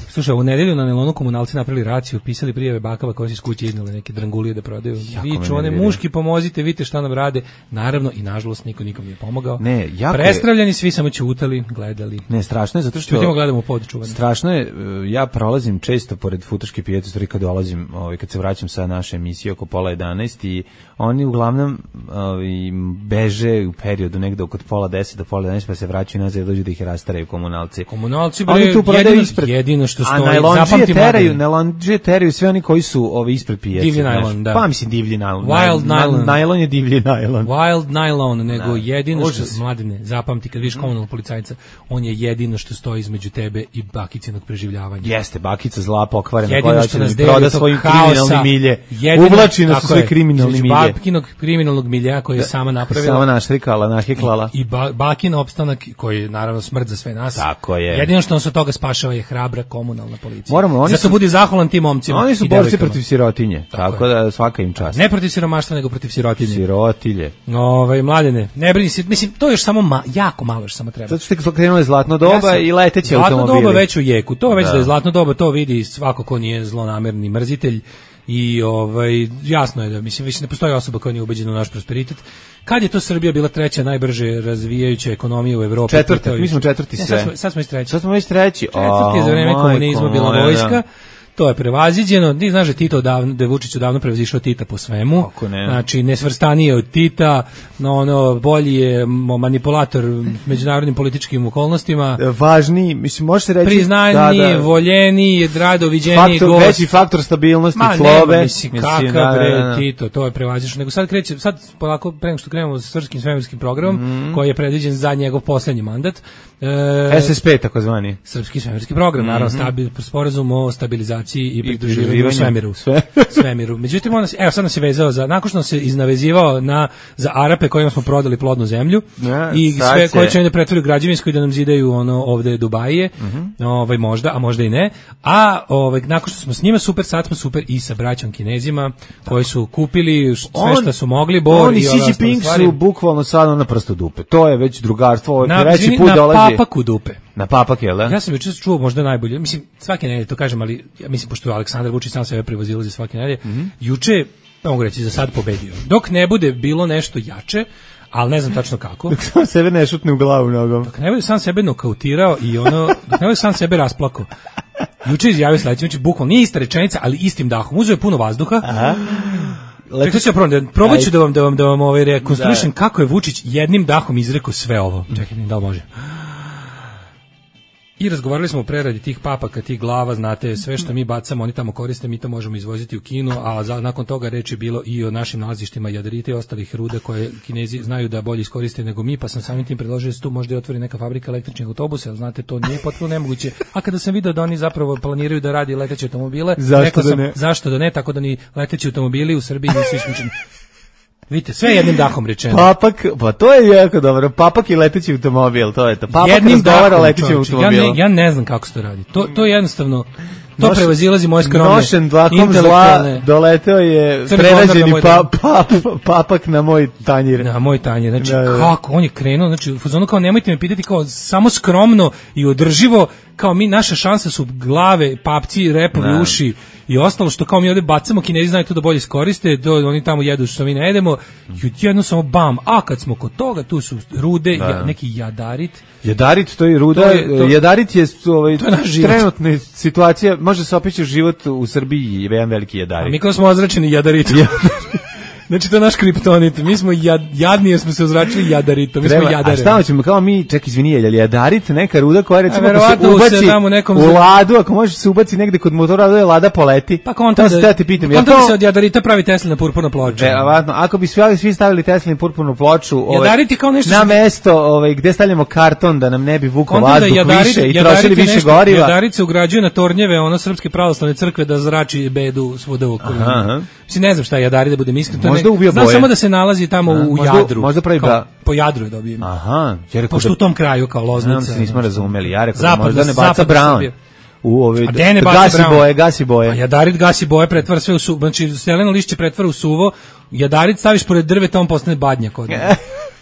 Slušaj, u nedelju na Nelonu komunalci napravili raciju, pisali prijave bakava koji su iz kuće iznali neke drangulije da prodaju. Viču, one muški pomozite, vidite šta nam rade. Naravno i nažalost nikom nikom nije pomogao. Ne, jako Prestravljani je... svi samo ćutali, gledali. Ne, strašno je zato što Ćutimo, gledamo u pod čuvanje. Strašno je, ja prolazim često pored Futoške pijace, stvari kad dolazim, ovaj kad se vraćam sa naše emisije oko pola jedanaest i oni uglavnom ovaj beže u periodu negde oko pola deset do pola jedanaest pa se vraćaju nazad i dođu da ih rastaraju komunalci. Komunalci bre, jedino, ispred... jedino što stoji, zapamti teraju, najlonđije teraju sve oni koji su ovi ispred pijace. Divlji najlon, da. Pa mislim divlji najlon. Wild najlon. Najlon je divlji najlon. Wild najlon, nego da. jedino što, mladine, zapamti kad vidiš komunalnog policajca, on je jedino što stoji između tebe i bakicinog preživljavanja. Jeste, bakica zla pokvarena jedino koja što nas da proda svojim kriminalnim milje. Uvlači nas u sve kriminalni milje. Bakinog kriminalnog milja koji je sama napravila. Sama naštrikala, naheklala. I, i ba, bakin opstanak koji je naravno smrt za sve nas. Tako je. Jedino što nas od toga spašava je hrabra komunalna policija. Moramo, oni zato su, budi zahvalan tim momcima. Oni su borci protiv sirotinje, tako, tako da svaka im čast. Ne protiv siromaštva, nego protiv sirotinje. Sirotilje. Ovaj mladene, ne brini se, mislim to još samo ma, jako malo još samo treba. Zato što je krenulo zlatno doba ja i leteće automobili. Zlatno doba već u jeku. To već da. da je zlatno doba, to vidi svako ko nije zlonamerni mrzitelj. I ovaj jasno je da mislim više ne postoji osoba koja nije ubeđena u naš prosperitet. Kad je to Srbija bila treća najbrže razvijajuća ekonomija u Evropi? Četvrta, mi smo četvrti sve. Sad smo, sad smo i treći. Sad smo već treći. Četvrti je za vreme komunizma bila vojska. To je prevaziđeno. Ti znaš da Tito davno, da je Vučić odavno prevazišao Tita po svemu. Ne. Znači nesvrstanije od Tita, no ono bolji je manipulator međunarodnim političkim okolnostima. Važniji, mislim može se reći priznaniji, da, da. voljeniji, radoviđeniji gost. Veći faktor stabilnosti Ma, slove. Ma mislim, kakav da, bre da, da. Tito, to je prevazišao. Nego sad kreće, sad polako pre nego što krenemo sa srpskim svemirskim programom mm. koji je predviđen za njegov poslednji mandat. E, S S P takozvani. Srpski svemirski program, mm-hmm. naravno stabil, sporazum o stabilizaciji i pridruživanju u svemiru. Sve. svemiru. Međutim, on, evo sad nas je vezao za, nakon što nas je iznavezivao na, za Arape kojima smo prodali plodnu zemlju ja, i sve koje će da pretvori u građevinsku i da nam zidaju ono ovde Dubajije, mm-hmm. ovaj, možda, a možda i ne. A ovaj, nakon što smo s njima super, sad smo super i sa braćom Kinezima koji su kupili sve on, što su mogli, bor oni i ove Xi Jinping su bukvalno sad na prstu dupe. To je već drugarstvo, ovo je treći put na dolazi. Papaku dupe. Na papak, jel da? Ja sam juče čuo možda najbolje, mislim, svake nedelje to kažem, ali ja mislim, pošto je Aleksandar Vučić sam sebe prevozilazi svake nedelje, mm-hmm. juče, pa mogu reći, za sad pobedio. Dok ne bude bilo nešto jače, ali ne znam tačno kako. Dok sam sebe ne šutne u glavu nogom. Dok ne bude sam sebe nokautirao i ono, dok ne bude sam sebe rasplako. Juče izjavio sledeće, znači, bukvalno nije ista rečenica, ali istim dahom. Uzeo je puno vazduha. Aha. Čekaj, ću probam, probat ću da vam, da vam, da vam ovaj rekonstruišem da. kako je Vučić jednim dahom izrekao sve ovo. Čekaj, da li može? I razgovarali smo o preradi tih papaka, tih glava, znate, sve što mi bacamo, oni tamo koriste, mi to možemo izvoziti u Kinu, a za, nakon toga reč je bilo i o našim nalazištima jadarita i ostalih ruda koje Kinezi znaju da bolje iskoriste nego mi, pa sam samim tim predložio da se tu možda i otvori neka fabrika električnih autobusa, ali znate, to nije potpuno nemoguće. A kada sam video da oni zapravo planiraju da radi leteće automobile, zašto rekao da sam, ne? zašto da ne, tako da ni leteći automobili u Srbiji nisu isključeni. Vidite, sve jednim dahom rečeno. Papak, pa to je jako dobro. Papak i leteći automobil, to je to. Papak Jednim razgovara dahom, letećim automobilom. Ja ne, ja ne znam kako se to radi. To, to je jednostavno, to Noš, prevazilazi moje skromne nošen dlakom zla, intelektualne... doleteo je Crni prerađeni gondar pa, na pa, pa, papak na moj tanjir. Na moj tanjir, znači Da, da. kako, on je krenuo, znači u fazonu kao nemojte me pitati, kao samo skromno i održivo, kao mi, naša šansa su glave, papci, repovi, Da. uši i ostalo što kao mi ovde bacamo, Kinezi znaju to da bolje iskoriste, do, oni tamo jedu što mi ne jedemo, i jedno samo bam, a kad smo kod toga, tu su rude, ja, neki jadarit. Jadarit, to je ruda, To je- to- jadarit je, ovaj, To je naš život. trenutna situacija, može se opići život u Srbiji je jedan veliki A jadarit. mi kao smo ozračeni jadaritom. Znači to je naš kriptonit. Mi smo jad, jadni jer smo se ozračili jadaritom. Mi Treba, smo jadare. a šta hoćemo, kao mi, ček, izvini, je li jadarit neka ruda koja recimo A, ako se verovatno se ubaci tamo nekom u za- ladu, ako može se ubaci negde kod motora, da je lada poleti. Pa kontam to da, se te ja te pitam. pa jel kontam da to- se od jadarita pravi Teslina purpurna ploča. Verovatno, ako bi svi, svi stavili Teslinu purpurnu ploču ovaj, Jadarit je kao nešto na što- mesto ovaj, gde stavljamo karton da nam ne bi vukao Kontam da vazduh jadarit- više i jadarit trošili je više nešto- goriva. Jadarit se ugrađuje na tornjeve ono Srpske pravoslavne crkve da zrači bedu svuda u okolini. Aha, aha. Mislim, ne znam šta je jadarit, da budem iskren. to je Možda ne- ubija Znam boje. samo da se nalazi tamo A, u možda- Jadru. možda pravi Kao, ba- po Jadru je dobio. Aha, ja rekao Pošto da- u tom kraju kao Loznica. Znam se, nismo znaš. razumeli. Ja rekao da Zapadna- možda ne baca zapadna Brown. Srbija. U ove, A gde ne da baca gasi Brown? boje, gasi boje. A jadarit gasi boje, pretvara sve u suvo. Znači, steleno lišće pretvara u suvo. Jadarit staviš pored drveta, on postane badnjak od njega.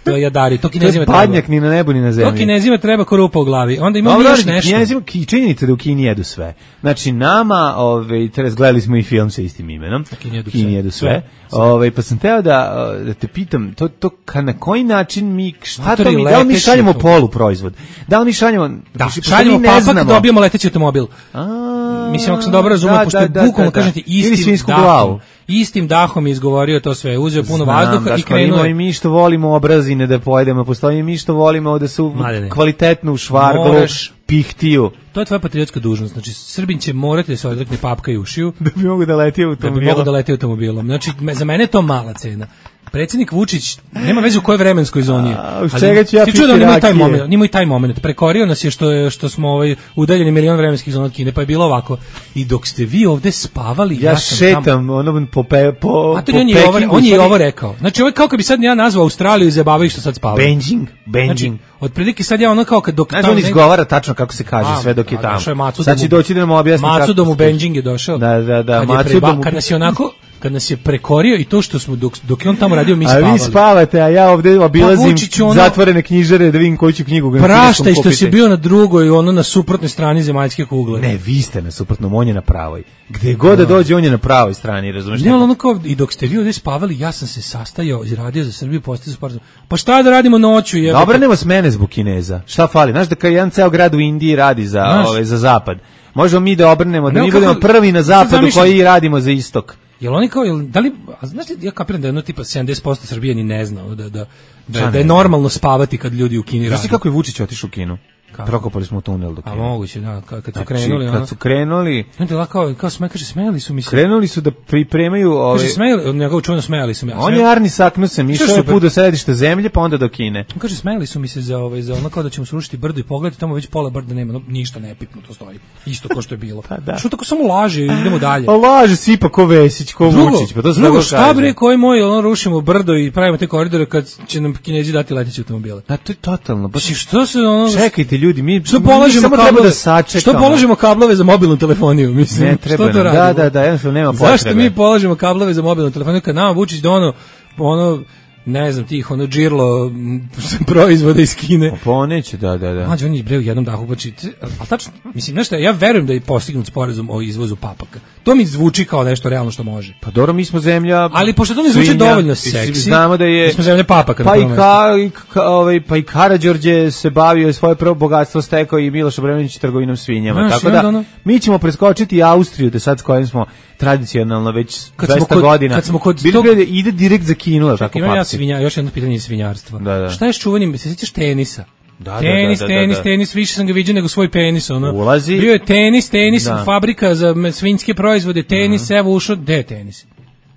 To je jadarit. To To je Kinezima treba. badnjak ni na nebu ni na To zemlji. Kinezima treba ko rupa u glavi. Onda imamo Dobro, još ali nešto. Kinezima, ki- činjenica da u Kini jedu sve. Znači, nama, ove, teraz gledali smo i film sa istim imenom. Kini jedu Kini sve. jedu sve. Sve, sve. Ove, pa sam teo da, da te pitam, to, to ka, na koji način mi, šta to Matori, mi, da li mi leteći šaljemo automobil. poluproizvod? Da li mi šaljemo, Da, pošto šaljemo mi ne papak, znamo. dobijemo leteći automobil. A, Mislim, ako sam dobro razumio, da, pošto da, je da, bukvalno, da, da. kažem ti, Ili istim svinjsku dahom, glavu. istim dahom je izgovorio to sve, uzeo puno Znam, vazduha i Daško, krenuo imamo je. i mi što volimo obrazine da pojedemo, postoji i mi što volimo da su Mladene. kvalitetno u švarglu, Moraš- pihtiju. To je tvoja patriotska dužnost. Znači, Srbin će morati da se odrekne papka i ušiju, Da bi mogu da leti da bi automobilom. mogao da leti automobilom. Znači, me- za mene je to mala cena. Predsjednik Vučić nema veze u kojoj vremenskoj zoni je. A, uz Ali čega ću ja si čuo da on piti ima i taj rakije? moment, on ima i taj moment. Prekorio nas je što je što smo ovaj udaljeni milion vremenskih zona od Kine, pa je bilo ovako. I dok ste vi ovde spavali, ja, Ja sam šetam, tamo. ono po pe, po, A to po on je i ovo, Pekingu, on je i stvari- ovo rekao. Znači, ovo je kao kad bi sad ja nazvao Australiju i zabavaju što sad spavaju. Benjing, Benjing. Znači, otprilike sad ja ono kao kad dok Znaš, tamo on ne- izgovara tačno kako se kaže A, sve dok je a, tamo. došao je Macu Sad da će mu- doći da nam objasni kako Macu da mu se- Benjing je došao. Da, da, da, Kad, je Macu preba, da mu- kad nas je onako, kad nas je prekorio i to što smo, dok, dok je on tamo radio, mi A spavali. vi spavate, a ja ovde obilazim Pa Vučiću, ono- zatvorene knjižare da vidim koju ću knjigu na kineskom Praštaj što kupiti. si bio na drugoj, ono na suprotnoj strani zemaljske kugle. Ne, vi ste na suprotnom, on je na pravoj. Gde god da dođe, on je na pravoj strani, razumeš? Ne, ali ono kao, i dok ste vi ovdje spavali, ja sam se sastajao i radio za Srbiju, postao sporazum. Pa šta da radimo noću? Jebate? Dobro, nema smene zbog Kineza. Šta fali? Znaš da kao jedan ceo grad u Indiji radi za, Znaš. ove, za zapad. Možemo mi da obrnemo, da Ne, mi kako- budemo prvi na sad zapadu zamišljam- koji radimo za istok. Jel oni kao, jel, da li, a znaš li, ja kapiram da je jedno tipa sedamdeset posto Srbije ni ne znao da, da, da, Šta da je ne zna? normalno spavati kad ljudi u Kini Znaš rade. ti kako je Vučić otišao u Kinu? Kako? Prokopali smo tunel do A Kine. moguće, da, kad, kad su Znači, krenuli, ono. kad su krenuli, Onda je kao, kao sme, kaže, smejali su mi se. krenuli su da pripremaju ove... Kaže, smejali, njegovu čuveno smejali su mi. On je Arni Saknusen, išao je super. put do središta zemlje, pa onda do Kine. On kaže, smejali su mi se za, ovaj, za ono kao da ćemo srušiti brdo i pogledati, tamo već pola brda nema, no, ništa nepipnuto stoji. Isto ko što je bilo. Pa da. Što tako samo laže i idemo dalje. Pa laže sipa ko Vesić, ko Drugo, Vučić, pa to se drugo tako šta kaže. bre, koji moj, ono, rušimo brdo i pravimo te koridore kad će nam Kinezi dati leteće automobile. Da, to je totalno. Baš... Znači, što se ono... Čekajte ljudi, mi, Što mi polažemo samo treba kablove, da sačekamo. što polažemo kablove za mobilnu telefoniju, mislim. Ne treba što to nam, da, radimo? da, da, jednostavno nema potrebe. Zašto mi polažemo kablove za mobilnu telefoniju kad nama Vučić da ono, ono, ne znam, tih, ono, džirlo m, proizvoda iz Kine. Pa on neće, da, da, da. Mađo, on je bre u jednom dahu, znači, ali tačno, mislim, nešto, ja verujem da je postignut sporazum o izvozu papaka. To mi zvuči kao nešto realno što može. Pa dobro, mi smo zemlja. Ali pošto to ne zvuči svinja, dovoljno i seksi, Znamo da je mi smo zemlja papaka. na Pa i prvom ka, i ka, ovaj pa i Karađorđe se bavio i svoje prvo bogatstvo stekao i Miloš Obrenović trgovinom svinjama. Znaš, Tako i da onda ono- mi ćemo preskočiti i Austriju, da sad s kojim smo tradicionalno već Kad smo dvesta kod- godina. kad smo kod Bili tog- bi da ide direkt za Kinu, al tako Imam ja papci. svinja, još jedno pitanje iz svinjarstva. Da, da. Šta je s čuvanjem, se sjećaš tenisa? Da, tenis, da, da, tenis, da, da. tenis, više sam ga viđao nego svoj penis, ono. Ulazi. Bio je tenis, tenis, Da. fabrika za svinjske proizvode, tenis, mm. evo ušao, gde je tenis?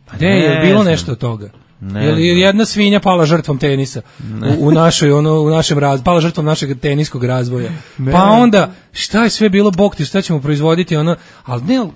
Pa gde je, bilo znam. nešto od toga? Ne Jer znam. jedna svinja pala žrtvom tenisa u, u našoj ono u našem raz, pala žrtvom našeg teniskog razvoja. Ne. Pa onda šta je sve bilo, bog ti, šta ćemo proizvoditi, ono, al ne.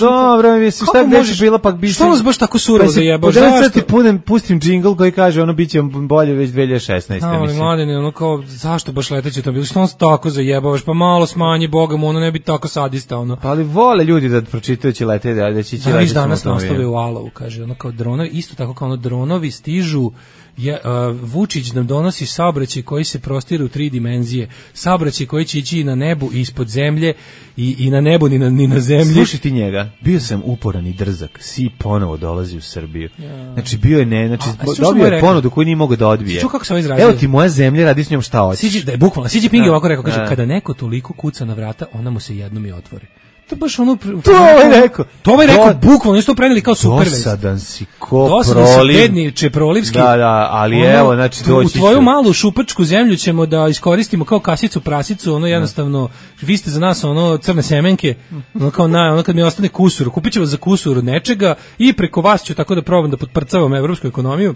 Dobro, mislim, šta bi već bilo, pa bi... Što nas baš tako surovo zajebao? Zašto? Ti punem, pustim džingl koji kaže, ono, bit će bolje već dve hiljade šesnaeste. No, ali mladine, ono kao, zašto baš leteće to bilo? Što on se tako zajebavaš? Pa malo smanji, Boga mu, ono ne bi tako sadista, ono. Pa ali vole ljudi da pročitajući lete, da će ići da, leteti. Danas naslove u Alovu, kaže, ono kao dronovi, isto tako kao ono dronovi stižu, je, uh, Vučić nam donosi saobraćaj koji se prostire u tri dimenzije, saobraćaj koji će ići i na nebu i ispod zemlje i, i na nebu ni na, ni na zemlji. Slušaj ti njega, bio sam uporan i drzak, si ponovo dolazi u Srbiju. Ja. Znači bio je ne, znači a, a dobio je ponudu koju nije mogao da odbije. Ču kako se ovo izrazio? Evo ti moja zemlja, radi s njom šta hoćeš. Siđi, da je bukvalno, Siđi Pingi ovako rekao, kaže, kada neko toliko kuca na vrata, ona mu se jednom i otvori. To baš ono... To je rekao. To je rekao, bukvalno, isto preneli kao super vest. Dosadan si ko Dosadan proliv. si bedni Čeprolivski. Da, da, ali ono, evo, znači doći u tvoju malu šupačku zemlju ćemo da iskoristimo kao kasicu, prasicu, ono jednostavno, vi ste za nas ono crne semenke, ono kao na, ono kad mi ostane kusur, kupit ću vas za kusur od nečega i preko vas ću tako da probam da potprcavam evropsku ekonomiju,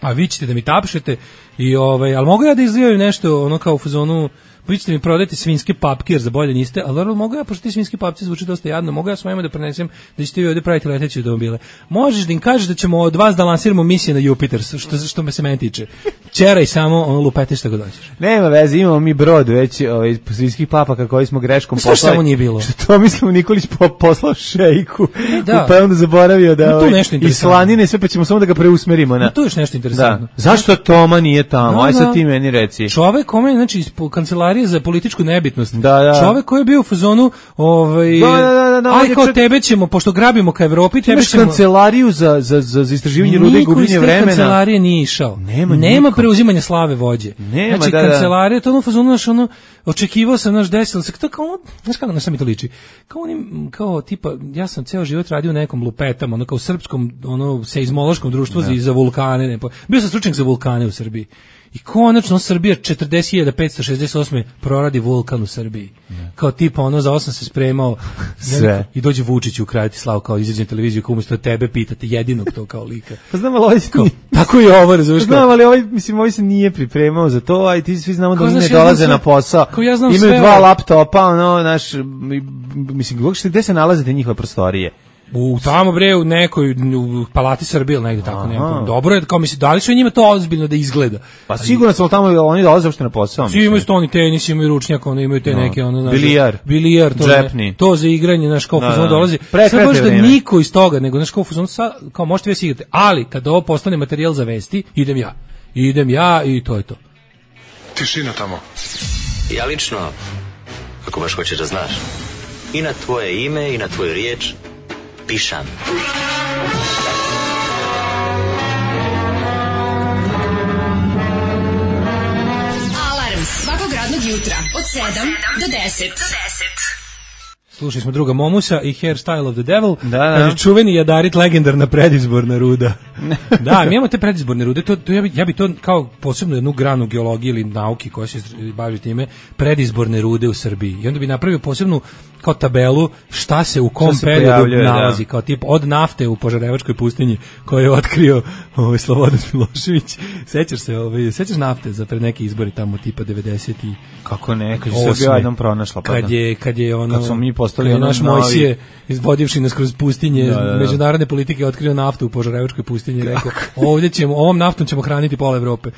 a vi ćete da mi tapšete i ovaj, ali mogu ja da izlijaju nešto ono kao u fazonu, vi ćete mi prodati svinjske papke jer za bolje niste, ali dobro, mogu ja, pošto ti svinjski papci zvuči dosta jadno, mogu ja svojima da prenesem da ćete vi ovdje praviti leteće automobile. Možeš da im kažeš da ćemo od vas da lansiramo misije na Jupiter, što, što me se meni tiče. Čeraj samo, ono, lupete što god hoćeš. Nema veze, imamo mi brod već ovaj, svinjskih papaka koji smo greškom poslali. Što samo nije bilo? Što to mislim Nikolić po, poslao šejku, e, da. pa je onda zaboravio da ovaj, i slanine sve, pa ćemo samo da ga preusmerimo. Na. No, to je još nešto interesantno. Da. Zašto Toma nije tamo? No, aj sad ti meni reci. Čovek kome, znači, iz kancelarije za političku nebitnost. Da, da. Čovek koji je bio u fazonu, ovaj, da, da, da, da, aj kao čak... tebe ćemo, pošto grabimo ka Evropi, tebe ćemo... kancelariju za, za, za istraživanje rude i gubljenje vremena. Niko iz te kancelarije nije išao. Nema, Nema preuzimanja slave vođe. Nema, znači, da, da. kancelarija, to ono fazonu, naš, ono, očekivao sam, naš, desilo se, to kao ono, znaš kako na sam mi to liči, kao onim, kao, tipa, ja sam ceo život radio u nekom lupetama, ono, kao srpskom, ono, seizmološkom društvu za, za vulkane, ne, bio sam stručnjak za vulkane u Srbiji. I konačno Srbija četrdeset hiljada petsto šezdeset osam proradi vulkan u Srbiji. Ne. Kao tipa ono za osam se spremao sve. I dođe Vučić u kraju Slav kao izađe na televiziju kao umesto tebe pitate jedinog to kao lika. Pa znam ali ovaj kao, tako je ovo, razumiješ? Pa znam ali ovaj, mislim, ovaj se nije pripremao za to, a i ti svi znamo da oni ne ja dolaze sve, na posao. Ja imaju sve, dva laptopa, ono, naš, mislim, gde se nalaze te njihove prostorije? U tamo bre u nekoj u Palati Srbije ili negde tako nema. Dobro je, kao misli, da li su njima to ozbiljno da izgleda? Pa sigurno su tamo oni dolaze uopšte na posao. Svi imaju stoni tenis, imaju ručnjak, oni imaju te no. neke ono znači bilijar, bilijar to, ne, to za igranje naš kao fuzon dolazi. Sve baš da niko iz toga, nego naš kao fuzon sa kao možete vi se igrate, ali kad ovo postane materijal za vesti, idem ja. Idem ja i to je to. Tišina tamo. Ja lično, ako baš hoćeš da znaš, i na tvoje ime i na tvoju riječ pišam. Alarm svakog radnog jutra od sedam do deset. Slušali smo druga Momusa i Hairstyle of the Devil. Da, da. Kaže, čuveni Jadarit, legendarna predizborna ruda. Da, mi imamo te predizborne rude, to, to ja, bi, ja bi to kao posebno jednu granu geologije ili nauki koja se bavi time, predizborne rude u Srbiji. I onda bi napravio posebnu kao tabelu šta se u kom se periodu nalazi, da. Kao tip od nafte u Požarevačkoj pustinji koju je otkrio ovaj Slobodan Milošević. Sećaš se, ovaj, sećaš nafte za pred neki izbori tamo tipa devedeset i kako ne, kad je Srbija jednom pronašla pa. Kad je kad je ono kad smo mi postali ono naš Mojsije izvodivši nas kroz pustinje da, da, da. međunarodne politike otkrio naftu u Požarevačkoj pustinji, rekao ovdje ćemo ovom naftom ćemo hraniti pola Evrope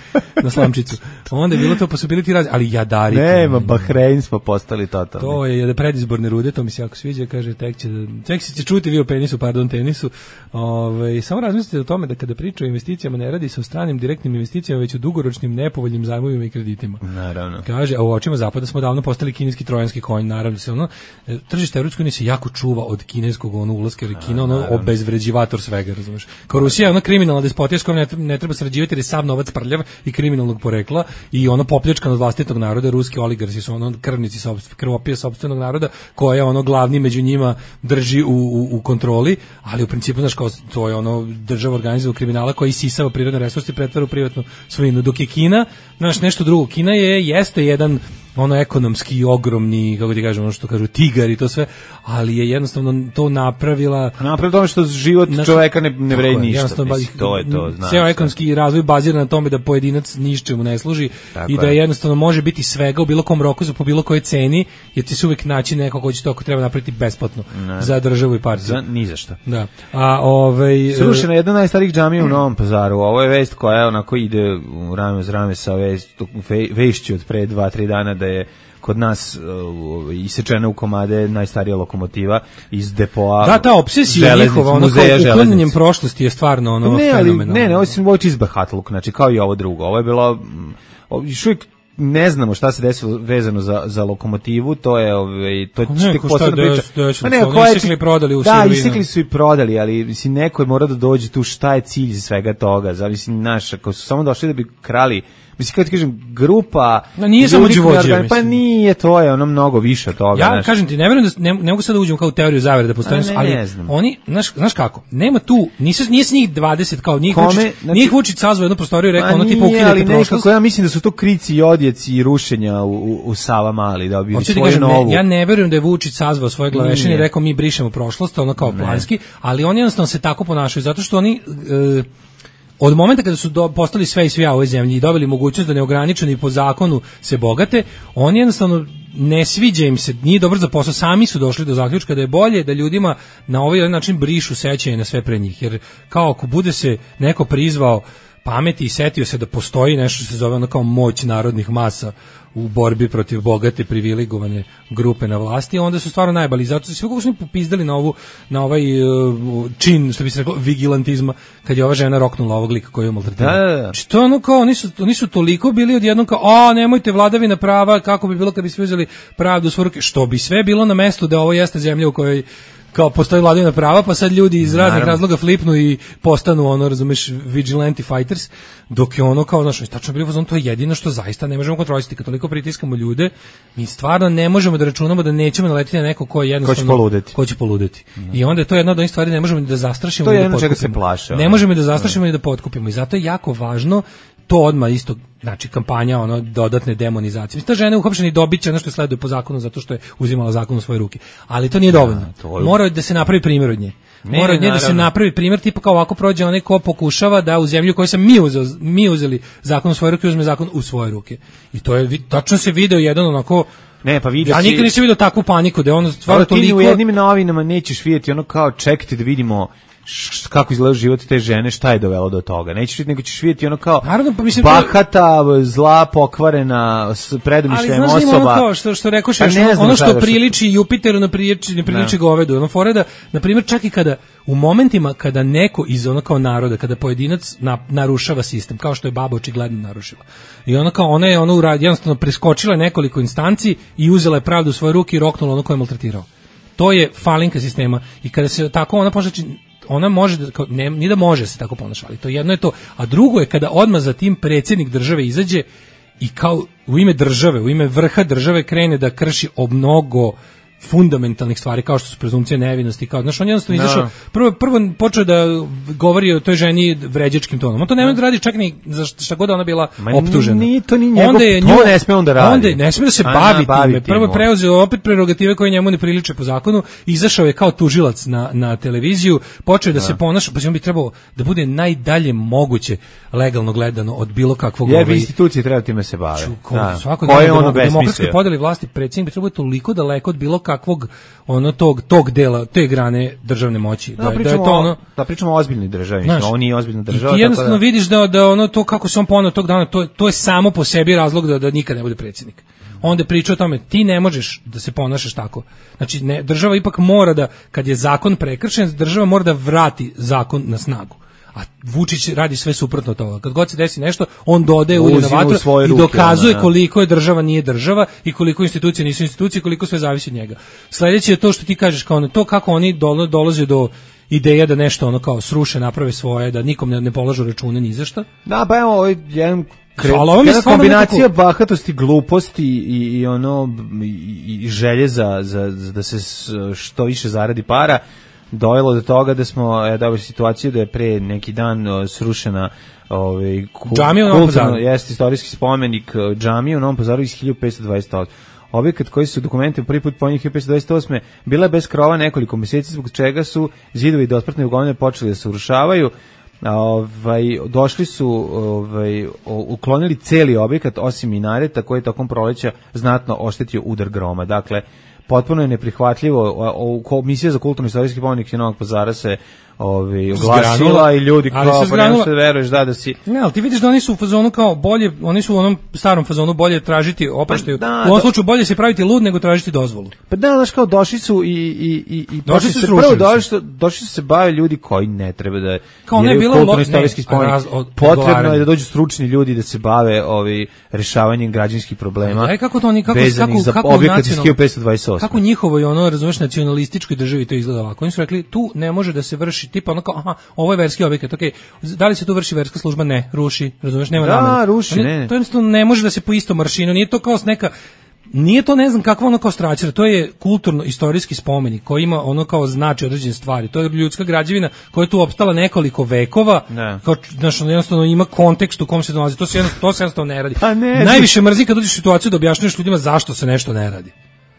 na slamčicu. Onda je bilo to possibility raz, ali Jadarit. Nema, Bahrein smo postali totalni. To je je predizborne rude, to mi se jako sviđa, kaže tek će tek će čuti vi o penisu, pardon, tenisu. Ovaj samo razmislite o tome da kada pričaju o investicijama ne radi se o stranim direktnim investicijama, već o dugoročnim nepovoljnim zajmovima i kreditima. Naravno. Kaže, a u očima zapada smo davno postali kineski trojanski konj, naravno se ono tržište Evropske unije se jako čuva od kineskog ono ulaska, jer Kina ono obezvređivator svega, razumeš. Kao Rusija je ona kriminalna despotija s kojom ne, ne treba sarađivati jer je sav novac prljav i kriminalnog porekla i ono popljačkan od vlastitog naroda, ruski oligarsi su ono krvnici sopstvenog krvopije sopstvenog naroda ko je ono glavni među njima drži u, u, u kontroli, ali u principu, znaš, kao to je ono država organizovanog kriminala koji isisava prirodne resurse i pretvara u privatnu svojinu, dok je Kina, znaš, nešto drugo. Kina je, jeste jedan ono ekonomski ogromni, kako ti kažem, ono što kažu tigar i to sve, ali je jednostavno to napravila napravila tome što život naš, čoveka ne, ne vredi ništa, mislim, to je to, znaš. Ceo ekonomski razvoj bazira na tome da pojedinac ničemu ne služi tako i da je. jednostavno može biti svega u bilo kom roku za po bilo kojoj ceni, jer ti se uvek naći neko ko će to ako treba napraviti besplatno ne. Za državu i partiju. Za ni za šta. Da. A ovaj srušena jedna od najstarijih džamija u Novom Pazaru. Ovo je vest koja onako ide u rame uz rame sa vest, vešću od pre dva tri dana da je kod nas uh, isečena u komade najstarija lokomotiva iz depoa. Da, ta obsesija njihova, ono kao uklanjanjem prošlosti je stvarno ono ne, fenomenalno. Ne, ne, ovo je čizbahatluk, znači kao i ovo drugo. Ovo je bilo, još uvijek ne znamo šta se desilo vezano za, za lokomotivu, to je ovaj to je tek posebna priča. Pa ne, ko je isekli prodali u da, isekli su i prodali, ali mislim neko je mora da dođe tu šta je cilj svega toga. Zavisi naš, ako su samo došli da bi krali, mislim kako ti kažem, grupa no, nije samo đuvođe, pa nije, to je ono mnogo više od toga. Ja znaš. Kažem ti, ne verujem da ne, ne mogu sad da uđem kao u teoriju zavere da postoje, ali ne oni, znaš, znaš kako, nema tu, nisu, nije s njih dvadeset kao njih Vučić, znači, njih Vučić sazvao jednu prostoriju i rekao ono tipa ukidajte prošlost. Ja mislim da su to krici i odjeci i rušenja u, u, u Savamali, da bi svoju kažem, novu. Ne, ja ne verujem da je Vučić sazvao svoje glavešine i rekao mi brišemo prošlost, ono kao ne. Planski, ali oni jednostavno se tako ponašaju, zato što oni... E, od momenta kada su do, postali sve i svija u ovoj zemlji i dobili mogućnost da neograničeni po zakonu se bogate, oni jednostavno ne sviđa im se, nije dobro za posao, sami su došli do zaključka da je bolje da ljudima na ovaj način brišu sećanje na sve pre njih, jer kao ako bude se neko prizvao pameti i setio se da postoji nešto što se zove ono kao moć narodnih masa u borbi protiv bogate privilegovane grupe na vlasti, onda su stvarno najbolji. Zato su sve kako su mi popizdali na ovu na ovaj uh, čin, što bi se reklo, vigilantizma, kad je ova žena roknula ovog lika koji je maltretirao. Da, da, da. Što ono kao, oni su, oni su toliko bili odjednom kao, a nemojte vladavina prava, kako bi bilo kad bi svi uzeli pravdu u svoje ruke, što bi sve bilo na mestu da ovo jeste zemlja u kojoj kao postoji vladavina prava, pa sad ljudi iz raznih razloga flipnu i postanu ono, razumeš, vigilante fighters, dok je ono kao, znaš, tačno bilo fazon, to je jedino što zaista ne možemo kontrolisati, kad toliko pritiskamo ljude, mi stvarno ne možemo da računamo da nećemo naletiti na neko ko je jednostavno ko će poludeti. Ko će poludeti. Mm. I onda je to jedna od onih stvari, ne možemo da zastrašimo, to je da jedno čega se plaše. Ne možemo da zastrašimo i da potkupimo i zato je jako važno to odmah isto, znači kampanja ono dodatne demonizacije. Mislim, ta žena je uhapšena i dobiće ono što sleduje po zakonu zato što je uzimala zakon u svoje ruke. Ali to nije dovoljno. Ja, je... Mora da se napravi primjer od nje. Ne, Mora od nje da se napravi primjer tipa kao ovako prođe onaj ko pokušava da u zemlju koju sam mi, uzeo, mi uzeli zakon u svoje ruke, uzme zakon u svoje ruke. I to je, tačno se video jedan onako... Ne, pa vidio ja si... nikad nisam vidio takvu paniku da je ono stvarno toliko... Ti u jednim novinama nećeš vidjeti ono kao čekajte da vidimo š, kako izgleda život te žene, šta je dovelo do toga. Nećeš vidjeti, nego ćeš vidjeti ono kao Naravno, pa mislim, bahata, zla, pokvarena, predumišljajem osoba. Ali znaš ono kao što, što rekoš, pa ono što priliči Jupiteru ne priliči, ne priliči govedu. Ono fore da, na primjer, čak i kada u momentima kada neko iz ono kao naroda, kada pojedinac na, narušava sistem, kao što je baba očigledno narušila. I ono kao, ona je ono uradi, jednostavno preskočila nekoliko instanci i uzela je pravdu u svoje ruke i roknula ono koje je maltretirao. To je falinka sistema. I kada se tako ona počne, ona može da, ne, ni da može se tako ponaša, ali to jedno je to, a drugo je kada odmah za tim predsjednik države izađe i kao u ime države, u ime vrha države krene da krši o mnogo fundamentalnih stvari kao što su prezumpcija nevinosti, kao znaš, on jednostavno izašao, prvo prvo počeo da govori o toj ženi vređačkim tonom. On to nema da radi čak ni za šta god ona bila Ma optužena. Nije to ni njegov, onda je nju, to ne sme on da radi. Onda ne sme da se bavi time. Prvo je preuzeo opet prerogative koje njemu ne priliče po zakonu, izašao je kao tužilac na na televiziju, počeo da, da se ponaša, pa on bi trebao da bude najdalje moguće legalno gledano od bilo kakvog jer ovaj institucije treba time se bave. Da. Svako da je ono demokratske podeli vlasti, predsjednik bi trebao toliko daleko od bilo kakvog ono tog tog dela te grane državne moći da, da, da je to ono da pričamo o ozbiljnoj državi, znači on nije ozbiljna država. I ti jednostavno da... vidiš da da ono to kako se on poneo tog dana, to to je samo po sebi razlog da da nikad ne bude predsjednik. Onda priča o tome, ti ne možeš da se ponašaš tako. Znači ne, država ipak mora da, kad je zakon prekršen, država mora da vrati zakon na snagu. A Vučić radi sve suprotno od toga. Kad god se desi nešto, on dodaje ulje na vatru i ruke, dokazuje ono, koliko je država nije država i koliko institucije nisu institucije, koliko sve zavisi od njega. Sledeće je to što ti kažeš, kao ono, to kako oni dolaze do ideja da nešto ono kao sruše, naprave svoje, da nikom ne, ne polažu račune ni za šta. Da, pa evo, jedan Jedna kombinacija nekako... bahatosti, gluposti i, i ono i, i želje za, za, za da se što više zaradi para dojelo do toga da smo e, dobili situaciju da je pre neki dan o, srušena ovaj džamija u Novom Pazaru. Jeste istorijski spomenik džamije u Novom Pazaru iz hiljadu petsto dvadeset osme. Objekat koji su dokumentima prvi put pominjeni hiljadu petsto dvadeset osme bila bez krova nekoliko mjeseci, zbog čega su zidovi do otpratne ugovne počeli da se urušavaju. Ovaj, došli su, ovaj, uklonili celi objekat osim minareta koji je tokom proleća znatno oštetio udar groma. Dakle, potpuno je neprihvatljivo. Komisija za kulturno-istorijski spomenik Novog Pazara se ovaj oglasila i ljudi kao pa ne možeš veruješ da da si. Ne, ali ti vidiš da oni su u fazonu kao bolje, oni su u onom starom fazonu bolje tražiti oproštaju. Pa, u ovom slučaju bolje se praviti lud nego tražiti dozvolu. Pa da, znaš kao došli su i i i i došli su se prvo došli, došli su se bave ljudi koji ne treba da kao ne bilo kulturno-istorijski spomenik. Potrebno je da dođu stručni ljudi da se bave ovi rešavanjem građanskih problema. Aj kako to oni kako kako kako objekat iz hiljadu petsto dvadeset osme. Kako njihovo i ono razumeš nacionalističkoj državi to izgleda ovako. Oni su rekli tu ne može da se vrši tipa ono kao, aha, ovo je verski objekat, okej, okay. Da li se tu vrši verska služba? Ne, ruši, razumeš, nema da, namene. Da, ruši, ne. ne. To jednostavno ne može da se po istom maršinu, nije to kao neka, nije to ne znam kakva ono kao straćera, to je kulturno-istorijski spomenik koji ima ono kao znači određene stvari, to je ljudska građevina koja je tu opstala nekoliko vekova, ne. Kao, znaš, jednostavno ima kontekst u kom se nalazi, to se jednostavno, to se jednostavno ne radi. Pa ne, najviše mrzim kad dođeš u situaciju da objašnjuješ ljudima zašto se nešto ne radi.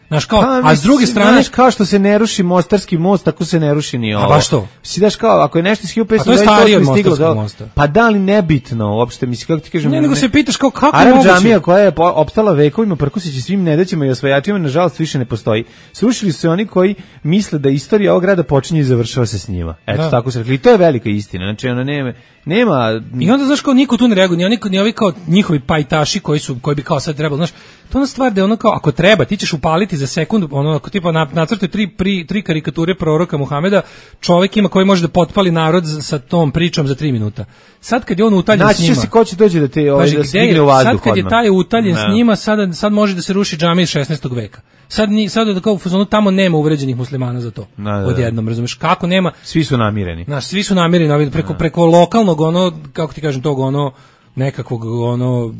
Znaš kao, pa, a s druge strane, znaš, kao što se ne ruši Mostarski most, tako se ne ruši ni ovo. A baš to. Si daš kao, ako je nešto iz hiljadu petsto dvadeset osme stiglo do mosta. Pa da li nebitno uopšte, mislim kako ti kažem. Ne, nego se pitaš kao kako Arab džamija koja je opstala vekovima prkuseći svim nedaćima i osvajačima, nažalost više ne postoji. Srušili su se oni koji misle da istorija ovog grada počinje i završava se s njima. Eto, da. Tako se rekli. I to je velika istina. Znači ona nema nema i onda znaš kao niko tu ne reaguje, ni oni ni ovi kao njihovi pajtaši koji su koji bi kao sad trebalo, znaš, to je stvar da je ono kao ako treba ti ćeš upaliti za sekundu, ono ako tipa nacrte tri pri, tri karikature proroka Muhameda, čovjek ima koji može da potpali narod sa tom pričom za tri minuta. Sad kad je on utaljen znači, s njima, se ko će doći da te ovaj da stigne u vazduh. Sad kad je taj utaljen s njima, sad sad može da se ruši džamija iz šesnaestog veka. Sad ni sad da kao u fazonu tamo nema uvređenih muslimana za to. Da, da, odjednom, razumeš kako nema? Svi su namireni. Znaš, svi su namireni preko da. preko lokalnog ono kako ti kažem tog ono nekakvog ono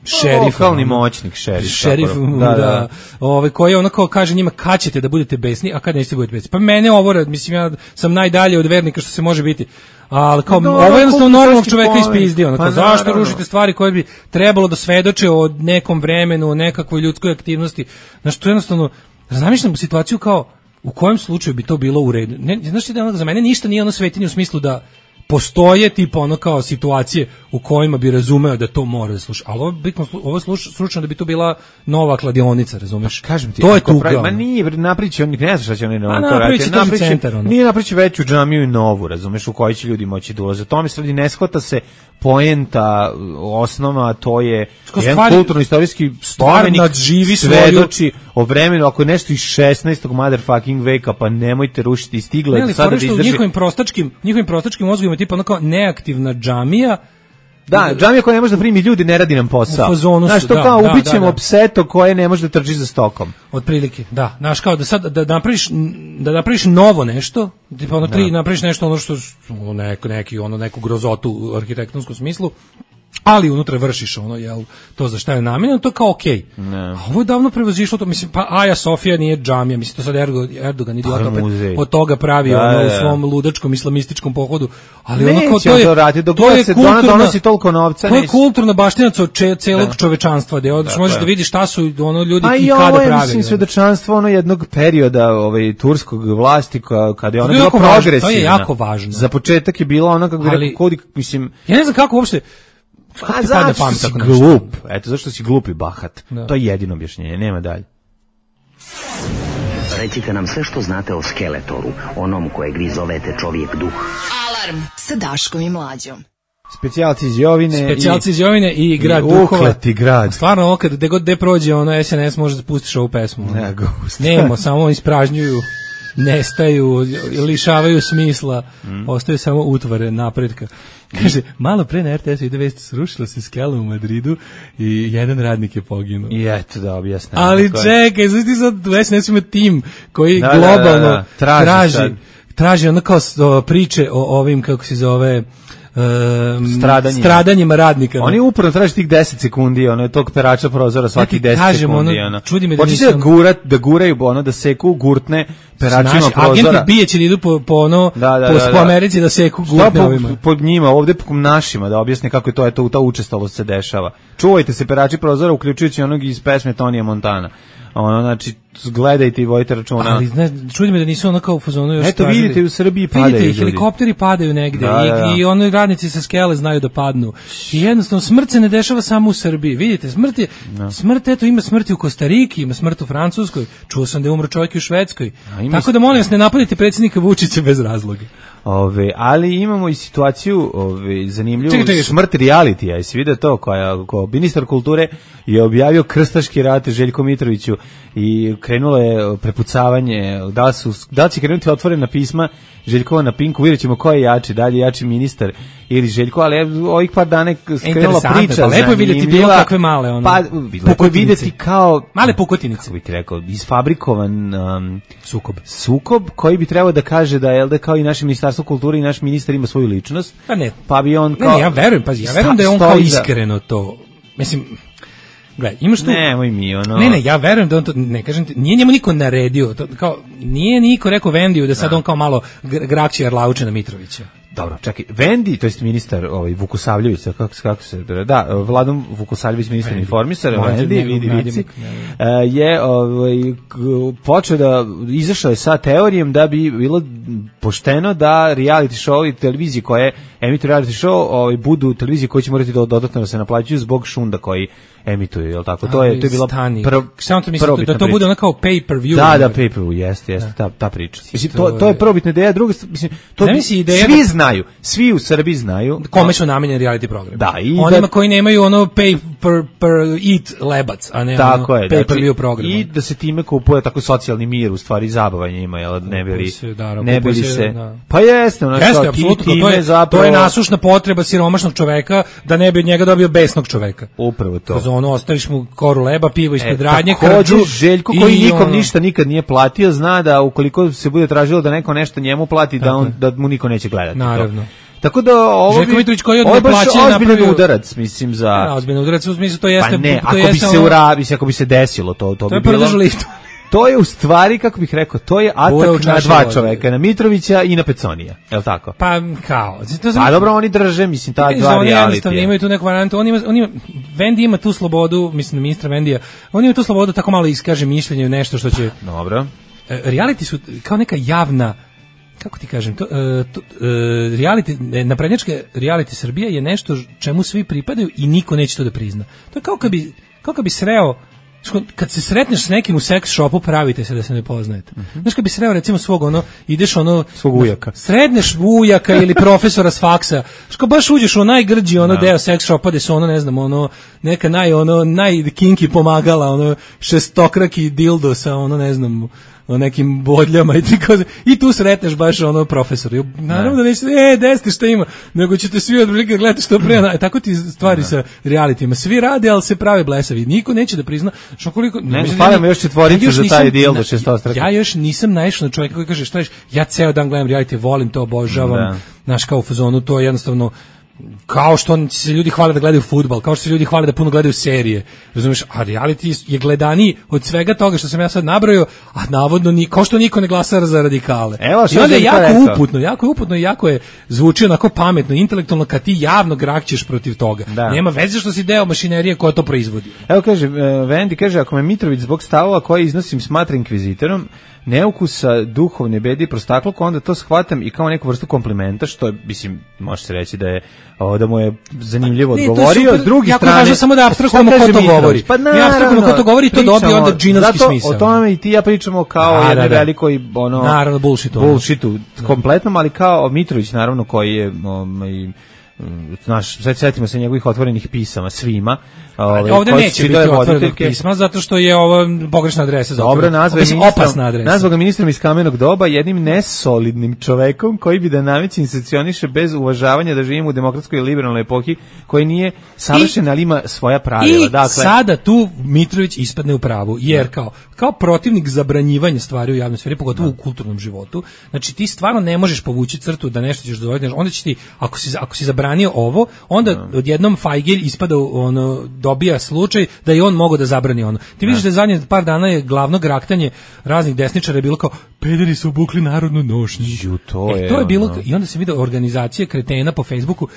šerif, lokalni moćnik, šerif. Šerif, da, da. da. Ovaj koji ono kao kaže njima kad ćete da budete besni, a kad nećete budete besni. Pa mene ovo, mislim ja sam najdalje od vernika što se može biti. Ali kao, no, ovo je jednostavno normalnog čoveka ispizdio. Ono, pa, zašto naravno. Rušite stvari koje bi trebalo da svedoče o nekom vremenu, o nekakvoj ljudskoj aktivnosti. Znaš, to je jednostavno, zamišljam situaciju kao, u kojem slučaju bi to bilo u redu. Ne, znaš ti da ono, za mene ništa nije ono svetinje u smislu da postoje tipa ono kao situacije u kojima bi razumeo da to mora da sluša. Ali ovo, bitno, ovo je slučajno da bi to bila nova kladionica, razumeš? Pa, kažem ti, to je tuga. Ma nije, napriči, on ne zna šta će oni na to raditi. Napriči centar, ono. Nije napriči veću džamiju i novu, razumeš, u kojoj će ljudi moći da ulaze. Tome se radi, ne shvata se poenta, osnova, to je jedan kulturno-istorijski spomenik, svedoči o vremenu, ako je nešto iz šesnaestog motherfucking veka, pa nemojte rušiti, stigla je sada da izdrži. Njihovim prostačkim, njihovim prostačkim mozgovima tipa ono kao neaktivna džamija. Da, džamija koja ne može da primi ljudi, ne radi nam posao. Znaš, to da, kao da, ubićemo da, da. pseto koje ne može da trči za stokom. Otprilike, da. Znaš, kao da sad da napraviš da napraviš novo nešto, tipa ono tri, napraviš nešto ono što neko neki ono neku grozotu u arhitektonskom smislu. Ali unutra vršiš ono, jel, to za šta je namenjeno, to kao okej. Okay. A ovo je davno prevazišlo to, mislim, pa Aja Sofija nije džamija, mislim, to sad Erdogan, Erdogan idiota opet od toga pravi da, ono, da, da. u svom ludačkom islamističkom pohodu. Ali neće ono kao to je, to, radi, to je se kulturna, donosi toliko novca. To je kulturna baštinaca od če, celog da. čovečanstva, gde odeš, možeš da vidiš šta su ono ljudi i kada pravi. A i ovo je, mislim, svedočanstvo ono jednog perioda ovaj, turskog vlasti, kada je ona bila progresivna. To je jako važno. Za početak je bila ona, kako bi rekao, kodi, mislim... Ja ne znam kako uopšte... A zato što si glup, eto zašto si glup i bahat, da. To je jedino objašnjenje, nema dalje. Recite nam sve što znate o Skeletoru, onom kojeg vi zovete čovjek duh. Alarm sa Daškom i Mlađom. Specijalci iz Jovine, Specijalci iz Jovine i, i grad Duhova. Ukleti grad. Stvarno, ovo kad god gde prođe ono S N S može da pustiš ovu pesmu. Ne, Nemo, samo ispražnjuju, nestaju, lišavaju smisla, mm. ostaju samo utvare napretka. Kaže, malo pre na R T S-u ide vest, srušila se skela u Madridu i jedan radnik je poginuo. I eto da objasnim. Ali čekaj, znaš ti sad u S N S-u ima tim koji da, globalno da, da, da. traži, traži, traži ono kao priče o ovim, kako se zove, um, stradanjima. stradanjima radnika. Oni uporno traže tih deset sekundi, ono, tog perača prozora svaki ja deset kažem, sekundi. Ono, ono. čudi me da Počeće nisam... da, gurat, da guraju, ono, da seku gurtne peračima Naši prozora. agenti bijeće da idu po, po, ono, da, da, po, da, da. po Americi da seku gurtne po, ovima. pod njima, ovde po našima, da objasne kako je to, eto, ta učestalost se dešava. Čuvajte se perači prozora, uključujući onog iz pesme Tonija Montana. Ono, znači, gledajte i vojite računa. Ali, znaš, čudi me da nisu ono kao u fazonu još eto, tražili. vidite, u Srbiji padaju vidite, ljudi. helikopteri padaju negde da, i, da, da. i ono radnici sa skele znaju da padnu. I jednostavno, smrt se ne dešava samo u Srbiji. Vidite, smrt je, no. smrt, eto, ima smrti u Kostariki, ima smrt u Francuskoj, čuo sam da je umro čovjek u Švedskoj. Tako da, molim vas, ne napadite predsjednika Vučića bez razloga. Ove, ali imamo i situaciju ove, zanimljivu, čekaj, čekaj. smrt realitija, jesi vidio to, koja, koja ministar kulture je objavio krstaški rat Željko Mitroviću i krenulo je prepucavanje, da li, su, da li će krenuti otvorena pisma Željkova na Pinku, vidjet ćemo ko je jači, da li je jači ministar ili Željko, ali ovih par dana skrenula priča. Pa lepo je vidjeti bilo kakve male, ono, pa, lepo je vidjeti kao, male pukotinice, kako bih rekao, isfabrikovan um, sukob. sukob koji bi trebao da kaže da je da kao i naše ministarstvo kulture i naš ministar ima svoju ličnost. Pa ne, pa bi on kao, ne, ne, ja verujem, pa ja verujem da je on kao iskreno to, mislim, gledaj, imaš tu... Nemoj mi, ono... Ne, ne, ja verujem da on to, ne kažem ti, nije njemu niko naredio, to, kao, nije niko rekao Vendiju da sad da. on kao malo grakće Arlauče na Mitrovića. Dobro, čekaj, Vendi, to jest ministar ovaj, Vukusavljević, kako, kako se, da, Vladom Vukusavljević, ministar informisar, Vendi, vidi vici, je ovaj, počeo da, izašao je sa teorijom da bi bilo pošteno da reality show i televizije koje emituju reality show ovaj, budu televizije koje će morati da dodatno da se naplaćuju zbog šunda koji emituju, je li tako? To je, to je bila prv, samo to mislim da to bude ono kao pay-per-view. Da, da, pay-per-view, jeste, jeste, ta, ta priča. Mislim, to, to je prvobitna ideja, druga, mislim, to bi, svi znaju, svi u Srbiji znaju. Kome su namenjeni reality program. Da, i onima da, koji nemaju ono pay per, per eat lebac, a ne tako ono je, pay-per-view znači, program. I da se time kupuje tako socijalni mir, u stvari zabavanje ima, jel, ne bili se, da, ne bili se, se da. Pa jeste, ono jeste, apsolutno, to je, zapravo, to je nasušna potreba siromašnog čoveka da ne bi od njega dobio besnog čoveka. Upravo to. Kroz ono, ostaviš mu koru leba, pivo ispred e, radnje, krđu. Željko koji nikom ono, ništa nikad nije platio, zna da ukoliko se bude tražilo da neko nešto njemu plati, da, on, da mu niko neće gledati. Naravno. To. Tako da ovo Željko Mitrović koji je od neplaćen ozbiljan udarac, mislim, za... Ja, ozbiljan udarac, u smislu to jeste... Pa ne, to ako, jeste bi se ono, urabi, ako bi se desilo, to, to, to bi je bilo... To je u stvari, kako bih rekao, to je atak na dva čoveka, na Mitrovića i na Peconija, je li tako? Pa kao... To pa dobro, oni drže, mislim, ta dva oni realitija. Imaju tu neku varijantu, on ima, on ima, Vendi ima tu slobodu, mislim, ministra Vendija, on ima tu slobodu tako malo iskaže mišljenje, nešto što će... Dobro. Reality su kao neka javna, kako ti kažem, to, to, reality, naprednjačka reality Srbija je nešto čemu svi pripadaju i niko neće to da prizna. To je kao kad bi, kao kad bi sreo, kad se sretneš s nekim u seks shopu, pravite se da se ne poznajete. Uh-huh. Znaš, kad bi sreo recimo svog ono, ideš ono... Svog ujaka. Sredneš ujaka ili profesora s faksa. Znaš, kad baš uđeš u najgrđi ono no. deo seks shopa gde su ono, ne znam, ono, neka naj, ono, najkinki pomagala, ono, šestokraki dildo sa ono, ne znam, o nekim bodljama i, i tu sretneš baš ono profesor. Naravno da nećete, e, desite šta ima, nego ćete svi od prilike gledati što pre. Tako ti stvari ne. Sa realitijima. Svi rade, ali se prave blesavi. Niko neće da prizna. Što koliko, ne, falimo još četvoricu za taj dijel do šestostraka. Ja još nisam naišao na čovjeka koji kaže, šta ješ, ja ceo dan gledam reality, volim to, obožavam. Znaš, kao u fazonu, to je jednostavno kao što se ljudi hvale da gledaju fudbal, kao što se ljudi hvale da puno gledaju serije, razumiješ, a reality je gledaniji od svega toga što sam ja sad nabrojao, a navodno ni, kao što niko ne glasa za radikale. Evo, i onda je jako rekao. uputno, jako je uputno i jako je zvuči onako pametno, intelektualno kad ti javno grakćeš protiv toga. Da. Nema veze što si deo mašinerije koja to proizvodi. Evo kaže, Vendi kaže, ako me Mitrović zbog stavova koje iznosim smatra inkvizitorom, neukusa, duhovne bedi, prostakloko, onda to shvatam i kao neku vrstu komplimenta, što je, mislim, može se reći da je o, da mu je zanimljivo ne, odgovorio. S druge strane, važno samo da apstraktujemo ko to govori. Pa naravno, ja apstraktujemo ko to govori, to dobije onda džinovski smisao. O tome i ti ja pričamo kao jedne velikoj ono, naravno, bullshitu. Bullshitu, kompletnom, ali kao Mitrović, naravno, koji je um, naš, sad setimo se njegovih otvorenih pisama svima. Ove, ovde neće biti otvorenog pisma, zato što je ovo pogrešna adresa. Dobro, nazva opasna adresa. Nazva ga ministrom iz kamenog doba, jednim nesolidnim čovekom koji bi da nameće i sankcioniše bez uvažavanja da živimo u demokratskoj i liberalnoj epohi, koji nije savršen, ali ima svoja pravila. I dakle, sada tu Mitrović ispadne u pravu, jer kao, kao protivnik zabranjivanja stvari u javnoj sferi, pogotovo u kulturnom životu, znači ti stvarno ne možeš povući crtu da nešto ćeš dozvoliti, onda će ti, ako si, ako si zabranio ovo, onda odjednom Fajgelj ispada, ono, dobija slučaj da je on mogao da zabrani ono. Ti vidiš da je zadnje par dana je glavno graktanje raznih desničara je bilo kao, pederi su obukli narodnu nošnju. Ju, to, e, je, to je bilo, ono. i onda se vidio organizacije kretena po Facebooku,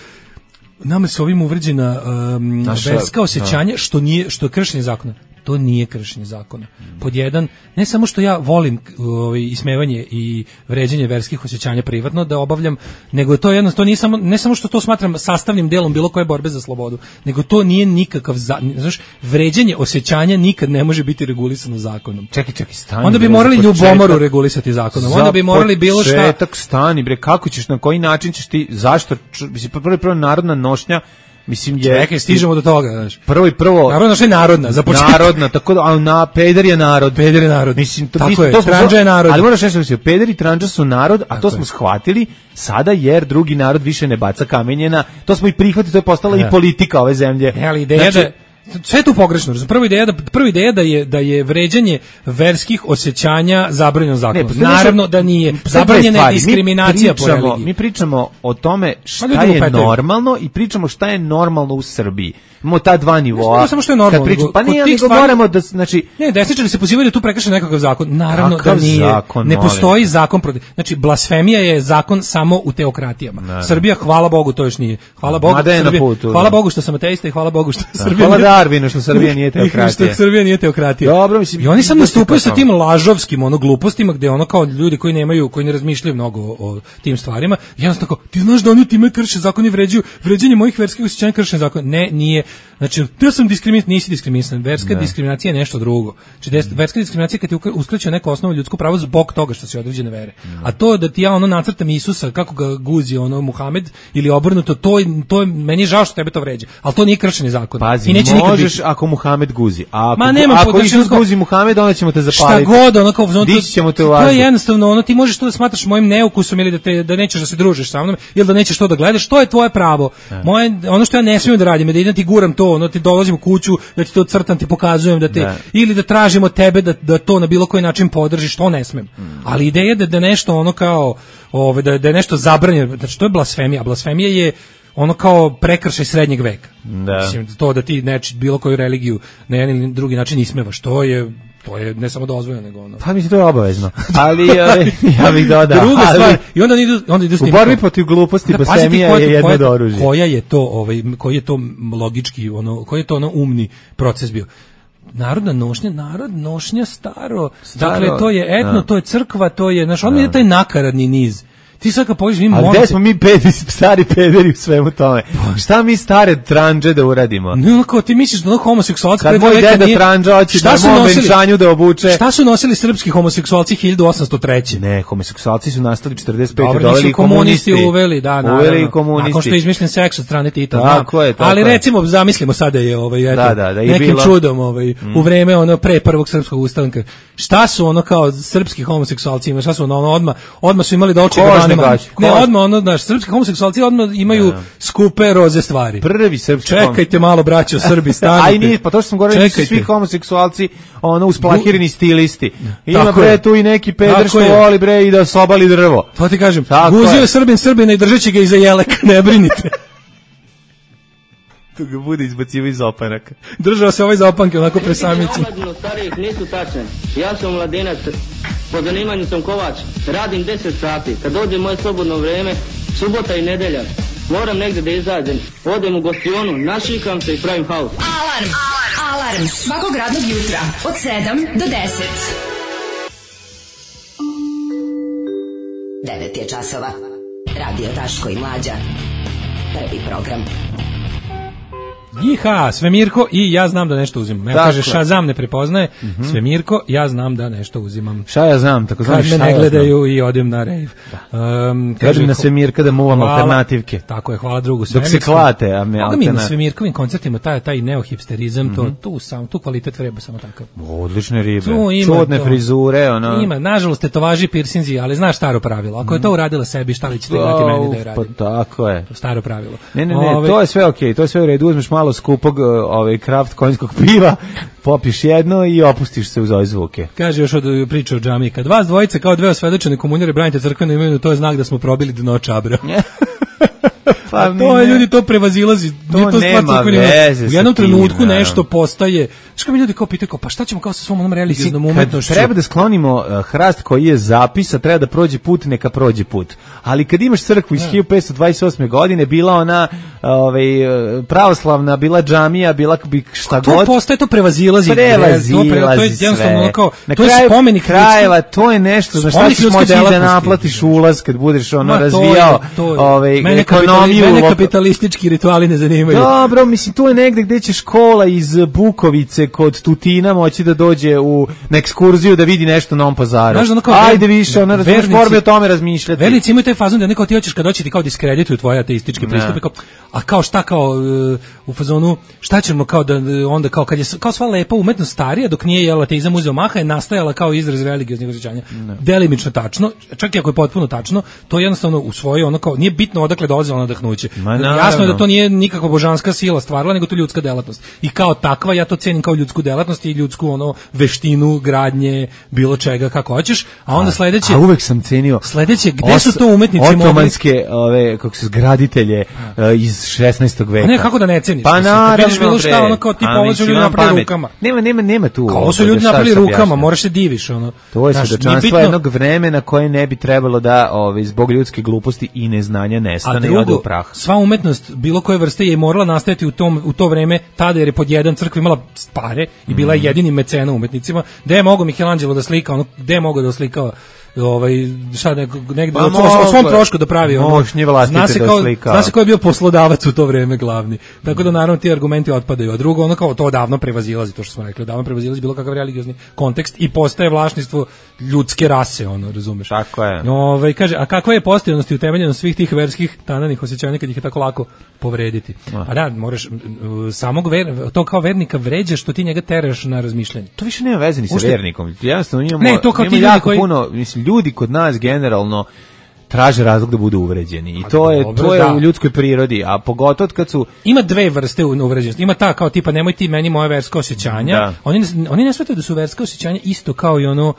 nama se ovim uvređena um, Naša, verska osjećanja, što nije, što je kršenje zakona. To nije kršenje zakona. Pod jedan, ne samo što ja volim ovaj, ismevanje i vređanje verskih osjećanja privatno da obavljam, nego je to jedno, to nije samo, ne samo što to smatram sastavnim delom bilo koje borbe za slobodu, nego to nije nikakav, za, znaš, vređanje osjećanja nikad ne može biti regulisano zakonom. Čekaj, čekaj, stani. Onda bi morali ljubomoru regulisati zakonom. Onda bi morali bilo šta. Početak, stani, bre, kako ćeš, na koji način ćeš ti, zašto, mislim, prvo prvo narodna nošnja, mislim je. Čekaj, stižemo do toga, znaš. Prvo i prvo. Narodna što je narodna, za početak. Narodna, tako da, a na peder je narod. Peder je narod. Mislim, to, tako mislim, je, to smo, tranđa je narod. Ali moraš nešto misliti, peder i tranđa su narod, a tako to smo je. shvatili sada jer drugi narod više ne baca kamenjena. To smo i prihvatili, to je postala ja. i politika ove zemlje. E, ali ideja znači, da sve je tu pogrešno. Prva ideja da prva ideja da je da je vređanje verskih osjećanja zabranjeno zakonom. Ne, naravno da nije. Zabranjena je diskriminacija mi pričamo, po religiji. Mi pričamo o tome šta je normalno i pričamo šta je normalno u Srbiji. Imamo ta dva nivoa. Ne samo što je normalno. Pričam, pa nije, nego stvari, moramo da, znači... Ne, desničari se pozivaju da tu prekrše nekakav zakon. Naravno da nije. Zakon, ne postoji zakon protiv. Znači, blasfemija je zakon samo u teokratijama. Ne, Srbija, hvala Bogu, to još nije. Hvala Bogu, Srbija, putu, hvala Bogu što sam ateista i hvala Bogu što da, Srbija... Hvala Darwinu što Srbija nije teokratija. Što Srbija nije teokratija. Dobro, mislim... I oni sad nastupaju sa tim lažovskim ono glupostima, gde ono kao ljudi koji nemaju, koji ne razmišljaju mnogo o, o tim stvarima, jednostavno tako, ti znaš da oni time krše zakon i vređaju, vređanje mojih verskih osjećanja krše zakon. Ne, nije. Znači, ja sam diskriminisan, nisi diskriminisan. Verska ne. diskriminacija je nešto drugo. Znači, verska diskriminacija kad ti uskraćuje neko osnovno ljudsko pravo zbog toga što si određene vere. Ne. A to da ti ja ono nacrtam Isusa, kako ga guzi ono Muhamed ili obrnuto, to, to je, meni je žao što tebe to vređa. Ali to nije kršenje zakona. Pazi, i neće možeš ako Muhamed guzi. A ako, Ma, nema, ako Isus guzi Muhamed, onda ćemo te zapaliti. Šta god, ono kao... Ono, Dići ćemo te u vazduh. To je jednostavno, ono, ti možeš to da smatraš mojim neukusom ili da, te, da nećeš da se družiš sa mnom ili da nećeš to da gledaš, to je tvoje pravo. Ne. Moje, ono što ja ne smijem da radim je da idem ti guram to, ono, ti dolazim u kuću, da ti to crtam, ti pokazujem da te, ne. ili da tražim od tebe da, da to na bilo koji način podržiš, to ne smem. Mm. Ali ideja da, da nešto ono kao, ove, da, da je nešto zabranjeno, znači to je blasfemija, a blasfemija je ono kao prekršaj srednjeg veka. Da. Mislim, to da ti neči bilo koju religiju na jedan ili drugi način ismevaš, to je to je ne samo dozvoljeno nego ono. Pa mislim to je obavezno. Ali ove, ja bih dodao. Druga ali, stvar, i onda idu onda idu s u borbi protiv gluposti da, blasfemija je jedno od oružja. Koja je to ovaj koji je to logički ono koji je to ono umni proces bio? Narodna nošnja, narod nošnja staro, staro dakle to je etno, da. to je crkva, to je, znaš, on je taj nakaradni niz. Ti sad kad poviš, mi moramo... Ali gde smo mi pederi, stari pederi u svemu tome? Šta mi stare tranđe da uradimo? Ne, onako, ti misliš da ono homoseksualci... Kad moj deda nije... tranđa hoće da mom venčanju da obuče... Šta su nosili srpski homoseksualci hiljadu osamsto treće? Ne, homoseksualci su nastali četrdeset pete. Dobro, doveli komunisti. komunisti uveli, da, naravno. Uveli komunisti. Nakon što je izmišljen seks od strane Tita. Tako je, tako Ali je. recimo, zamislimo sada je ovaj, eto, da, da, da, nekim bilo... čudom ovaj, mm. u vreme ono pre prvog srpskog ustanka. Šta su ono kao srpski homoseksualci ima? Šta su ono, ono odmah, odmah su imali da oči gabanima. Ne, odmah ono, znaš, srpski homoseksualci odmah imaju ja. skupe roze stvari. Prvi srpski. Čekajte malo, braćo, Srbi, stanite. Aj nije, pa to što sam govorio, nisu svi homoseksualci ono usplahireni stilisti. Ima bre je. tu i neki peder što voli bre i da sobali drvo. To ti kažem, guzio je Srbin Srbina i držeći ga iza jeleka, ne brinite. Tu ga bude izbacivo iz opanaka. Držao se ovaj za opanke, onako presamici. Omladinu starijih nisu tačne. Ja sam mladenac, po zanimanju sam kovač, radim deset sati. Kad dođe moje slobodno vreme, subota i nedelja, moram negde da izađem. Odem u gostionu, našikam se i pravim haos. Alarm! Alarm! Alarm! Svakog radnog jutra od sedam do deset. devet je časova. Radio Daško i Mlađa. Prvi program. Jiha, Svemirko i ja znam da nešto uzimam. Ja kaže Shazam ne prepoznaje, mm-hmm. Svemirko, ja znam da nešto uzimam. Šta ja znam, tako znam šta Kad me ne gledaju i odem na rave. Um, kaže na Svemirka da muvam hvala, alternativke. Tako je, hvala drugu Svemirsku. Dok se klate, a me alternativke. Mi na Svemirkovim koncertima taj, taj neohipsterizam, mm-hmm. to, tu, sam, tu kvalitet vreba samo takav. Odlične ribe, čudne frizure. Ono. Ima, nažalost, tetovaži, pirsinzi, ali znaš staro pravilo. Ako je to uradila sebi, šta li ćete dati meni da je radim? Pa tako je. Staro pravilo. Ne, ne, ne, Ove, to je sve okej, okay, to je sve u redu, uzmeš malo skupog ovaj kraft konjskog piva, popiš jedno i opustiš se uz ove zvuke. Kaže još od priče o džamiji, kad vas dvojice kao dve osvedočene komunjare branite crkvenu imenu, to je znak da smo probili dno čabra. Pa to je, ljudi to prevazilazi, to, to nema veze. U jednom trenutku tim, nešto postaje. Što mi ljudi kao pitaju, kao, pa šta ćemo kao sa svom onom religioznom umetnošću? Treba da sklonimo uh, hrast koji je zapis, a treba da prođe put, neka prođe put. Ali kad imaš crkvu iz ja. hiljadu petsto dvadeset osme godine, bila ona ovaj, pravoslavna, bila džamija, bila bi šta to god. To postaje, to prevazilazi. Prevazilazi to, pre, to je jednostavno kao, na to je kraju spomenik krajeva, to je nešto, znaš šta ćeš moći da naplatiš ulaz kad budeš ono Ma, razvijao to je, to je. Ovaj, mene ekonomiju. Mene kapitalistički rituali ne zanimaju. Dobro, mislim, tu je negde gde će škola iz Bukovice kod Tutina moći da dođe u na ekskurziju da vidi nešto na Novom Pazaru. Znaš, ono kao, ajde više, ona razumeš, moramo o tome razmišljati. Vernici imaju taj fazon da neko ti hoćeš kad doći ti kao diskredituju tvoje ateističke pristupe, kao, a kao šta kao uh, u fazonu, šta ćemo kao da onda kao kad je kao sva lepa umetnost starija dok nije jel ateizam uzeo maha je nastajala kao izraz religioznih osjećanja. Delimično tačno, čak i ako je potpuno tačno, to je jednostavno u svoje ono kao nije bitno odakle dolazilo nadahnuće. Jasno je da to nije nikakva božanska sila stvarala, nego to ljudska delatnost. I kao takva ja to cenim kao ljudsku delatnost i ljudsku ono veštinu gradnje bilo čega kako hoćeš, a onda sledeće a uvek sam cenio sledeće gde os, su to umetnici otomanske mogli... ove kako se graditelje uh, iz šesnaestog veka. A ne, kako da ne ceniš? Pa naravno, vidiš bilo šta ono kao tipa ovo su ljudi napravili rukama. Nema nema nema tu. Kao su ljudi napravili rukama, moraš se diviš ono. To je svedočanstvo jednog vremena koje ne bi trebalo da ove zbog ljudske gluposti i neznanja nestane i ode u prah. Sva umetnost bilo koje vrste je morala nastajati u tom u to vreme tada jer je pod jedan crkva imala pare i bila je jedini mecena umetnicima. Gde je mogao Michelangelo da slika, ono gde je mogao da slikava ovaj šta negde pa, o svom trošku da pravi ono. Zna se kao zna se ko je bio poslodavac u to vreme glavni. Tako da naravno ti argumenti otpadaju. A drugo ono kao to odavno prevazilazi to što smo rekli, odavno prevazilazi bilo kakav religiozni kontekst i postaje vlasništvo ljudske rase, ono, razumeš? Tako je. Ovaj kaže, a kakva je postojanost i utemeljenost svih tih verskih tananih osjećanja kad ih je tako lako povrediti? A da, moraš samog ver, to kao vernika vređaš što ti njega teraš na razmišljanje. To više nema veze ni sa Ušte... vernikom. Jednostavno imamo, ne, to kao ti jako koji... puno, mislim, ljudi kod nas generalno traže razlog da budu uvređeni i to je dobro, to je da. u ljudskoj prirodi, a pogotovo kad su ima dve vrste uvređenosti. Ima ta kao tipa nemoj ti meni moje verska osjećanja. Da. Oni ne, oni ne shvataju da su verska osjećanja isto kao i ono.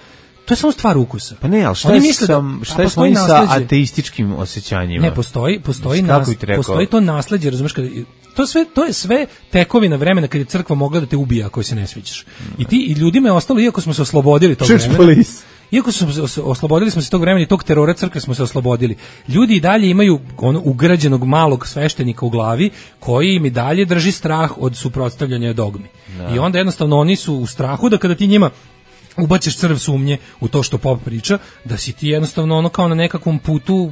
To je samo stvar ukusa. Pa ne, al šta je sam, šta je svojim sa ateističkim osjećanjima? Ne, postoji, postoji nas, postoji to nasleđe, razumeš, kad to sve to je sve tekovina vremena kad je crkva mogla da te ubija ako se ne sviđaš. I ti i ljudima je ostalo iako smo se oslobodili tog vremena. Iako smo se oslobodili smo se tog vremena i tog terora crkve smo se oslobodili. Ljudi i dalje imaju ono ugrađenog malog sveštenika u glavi koji im i dalje drži strah od suprotstavljanja dogmi. Da. I onda jednostavno oni su u strahu da kada ti njima ubaciš crv sumnje u to što pop priča, da si ti jednostavno ono kao na nekakvom putu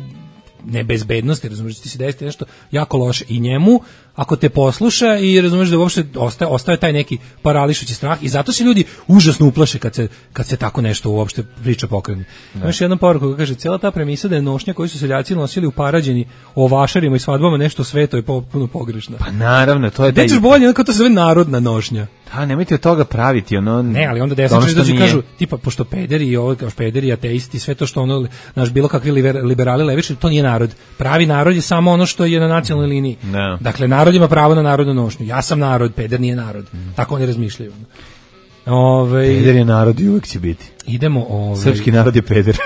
nebezbednosti, razumiješ, ti si desiti nešto jako loše i njemu, ako te posluša i razumiješ da uopšte ostaje, ostaje taj neki parališući strah i zato se ljudi užasno uplaše kad se, kad se tako nešto uopšte priča pokrene. Imaš jednom poruku koja kaže, cijela ta premisa da je nošnja koju su seljaci nosili u Parađeni o vašarima i svadbama nešto sveto je potpuno pogrešna. Pa naravno, to je da ćeš bolje, ono kao to se zove narodna nošnja. Da, nemojte od toga praviti, ono. Ne, ali onda desničari dođu kažu, tipa, pošto pederi i ovo, kao pederi, ateisti, sve to što ono, naš bilo kakvi liberali levičari, to nije narod. Pravi narod je samo ono što je na nacionalnoj liniji. No. Dakle, narod ima pravo na narodnu nošnju. Ja sam narod, peder nije narod. Mm. Tako oni razmišljaju. Ove, peder je narod i uvijek će biti. Idemo, ove, srpski narod je peder.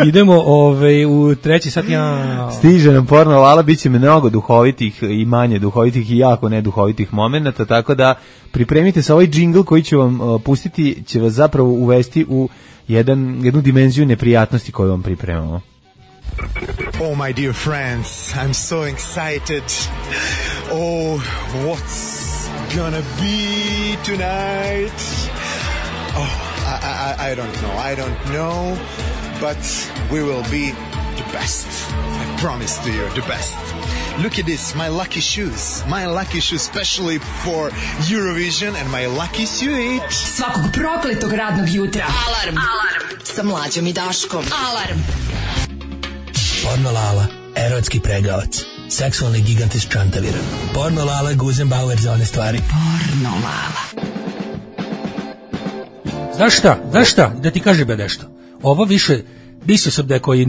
Idemo ove, u treći sat. Ja... Stiže nam porno lala, bit će mnogo duhovitih i manje duhovitih i jako neduhovitih momenata, tako da pripremite se, ovaj džingl koji ću vam uh, pustiti, će vas zapravo uvesti u jedan, jednu dimenziju neprijatnosti koju vam pripremamo. Oh, my dear friends, I'm so excited. Oh, what's gonna be tonight? Oh, I, I, I don't know, I don't know, but we will be the best. I promise to you, the best. Look at this, my lucky shoes. My lucky shoes specially for Eurovision and my lucky suit. Svakog prokletog radnog jutra. Alarm. Alarm. Sa Mlađom i Daškom. Alarm. Porno Lala, erotski pregavac. Seksualni gigant iz Čantavira. Porno Lala, Guzenbauer za one stvari. Porno Lala. Znaš šta, znaš šta, da ti kažem nešto. Ovo više, mislio sam da je koji,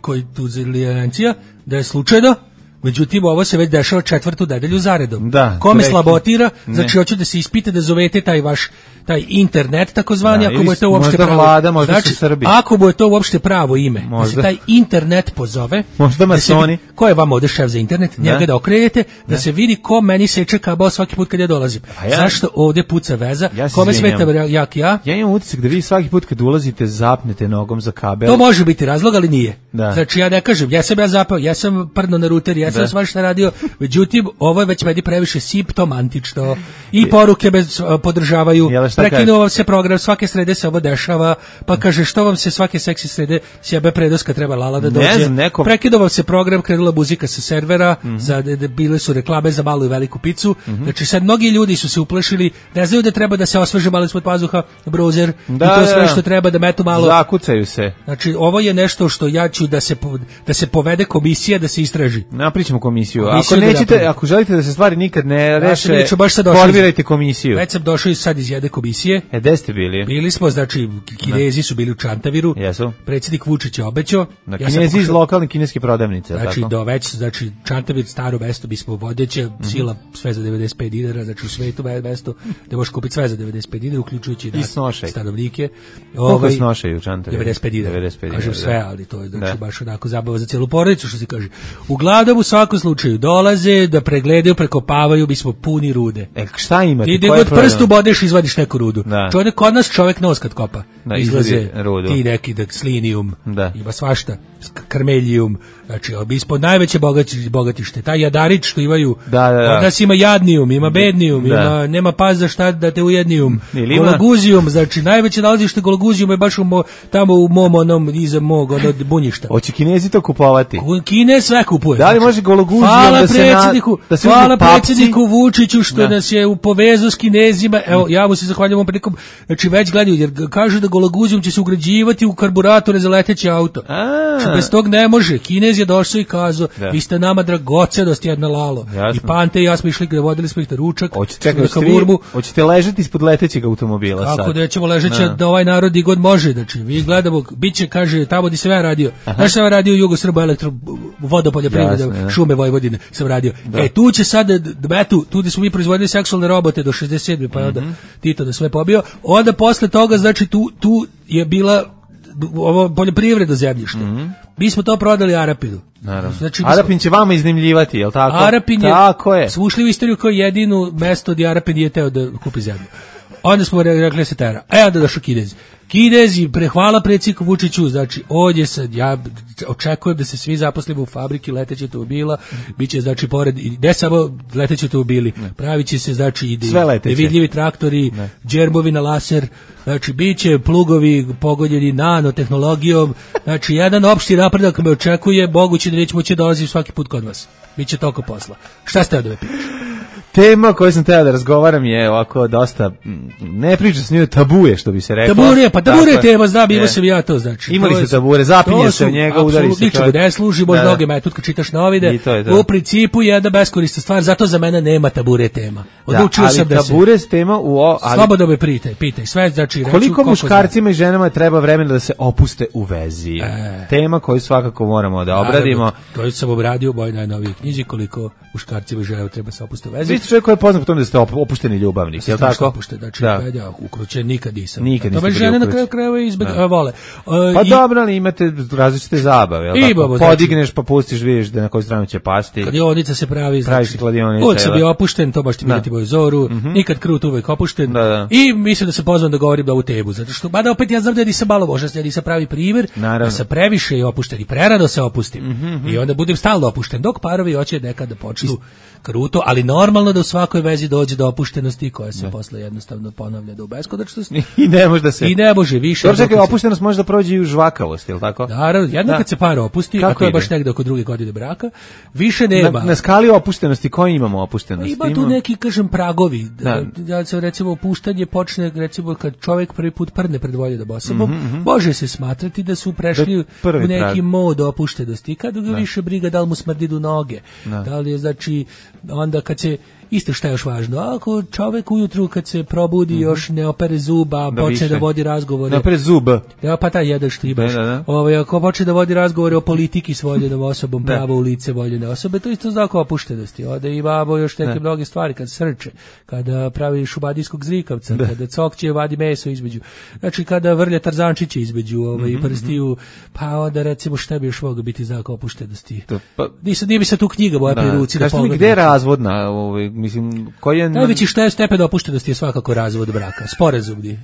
koji tuzilijancija, da je slučajno, međutim ovo se već dešava četvrtu nedelju zaredom. Da, Kome slabotira, znači hoću da se ispite da zovete taj vaš taj internet takozvani, da, ako mu je to uopšte pravo. Vlada, možda znači, su Srbi. Ako mu je to uopšte pravo ime, možda. Da se taj internet pozove. Možda masoni. Da ko je vama ovde šef za internet? Da. Njega da okrenete, da, da se vidi ko meni seče kabao svaki put kad ja dolazim. Ja, zašto ovde puca veza? Ja Kome smeta jak ja? Ja imam utisak da vi svaki put kad ulazite zapnete nogom za kabel. To može biti razlog, ali nije. Da. Znači ja ne kažem, ja sam ja zapao, ja sam prdno na ruter, ja sam svašta radio, međutim ovo je već meni previše simptomantično i poruke bez podržavaju. Prekinuo vam se program, svake srede se ovo dešava, pa kaže što vam se svake seksi srede sjebe predoska treba Lala da dođe. Ne znam, neko... Prekinuo vam se program, krenula muzika sa servera, mm -hmm. za, de, de, bile su reklame za malu i veliku picu, mm -hmm. znači sad mnogi ljudi su se uplašili, ne znaju da treba da se osveže malo ispod pazuha, browser, da, i to sve što treba da metu malo. Zakucaju se. Znači ovo je nešto što ja ću da se, da se povede komisija, da se istraži. Napričamo komisiju. Komisiju ako nećete, da ako želite da se stvari nikad ne reše, ja formirajte komisiju. Već sam došao sad iz jedne komisije. E, gde ste bili? Bili smo, znači, Kinezi su bili u Čantaviru. Jesu. Predsjednik Vučić je obećao. Na ja Kinezi iz lokalne kineske prodavnice, znači, tako? Do već, znači, Čantavir, staro mesto, mi smo vodeće, mm -hmm. sila sve za devedeset pet dinara, znači u svetu mesto, da možeš kupiti sve za devedeset pet dinara, uključujući i nas, stanovnike. Koliko ovaj, snošaju u Čantaviru? devedeset pet dinara. Kažem sve, ali to je, znači, da. Baš onako zabava za cijelu porodicu, što se kaže. Uglavnom, u svakom slučaju, dolaze da pregledaju, prekopavaju, mi smo puni rude. E, šta imate? Ti gde god prstu bodeš, izvadiš neku rudu. Čovjek kod nas čovjek nos kad kopa. Da, izlaze ti neki da slinijum, da. Ima svašta, karmeljijum, znači ispod najveće bogati, bogatište, taj jadarić što imaju, da, da, da. Od nas ima jadnijum, ima bednijum, da. Ima, nema pas za šta da te ujednijum, gologuzijum, znači najveće nalazište gologuzijum je baš u mo, tamo u mom onom, iza mog ono bunjišta. Hoće Kinezi to kupovati? Kine sve kupuje. Da li znači, može gologuzijum da se na, da se hvala predsjedniku Vučiću što da. Nas je upovezao s Kinezima, evo ja mu se zahvaljujem ovom prilikom, znači već gledaju, jer kažu da gologuzijum će se ugrađivati u karburatore za leteći auto. Znači, bez tog ne može. Kinez je došao i kazao, da. Vi ste nama dragocenost jedna Lalo. Jasno. I Pante i ja smo išli, vodili smo ih na ručak. Hoćete, hoćete ležati ispod letećeg automobila sad? Kako da ćemo ležeći da ovaj narod i god može. Znači, vi gledamo, bit će, kaže, tamo gdje sam ja radio. Znaš sam ja radio u Jugosrbo elektro, vodopoljoprivreda, šume Vojvodine sam radio. Da. E, tu će sad, eto, tu gdje smo mi proizvodili seksualne robote do šezdeset sedme pa je onda mm-hmm. Tito da sve pobio. Onda posle toga, znači, tu, tu je bila ovo poljoprivredno zemljište. Mm-hmm. Mi smo to prodali Arapinu. Naravno. Znači, Arapin će vama iznajmljivati, je li tako? Arapin je, tako je. Smo ušli u istoriju kao jedinu mesto gdje Arapin je teo da kupi zemlju. Onda smo rekli se tera. E, onda došao Kinezi. Kinezi, prehvala predsjedniku Vučiću, znači ovdje sad, ja očekujem da se svi zaposlimo u fabriki letećih automobila, bit će, znači, pored, ne samo leteći automobili, pravit će se, znači, i nevidljivi traktori, ne. Džermovi na laser, znači, bit će plugovi pogodjeni nanotehnologijom, znači, jedan opšti napredak me očekuje, moguće da neće moći dolaziti svaki put kod vas. Biće toliko posla. Šta ste da me pitaš? Tema koju sam teo da razgovaram je ovako dosta, ne priča s njoj, tabuje, što bi se rekao. Tabure, pa tabure je tema, znam, imao sam ja to, znači. Imali ste tabure, zapinje se u njega, udari se. Ničemu ne služi, možda noge me, tu kad čitaš novine, u principu je jedna beskorista stvar, zato za mene nema tabure tema. Odlučio sam da se... tabure s tema u... Ali... Slobodno me pitaj, pitaj, sve, znači... Koliko muškarcima i ženama treba vremena da se opuste u vezi? E... Tema koju svakako moramo da obradimo. To sam obradio u mojoj najnovijoj knjizi, koliko muškarcima i ženama treba se opuste u vezi. Čovjek koji je poznat po tome da ste opušteni ljubavnik, je li tako? Opušten, znači, da. Ja ukrućen nikad nisam. Nikad niste bili žene na kraju krajeva izbeg, a, vole. Uh, pa i, dobro, ali imate različite zabave, je li tako? Podigneš, znači, pa pustiš, vidiš da na koju stranu će pasti. Kladionica se pravi, pravi znači, kladionica. Uvijek sam bio opušten, to baš ti vidjeti moju zoru, mm-hmm. nikad krut, uvijek opušten. Da, da. I mislim da se pozvam da govorim da ovu tebu, zato što, mada opet ja znam da nisam malo možda, ja nisam pravi primjer, da sam previše i opušten i prerano se opustim. Mm-hmm. I onda budem stalno opušten, dok parovi hoće nekad da počnu kruto, ali normalno normalno da u svakoj vezi dođe do opuštenosti koja se posle jednostavno ponavlja do beskonačnosti. I ne može da se... I ne može više. Dobro, čekaj, opuštenost može da prođe i u žvakavost, je li tako? Naravno, jedno da. kad se par opusti, Kako a to je ide? baš negde oko druge godine braka, više nema. Na, na skali opuštenosti, koji imamo opuštenosti? Ima tu neki, kažem, pragovi. Da. Da se, recimo, opuštanje počne, recimo, kad čovjek prvi put prdne pred voljom osobom, mm-hmm. može se smatrati da su prešli u neki prag. mod opuštenosti. Kad ga više briga da li mu smrdi do noge. Da. da li je, znači, onda kad se... Isto šta je još važno, ako čovjek ujutru kad se probudi mm-hmm. još ne opere zuba, da počne više. da vodi razgovore. Ne opere zub. Ja, pa taj jedan što imaš. Da, da. Ovaj, ako počne da vodi razgovore o politiki s voljenom osobom, pravo u lice voljene osobe, to isto znak opuštenosti. Ode imamo još neke mnoge stvari, kad srče, kada pravi šubadijskog zrikavca, da. kada cokće vadi meso između, znači kada vrlja tarzančiće između ovaj, mm-hmm. prstiju, pa onda recimo šta bi još moglo biti znak opuštenosti. To, pa, Nisam, nije bi se tu knjiga moja pri ruci da pogledam. Gde je razvodna ovaj, mislim, koji je... Najveći šta je stepen opuštenosti je svakako razvod braka, sporazumni.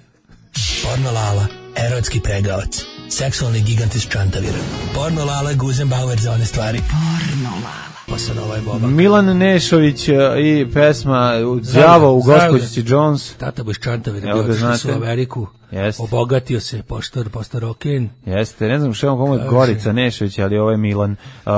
Porno Lala, erotski pregavac, seksualni gigant iz Čantavira. Porno Lala, Guzenbauer za one stvari. Porno Lala. Pa sad ovaj Boba. Milan Nešović i pesma Đavo u gospođici Jones. Tata bo iz Čantavira, bio otišli su u Ameriku. Jeste. Obogatio se, poštor, posto roken. Jeste, ne znam što je on pomoć Gorica Nešović, ali ovo je Milan. Uh,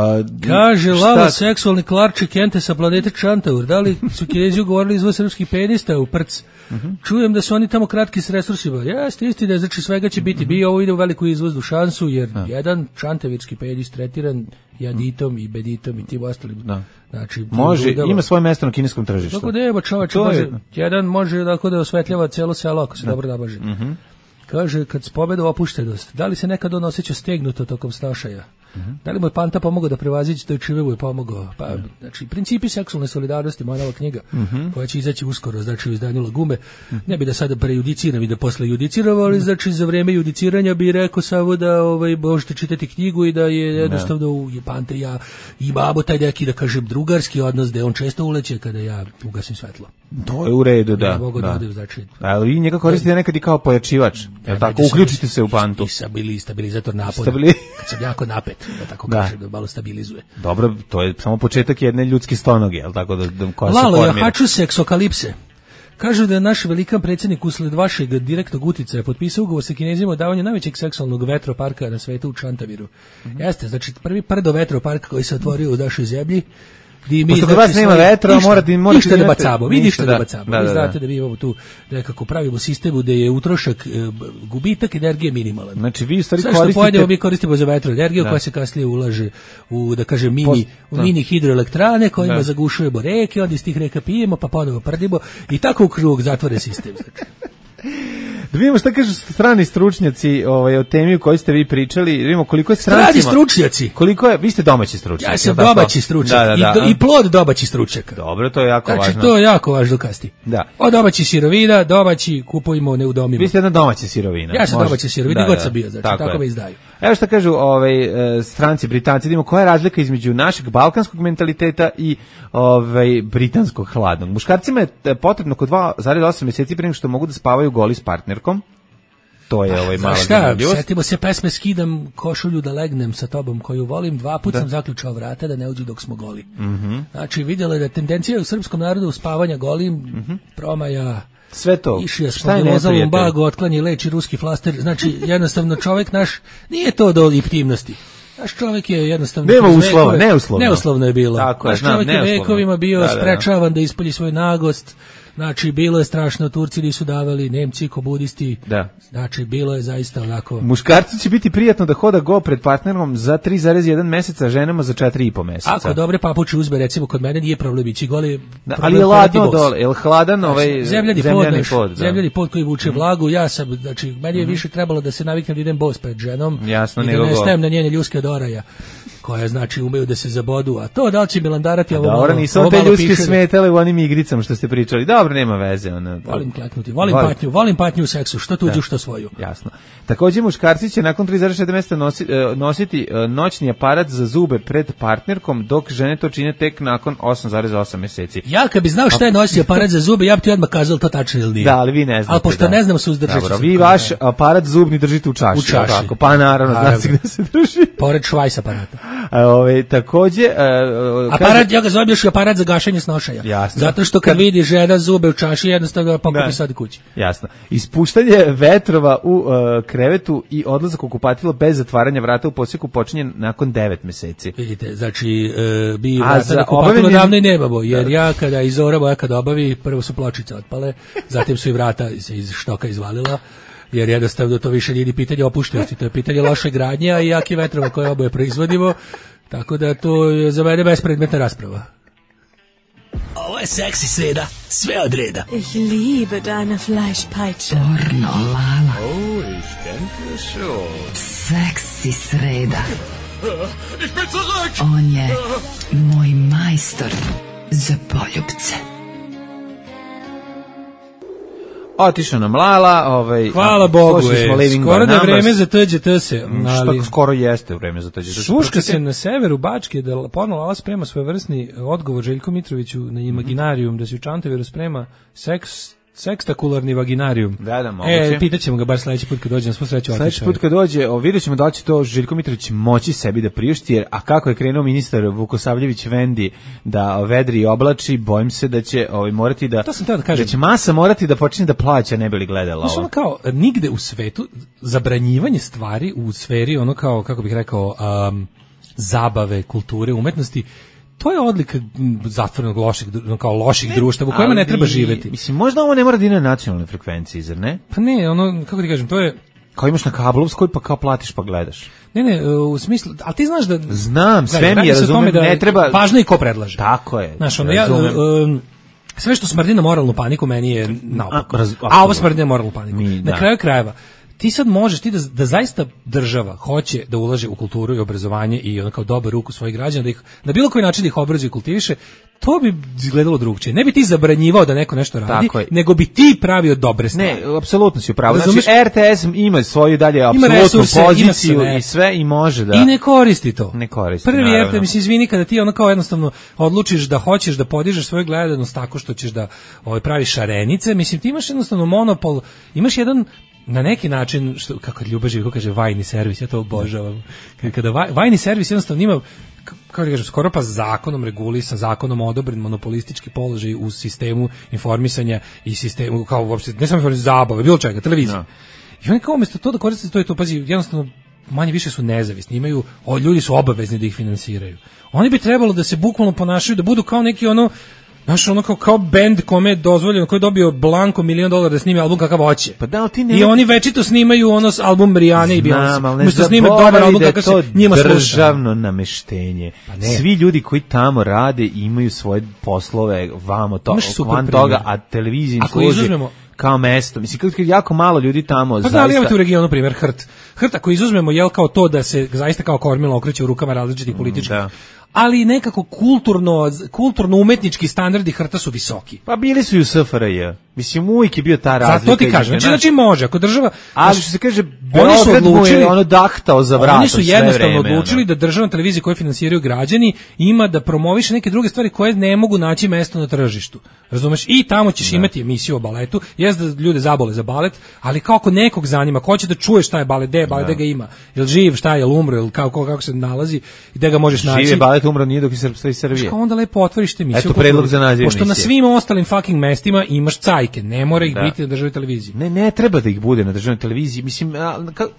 Kaže, Lala, seksualni klarči Kente sa planete Čantavur. Da li su Kinezi ugovorili izvoz srpskih penista u Prc? Uh-huh. Čujem da su oni tamo kratki s resursima. Jeste, istina, znači svega će biti. Uh-huh. Bio ovo ide u veliku izvoznu šansu, jer uh-huh. jedan čantavirski penis tretiran jaditom i beditom i tim ostalim. Da. Znači, može, udava. Ima svoje mesto na kineskom tržištu. Tako da je, čoveče, može, je... jedan može tako da osvetljava cijelo selo ako se da. dobro nabaže. Uh-huh. Kaže, kad s pobedu opuštenost, da li se nekad on osjeća stegnuto tokom snašaja? Uh-huh. Da li mu je Panta pomogao da prevazići, da je Čive mu je pomogao? Pa, uh-huh. znači, principi seksualne solidarnosti, moja nova knjiga, uh-huh. koja će izaći uskoro, znači u izdanju Lagume. Uh-huh. Ne bi da sada prejudiciram i da posle judiciram, ali uh-huh. znači za vreme judiciranja bi rekao samo da ovaj, možete čitati knjigu i da je jednostavno u Panta i ja imamo taj neki, da kažem, drugarski odnos, da on često uleće kada ja ugasim svetlo. To je u redu, da. Ja mogu da, da odim, znači. Ali vi njega koristite nekad i kao pojačivač. Jel tako? Uključite se u Pantu. I sabili, stabilizator napada. Stabili... Kad sam jako napet, da tako da. kažem, da malo stabilizuje. Dobro, to je samo početak jedne ljudske stonoge, jel tako? Da, da, koja Lalo, se formira. Ja haču seksokalipse. Kažu da je naš velikan predsjednik usled vašeg direktnog uticaja potpisao ugovor sa Kinezima o davanju najvećeg seksualnog vetroparka na svetu u Čantaviru. Mm-hmm. Jeste, znači prvi prdo vetropark koji se otvorio u našoj zemlji. Mi, Pošto kod vas nema vetra, ništa, morate... morate ništa da bacamo, vi ništa da, da bacamo. Da, da, vi znate da mi imamo tu nekako pravimo sistemu gde je utrošak, gubitak energije minimalan. Znači vi stvari sve koristite... što pojedemo mi koristimo za vetroenergiju koja se kasnije ulaže u, da kažem, mini, Post, u mini hidroelektrane kojima da. zagušujemo reke, onda iz tih reka pijemo, pa ponovo prdimo i tako u krug zatvore sistem. Znači. Da vidimo šta kažu strani stručnjaci ovaj, o temi o kojoj ste vi pričali. Da vidimo koliko je strancima... Strani stručnjaci? Koliko je, vi ste domaći stručnjaci. Ja sam domaći stručnjak da, da, da. I, do, i plod domaći stručnjaka. Dobro, to je jako znači, važno. Znači, to je jako važno kasti. Da. O domaći sirovina, domaći kupujemo, ne udomimo. Vi ste jedna domaća sirovina. Ja sam domaća sirovina, da, god sam bio, znači, tako, tako me izdaju. Evo šta kažu ovaj, stranci, Britanci, da vidimo koja je razlika između našeg balkanskog mentaliteta i ovaj, britanskog hladnog. Muškarcima je potrebno oko dva zarez osam mjeseci prije što mogu da spavaju goli s partnerkom. To je ovaj mala zanimljivost. Setimo se pesme Skidam košulju da legnem sa tobom koju volim. Dva puta sam zaključao vrata da ne uđu dok smo goli. Mm-hmm. Znači vidjela da tendencija u srpskom narodu u spavanja golim, mm-hmm. promaja, sve to. Išija smo dolozalom bagu, otklanje leči ruski flaster. Znači jednostavno čovjek naš, nije to do intimnosti. Naš čovjek je jednostavno... Nema uslova, neuslovno. Neuslovno je bilo. Tako Naš je, znam, čovjek je vekovima bio da, da, da. sprečavan da ispolji svoj nagost. Znači, bilo je strašno, Turci nisu davali, Nemci, komunisti. Da. Znači, bilo je zaista onako... Muškarcu će biti prijatno da hoda go pred partnerom za tri zarez jedan meseca, ženama za četiri i po meseca. Ako dobre papuče uzme, recimo, kod mene nije problem ići goli... Da, ali je ladno dole, je li hladan ovaj zemljani, zemljani pod, pod? Da. Zemljani pod koji vuče vlagu, ja sam, znači, meni je mm-hmm. više trebalo da se naviknem da idem bos pred ženom. Jasno, i da ne stajem na njene ljuske od oraja, koja znači umeju da se zabodu, a to da li će Milandarati ovo malo... Dobro, nisu te ljudske smetale u onim igricama što ste pričali. Dobro, nema veze. Ono, volim kleknuti, volim, volim patnju, volim patnju u seksu, što tuđu, da. Što svoju. Jasno. Također muškarci će nakon tri zarez sedam mjeseca nosi, nositi noćni aparat za zube pred partnerkom, dok žene to čine tek nakon osam zarez osam mjeseci. Ja kad bi znao šta je noćni aparat za zube, ja bi ti odmah kazao to tačno ili nije. Da, ali vi ne znate. Ali pošto da. ne znam suzdržati. Dobro, vi vaš aparat zubni držite u čaši. U čaši. Tako, pa naravno, naravno. Znači gde se drži. Pored švajs aparata. A, ove, takođe... A, aparat, kaže, ja ga zovem još i aparat za gašenje snošaja. Jasno. Zato što kad, kad vidi žena zube u čaši, jednostavno pokupi sad kući. Jasno. Ispuštanje vetrova u uh, krevetu i odlazak u kupatilo bez zatvaranja vrata u posjeku počinje nakon devet meseci. Vidite, znači, uh, bi A vrata na kupatilo obavljenje... davno i nemamo, jer ja kada iz Zora moja kada obavi, prvo su pločice otpale, zatim su i vrata se iz štoka izvalila, jer jednostavno to više nije pitanje opuštenosti, to je pitanje loše gradnje, a i jake vetrova koje oboje proizvodimo, tako da to je za mene bespredmetna rasprava. Ovo je seksi sreda, sve od reda. Ich liebe deine Fleischpeitsche. Pornolala. Oh, ich denke schon. Seksi sreda. Ich bin zurück! On je moj majstor za poljubce. Otišao nam Lala, ovaj, hvala Bogu, je, skoro da je vreme za T Đ T se. Ali... skoro jeste vreme za T Đ T se. Šuška se na severu Bačke da Porno Lala sprema svojevrsni odgovor Željku Mitroviću na Imaginarijum, da se u Čantaviru sprema seks sekstakularni vaginarijum. Da, da, moguće. E, pitaćemo ga bar sledeći put kad dođe, na svu sreću otišao. Sledeći put kad dođe, o, vidjet ćemo da će to Željko Mitrović moći sebi da priušti, jer, a kako je krenuo ministar Vukosavljević Vendi da vedri i oblači, bojim se da će ovaj, morati da, to sam teo da kažem. Da će masa morati da počne da plaća, ne bi li gledala ovo. Znaš, ono kao, nigde u svetu, zabranjivanje stvari u sferi, ono kao, kako bih rekao, um, zabave, kulture, umetnosti, to je odlika zatvorenog loših, kao loših društava u kojima ne treba živeti. Mislim, možda ovo ne mora da ide na nacionalnoj frekvenciji, zar ne? Pa ne, ono, kako ti kažem, to je... Kao imaš na kablovskoj, pa kao platiš pa gledaš. Ne, ne, u smislu, ali ti znaš da... Znam, sve mi je, razumem, da ne treba... Važno je ko predlaže. Tako je, znaš, ono, ja, um, sve što smrdi na moralnu paniku meni je naopako. A, a ovo smrdi na moralnu paniku. Mi, na da. kraju krajeva, ti sad možeš, ti da, da zaista država hoće da ulaže u kulturu i obrazovanje i ono kao dobar ruku svojih građana, da ih na bilo koji način da ih obrazuje i kultiviše, to bi izgledalo drugčije. Ne bi ti zabranjivao da neko nešto radi, nego bi ti pravio dobre stvari. Ne, apsolutno si u pravu. Znači, R T S ima svoju dalje apsolutnu poziciju sve. I sve i može da... I ne koristi to. Ne koristi, Prvi naravno. R T S, mislim, izvini, kada ti ono kao jednostavno odlučiš da hoćeš da podižeš svoju gledanost tako što ćeš da ovaj, praviš šarenice, mislim, ti imaš jednostavno monopol, imaš jedan na neki način, što, kako Ljuba Živko kaže, vajni servis, ja to obožavam. Kada vaj, vajni servis jednostavno ima, kako da kažem, skoro pa zakonom regulisan, zakonom odobren monopolistički položaj u sistemu informisanja i sistemu, kao uopšte, ne samo informisanja, zabave, bilo čega, televizije. No. I oni kao umjesto to da koriste to i to, pazi, jednostavno manje više su nezavisni, imaju, o, ljudi su obavezni da ih finansiraju. Oni bi trebalo da se bukvalno ponašaju, da budu kao neki ono, znaš, ono kao, kao bend kome je dozvoljeno, koji je dobio blanko milion dolara da snimi album kakav hoće. Pa da, ti ne... I oni večito snimaju ono album Rijane i Beyoncé. Umesto snime dobar album kakav se njima sluša. Državno nameštenje. Pa svi ljudi koji tamo rade imaju svoje poslove, vamo to, van toga, a televiziji služi izuzmemo, kao mesto. Mislim, kako jako malo ljudi tamo pa zaista... Pa da, ali imate u regionu primjer Hrt. Hrt, ako izuzmemo, jel kao to da se zaista kao kormilo okreće u rukama različitih političkih, da. Ali nekako kulturno, kulturno umetnički standardi Hrta su visoki. Pa bili su i u S F R J. Mislim, uvijek je bio ta razlika. Zato ti kažem, znači, znači može, ako država... Ali što se kaže, Beograd mu je ono dahtao za vratom. Oni su jednostavno vreme, odlučili ono. da državna televizija koju finansiraju građani ima da promoviše neke druge stvari koje ne mogu naći mesto na tržištu. Razumeš? I tamo ćeš da. imati emisiju o baletu, jest da ljude zabole za balet, ali kako nekog zanima, ko će da čuje šta je balet, gde je balet, gde ga ima, jel živ, šta je, jel umro, jel kako, kako se nalazi i gde ga možeš naći. Živ je balet, umro nije dok je Srpstva i Srbije. Onda lepo otvoriš te emisiju. Eto predlog za naziv pošto emisije. Na svim ostalim fucking mestima imaš cajke, ne mora ih da. biti na državnoj televiziji. Ne, ne treba da ih bude na državnoj televiziji, mislim,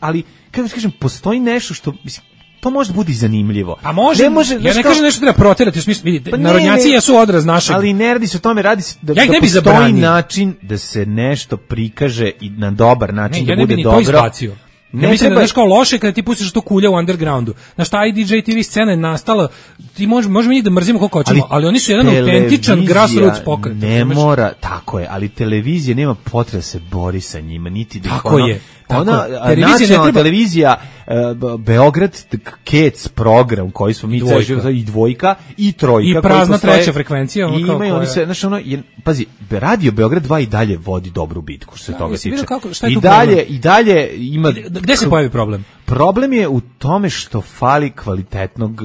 ali kako ti kažem, postoji nešto što, mislim, to može biti zanimljivo. A može, ne može, ja ne kažem nešto treba proterati, u smislu, vidite, pa narodnjaci jesu odraz našeg. Ali ne radi se o tome, radi se da, ja da ne postoji zabranio. način da se nešto prikaže i na dobar način, ne, da ja bude ne dobro. To izbacio. Ne, ne mislim da znaš kao loše kada ti pustiš to kulja u undergroundu. Znaš, ta I D J T V scena je nastala, ti možemo možemo mi da mrzimo koliko hoćemo, ali, ali oni su jedan autentičan grassroots pokret. Ne mora, tako je, ali televizija nema potrebe da se bori sa njima, niti da ih tako ono, je. Ona nacionalna treba... televizija uh, Beograd Kec program koji smo mi ceo i dvojka i trojka i prazna treća frekvencija i imaju oni se znači ono je, pazi radio Beograd dva i dalje vodi dobru bitku što se da, toga tiče kako, i dalje problem? I dalje ima gde se pojavi problem? Problem je u tome što fali kvalitetnog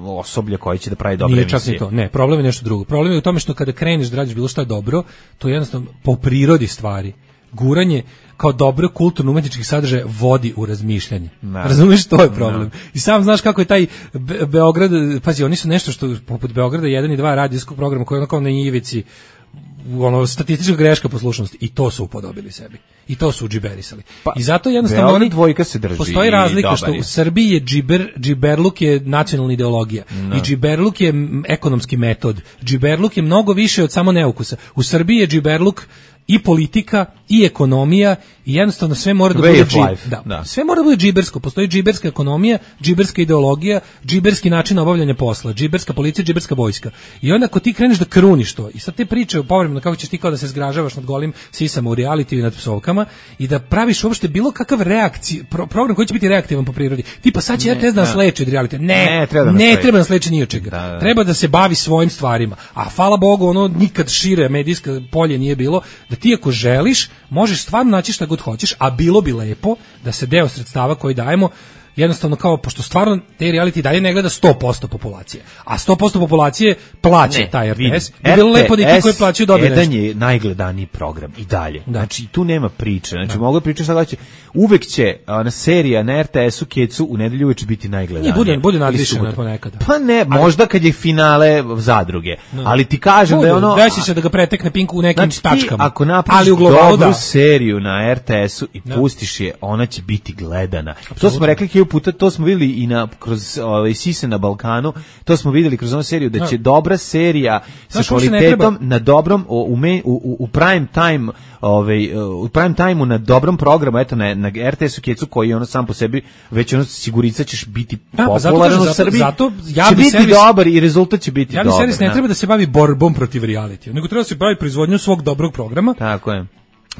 osoblja koji će da pravi dobre Nije emisije. Čak ni to. Ne, problem je nešto drugo. Problem je u tome što kada kreneš da radiš bilo šta dobro, to je jednostavno po prirodi stvari. Guranje, kao dobro kulturno-umetničkih sadržaja vodi u razmišljanje. No. Razumiješ, to je problem. No. I sam znaš kako je taj Be- Beograd, pazi, oni su nešto što, poput Beograda jedan i dva radijskog programa koji je onako na ivici, ono, statistička greška poslušnosti, i to su upodobili sebi. I to su džiberisali. Pa, I zato jednostavno Beograd oni, dvojka se drži. Postoji razlika što u Srbiji je džiber, džiberluk je nacionalna ideologija. No. I džiberluk je ekonomski metod. Džiberluk je mnogo više od samo neukusa. U Srbiji je džiberluk i politika i ekonomija i jednostavno sve mora da Way bude džib, da. da. Sve mora da bude džibersko. Postoji džiberska ekonomija, džiberska ideologija, džiberski način obavljanja posla, džiberska policija, džiberska vojska. I onda ako ti kreneš da kruniš to i sad te priče povremeno kako ćeš ti kao da se zgražavaš nad golim sisama u realitiju i nad psovkama i da praviš uopšte bilo kakav reakcij, pro, program koji će biti reaktivan po prirodi. Tipa sad će R T S da nas leči od realitija. Ne, ne, treba da ne nas treba nas leči ni od čega. Da, da. Treba da se bavi svojim stvarima. A hvala Bogu, ono nikad šire medijsko polje nije bilo, da ti ako želiš, možeš stvarno naći šta god hoćeš, a bilo bi lepo da se deo sredstava koji dajemo jednostavno kao, pošto stvarno te reality dalje ne gleda sto posto populacije, a sto posto populacije plaća ne, taj R T S, bi bilo lepo da i ti koji plaćaju dobiju nešto. jedan je najgledaniji program i dalje. Da. Znači, tu nema priče. Znači, mogu pričati šta hoće. Uvek će ona serija na R T S-u Kecu u nedelju uveče biti najgledanija. Nije, bude, bude nadvišena ponekada. Pa ne, možda kad je finale zadruge. No. Ali ti kažem bude, da je ono... Desi se da ga pretekne Pinku u nekim znači, tačkama. Ti, ako napraviš dobru da. seriju na R T S-u i no. pustiš je, ona će biti gledana. Absolutno. To smo rekli hiljadu puta, to smo videli i na kroz ovaj Sise na Balkanu, to smo videli kroz onu seriju da će no. dobra serija sa kvalitetom na dobrom u, u, u prime time, ovaj u prime timeu na dobrom programu, eto na, na R T S-u Kecu koji je ono sam po sebi već ono sigurica ćeš biti da, popularan u Srbiji. Zato ja će bi biti servis, dobar i rezultat će biti ja dobar. Ja bi servis ne treba da se bavi borbom protiv reality, nego treba da se bavi proizvodnjom svog dobrog programa. Tako je.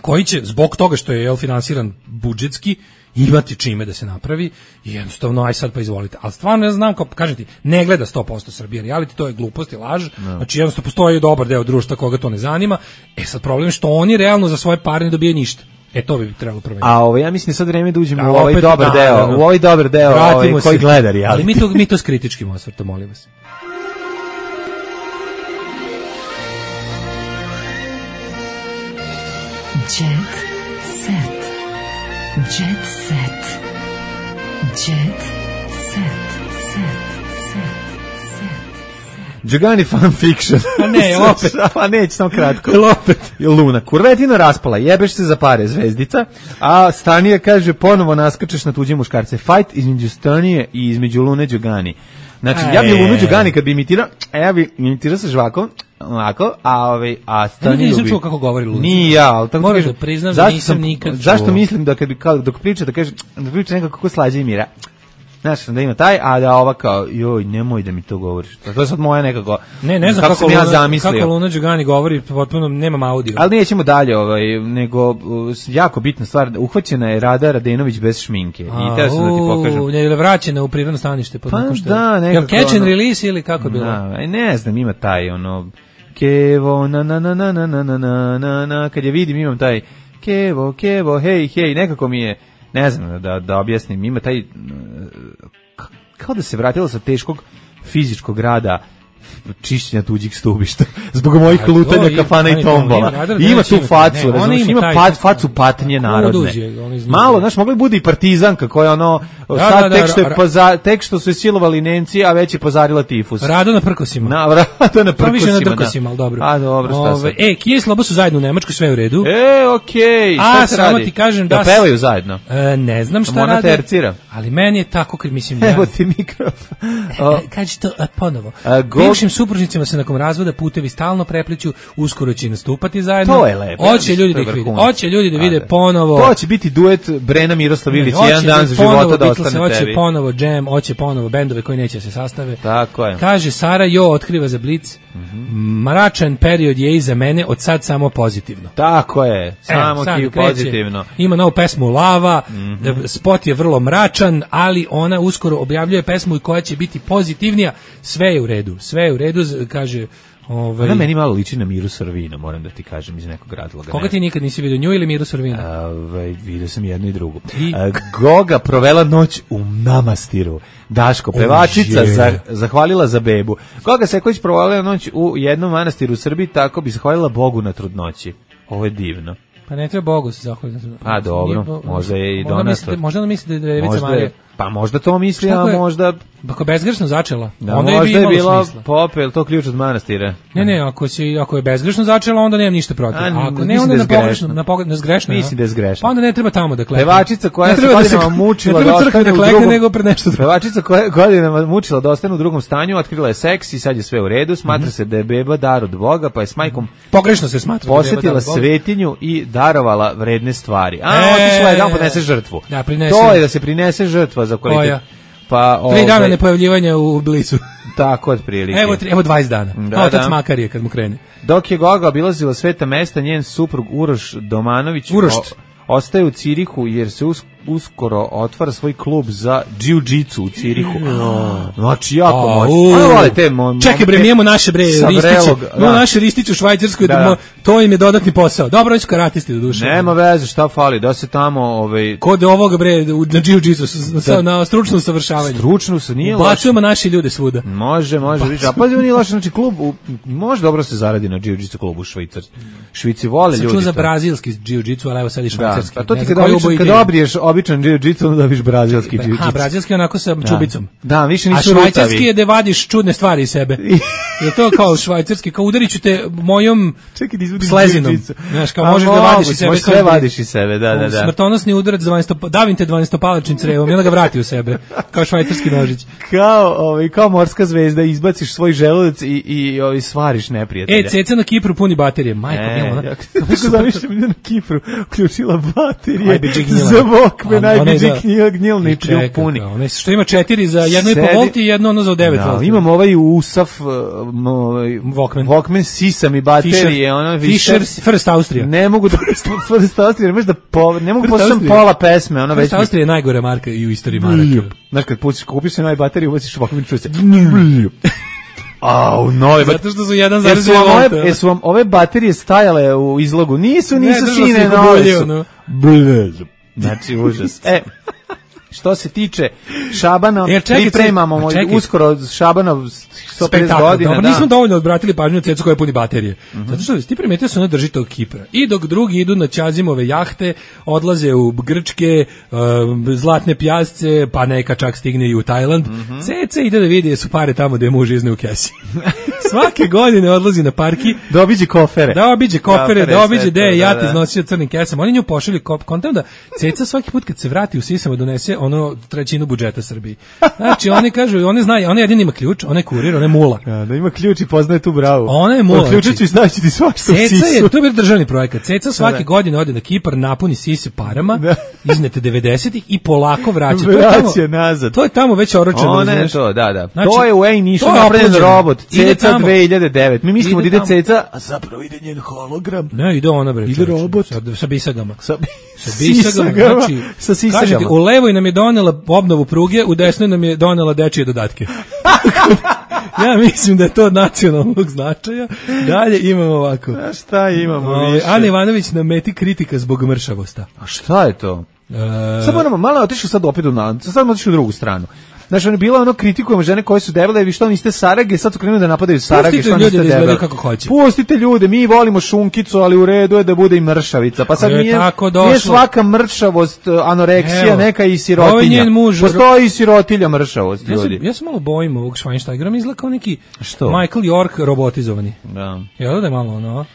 Koji će zbog toga što je jel finansiran budžetski imati čime da se napravi i jednostavno aj sad pa izvolite. Ali stvarno ja znam, kao kažem ti, ne gleda sto posto Srbije reality, to je glupost i laž. No. Znači jednostavno postoji dobar deo društva koga to ne zanima. E sad problem je što oni realno za svoje pare ne dobijaju ništa. E to bi trebalo promeniti. A ovo ja mislim da sad vreme da uđemo da, u ovaj dobar da, deo, da, u ovaj dobar deo ovaj, koji gleda reality. Ali mi to mi to s kritičkim osvrtom, molim vas. Jet set. Jet set. Jet set. Set. Set. Set. Džugani fan fiction. A ne, opet. A neće, samo kratko. Opet. Luna. Kurvetino raspala, jebeš se za pare, zvezdica, a Stanija kaže ponovo naskačeš na tuđe muškarce. Fight između Stanije i između Lune Đugani. Znači, ja bi Lunu Đugani kad bi imitirao, a ja bi imitirao sa žvakom, ovako, a ovaj a Staniju nisam čuo kako govori Luna. Ni ja, al tako moram da priznam da nisam nikad čuo. Zašto mislim da kad bi kao dok priča da kaže da priča nekako kako slađe i mira. Znaš, da ima taj, a da ova kao, joj, nemoj da mi to govoriš. To je sad moja nekako, ne, ne znam kako, kako, Luna, ja zamislio. Kako Luna Đugani govori, potpuno nemam audio. Ali nećemo dalje, ovaj, nego jako bitna stvar, uhvaćena je Rada Radenović bez šminke. A, i teo sam da ti pokažem. Ne, je vraćena u prirodno stanište. Pa da, nekako. Jel catch and release ili kako bilo? Da, ne znam, ima taj, ono, kevo, na, na, na, na, na, na, na, na, na, kad je vidim imam taj, kevo, kevo, hej, hej, nekako mi je, ne znam da, da objasnim, ima taj, kao da se vratila sa teškog fizičkog rada čišćenja tuđih stubišta zbog mojih a, lutanja o, kafana i tombola. Ima, ima tu facu, ne, razumiješ, ima taj, pat, facu patnje narodne. Malo, znaš, mogli bude i partizanka koja ono, da, sad da, tek, što je poza, tek što su je silovali Nemci, a već je pozarila tifus. Rado na prkosima. Na, rado na prkosima, na drkosima, ali dobro. A, dobro, šta sad? E, Kije i Sloba su zajedno u Nemačkoj, sve u redu. E, okej, okay. Šta a, se radi? A, ti kažem da... Da pevaju zajedno? E, ne znam šta Mona rade. Tercira. Ali meni je tako, kad mislim... Evo ti mikrofon. Kaži to a, ponovo. A, go... Bivšim supružnicima se nakon razvoda putevi stalno prepliću, uskoro će nastupati zajedno. To je lepo. Hoće ljudi da ih vide. Hoće ljudi da vide ponovo. To će biti duet Brena Miroslav Ilić, jedan dan za života da ostane tebi. Hoće ponovo Jam, hoće ponovo bendove koji neće se sastave. Tako je. Kaže Sara Jo otkriva za Blic. Mm-hmm. Mračan period je iza mene, od sad samo pozitivno. Tako je, samo e, ti pozitivno. Ima novu pesmu Lava, mm-hmm. spot je vrlo mračan, ali ona uskoro objavljuje pesmu koja će biti pozitivnija. Sve je u redu, sve je u redu, kaže... Ovaj ona meni malo liči na Miru Sorvina, moram da ti kažem iz nekog razloga. Koga ti nikad nisi vidio, nju ili Miru Sorvina? Ovaj vidio sam jedno i drugo. I? A, Goga provela noć u namastiru. Daško, pevačica, oh, za, zahvalila za bebu. Goga Seković provalila noć u jednom manastiru u Srbiji, tako bi zahvalila Bogu na trudnoći. Ovo je divno. Pa ne treba Bogu se zahvaliti. Pa dobro, možda je i donator. Možda on misli da je Drevica Marija. Pa možda to misli, a možda... Ako je bezgrešno začela, da, onda možda je bi je bila smisla. Pope, je li to ključ od manastira? Ne, ne, ako, si, ako je bezgrešno začela, onda nemam ništa protiv. A, a ako ne, onda je na pogrešno. Na pogrešno, zgrešno. Mislim da je zgrešno. Pa onda ne treba tamo da klekne. Pevačica koja se godinama mučila da ostane u drugom... nego pred nešto drugo. Pevačica koja godinama mučila da ostane u drugom stanju, otkrila je seks i sad je sve u redu. Smatra se da je beba dar od Boga, pa je s majkom pogrešno se smatra posetila svetinju i darovala vredne stvari. A, otišla je da podnese žrtvu. To je da se prinese žrtva za kvalitet. Pa, tri ovaj, dana nepojavljivanja u Blicu. Tako, otprilike. Evo, evo dvadeset dana. Da, otac da. Makarije kad mu krene. Dok je Goga obilazila sveta mesta, njen suprug Uroš Domanović o, ostaje u Cirihu jer se us, uskoro otvara svoj klub za džiu-džicu u Cirihu. Znači, jako moćno. Čekaj bre, mi imamo naše bre ristiće. No, naše ristiće u Švajcarskoj, da, da. To im je dodatni posao. Dobro, su karatisti do duše. Nema veze, šta fali, da se tamo... Ovaj... Kod ovoga bre, na džiu-džicu, na stručnom savršavanju. Stručno se nije loše. Bacujemo naši ljude svuda. Može, može. Viš, a pazi, nije loše, znači klub, u, može dobro se zaradi na džiu-džicu klubu u Švajcarskoj. Švici vole ljudi. Sam čuo za brazilski džiu-džicu, ali evo sad i švajcarski. A to ti kad dobiješ običan džiu-džicu, onda dobiš brazilski džiu-džicu. Aha, brazilski onako sa čubicom. Da, više nisu rutavi. A švajcarski je da vadiš čudne stvari iz sebe. Je to kao švajcarski, kao udariću te mojom slezinom. Znaš, kao možeš da vadiš iz sebe. Možeš sve vadiš iz sebe, da, da, da. Smrtonosni udarac za dvanaest, davim te dvanaestopalačnim crevom i onda ga vrati u sebe, kao švajcarski nožić. Kao, ovaj, kao morska zvezda, izbaciš svoj želudac i, i ovaj, svariš neprijatelja. E, ceca na Kipru puni baterije. Majko, e, ona. Kako zamišljam da na Kipru uključila baterije za Walkman, najbiđi gnjilni puni. Ona što ima četiri za jedno i po volti i jedno ono za devet volti. Imam ovaj usaf Walkman. Walkman sisa mi baterije. Fisher, First Austria. Ne mogu da First Austria, možda po, ne mogu poslušam pola pesme, ona već. First Austria je najgore marka i u istoriji maraka. Znaš kad pustiš, kupiš se novu bateriju, ubaciš Walkman, čuje se. Au, nove zato što su jedan zarez dvije volta. Jesu vam ove baterije stajale u izlogu? Nisu, nisu sine nove. Blez. Znači, užas. E, što se tiče Šabana, e, pripremamo moj, uskoro Šabanov sto pedeset godina. Dobro, da. Nismo dovoljno odbratili pažnju na cecu koja puni baterije. Mm-hmm. Zato što ti primetio se ona drži tog Kipra. I dok drugi idu na Ćazimove jahte, odlaze u Grčke, uh, zlatne pjasce, pa neka čak stigne i u Tajland. Mm-hmm. Ceca ide da vidi su pare tamo gde je muž izne u kesi. Svake godine odlazi na parki. Da obiđe kofere. Da obiđe kofere, da obiđe gde je jat iznosio crnim kesama. Oni nju pošalju kontam da ceca svaki put kad se vrati u sisama donese ono trećinu budžeta Srbiji. Znači oni kažu, oni znaju, ona jedini ima ključ, ona je kurir, ona je mula. Ja, da ima ključ i poznaje tu bravu. Ona je mula. Ključić i znaći ti svašta u sisu. Ceca je, to je bio državni projekat. Ceca svake da. godine ode na Kipar, napuni sise parama, da. iznete devedesetih i polako vraća. Vraća nazad. To je tamo već oročeno. Ona je to, da, da. Znači, to je u Ejnišu napravljen robot. Ceca dve hiljade devet. Mi mislimo da ide Ceca, a zapravo ide njen hologram. Ne, ide ona bre. Ide robot. Sa, sa bisagama. Sa, sa bisagama. Znači, sa sisagama. Kažete, u levoj nam je donela obnovu pruge, u desnoj nam je donela dečije dodatke. Ja mislim da je to od nacionalnog značaja. Dalje imamo ovako. A šta imamo o, više? Ana Ivanović na meti kritika zbog mršavosta. A šta je to? E... Sad moramo, malo je otišao sad opet u, sad otišao u drugu stranu. Znaš, on je bila ono, kritikujemo žene koje su debele, vi što niste sarage, sad su krenuli da napadaju sarage, što niste debele. Da kako hoće. Pustite ljude, mi volimo šunkicu, ali u redu je da bude i mršavica. Pa sad nije, nije svaka mršavost anoreksija, evo, neka i sirotinja. Muž, postoji i sirotilja mršavost, ja ljudi. Sam, ja se malo bojim ovog Schweinsteigera, izgleda kao neki što? Michael York robotizovani. Da. Jel da je malo ono?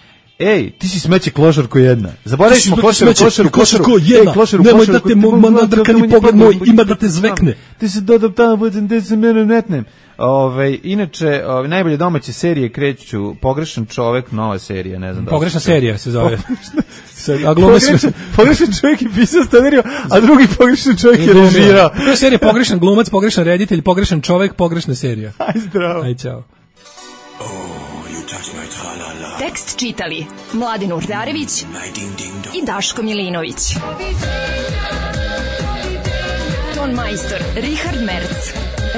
Ej, ti si smeće klošarko jedna. Zaboravili smo klošaru, klošaru, klošaru, jedna. Klošaru, nemoj da te nadrkani pogled moj ima da te zvekne. Ti se dodam tamo, budem da se mene netnem. Ove, inače, ove, najbolje domaće serije kreću Pogrešan čovek, nova serija, ne znam da. Pogrešna serija se zove. A glumac pogrešan čovjek je pisao scenariju, a drugi pogrešan čovjek je režirao. To je serija Pogrešan glumac, pogrešan reditelj, pogrešan čovek, pogrešna serija. Aj zdravo. Aj čao. Tekst čitali Mladin Urdarević i Daško Milinović. Ton majstor Richard Merc.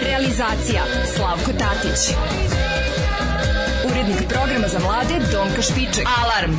Realizacija Slavko Tatić. Urednik programa za mlade Donka Špiček. Alarm!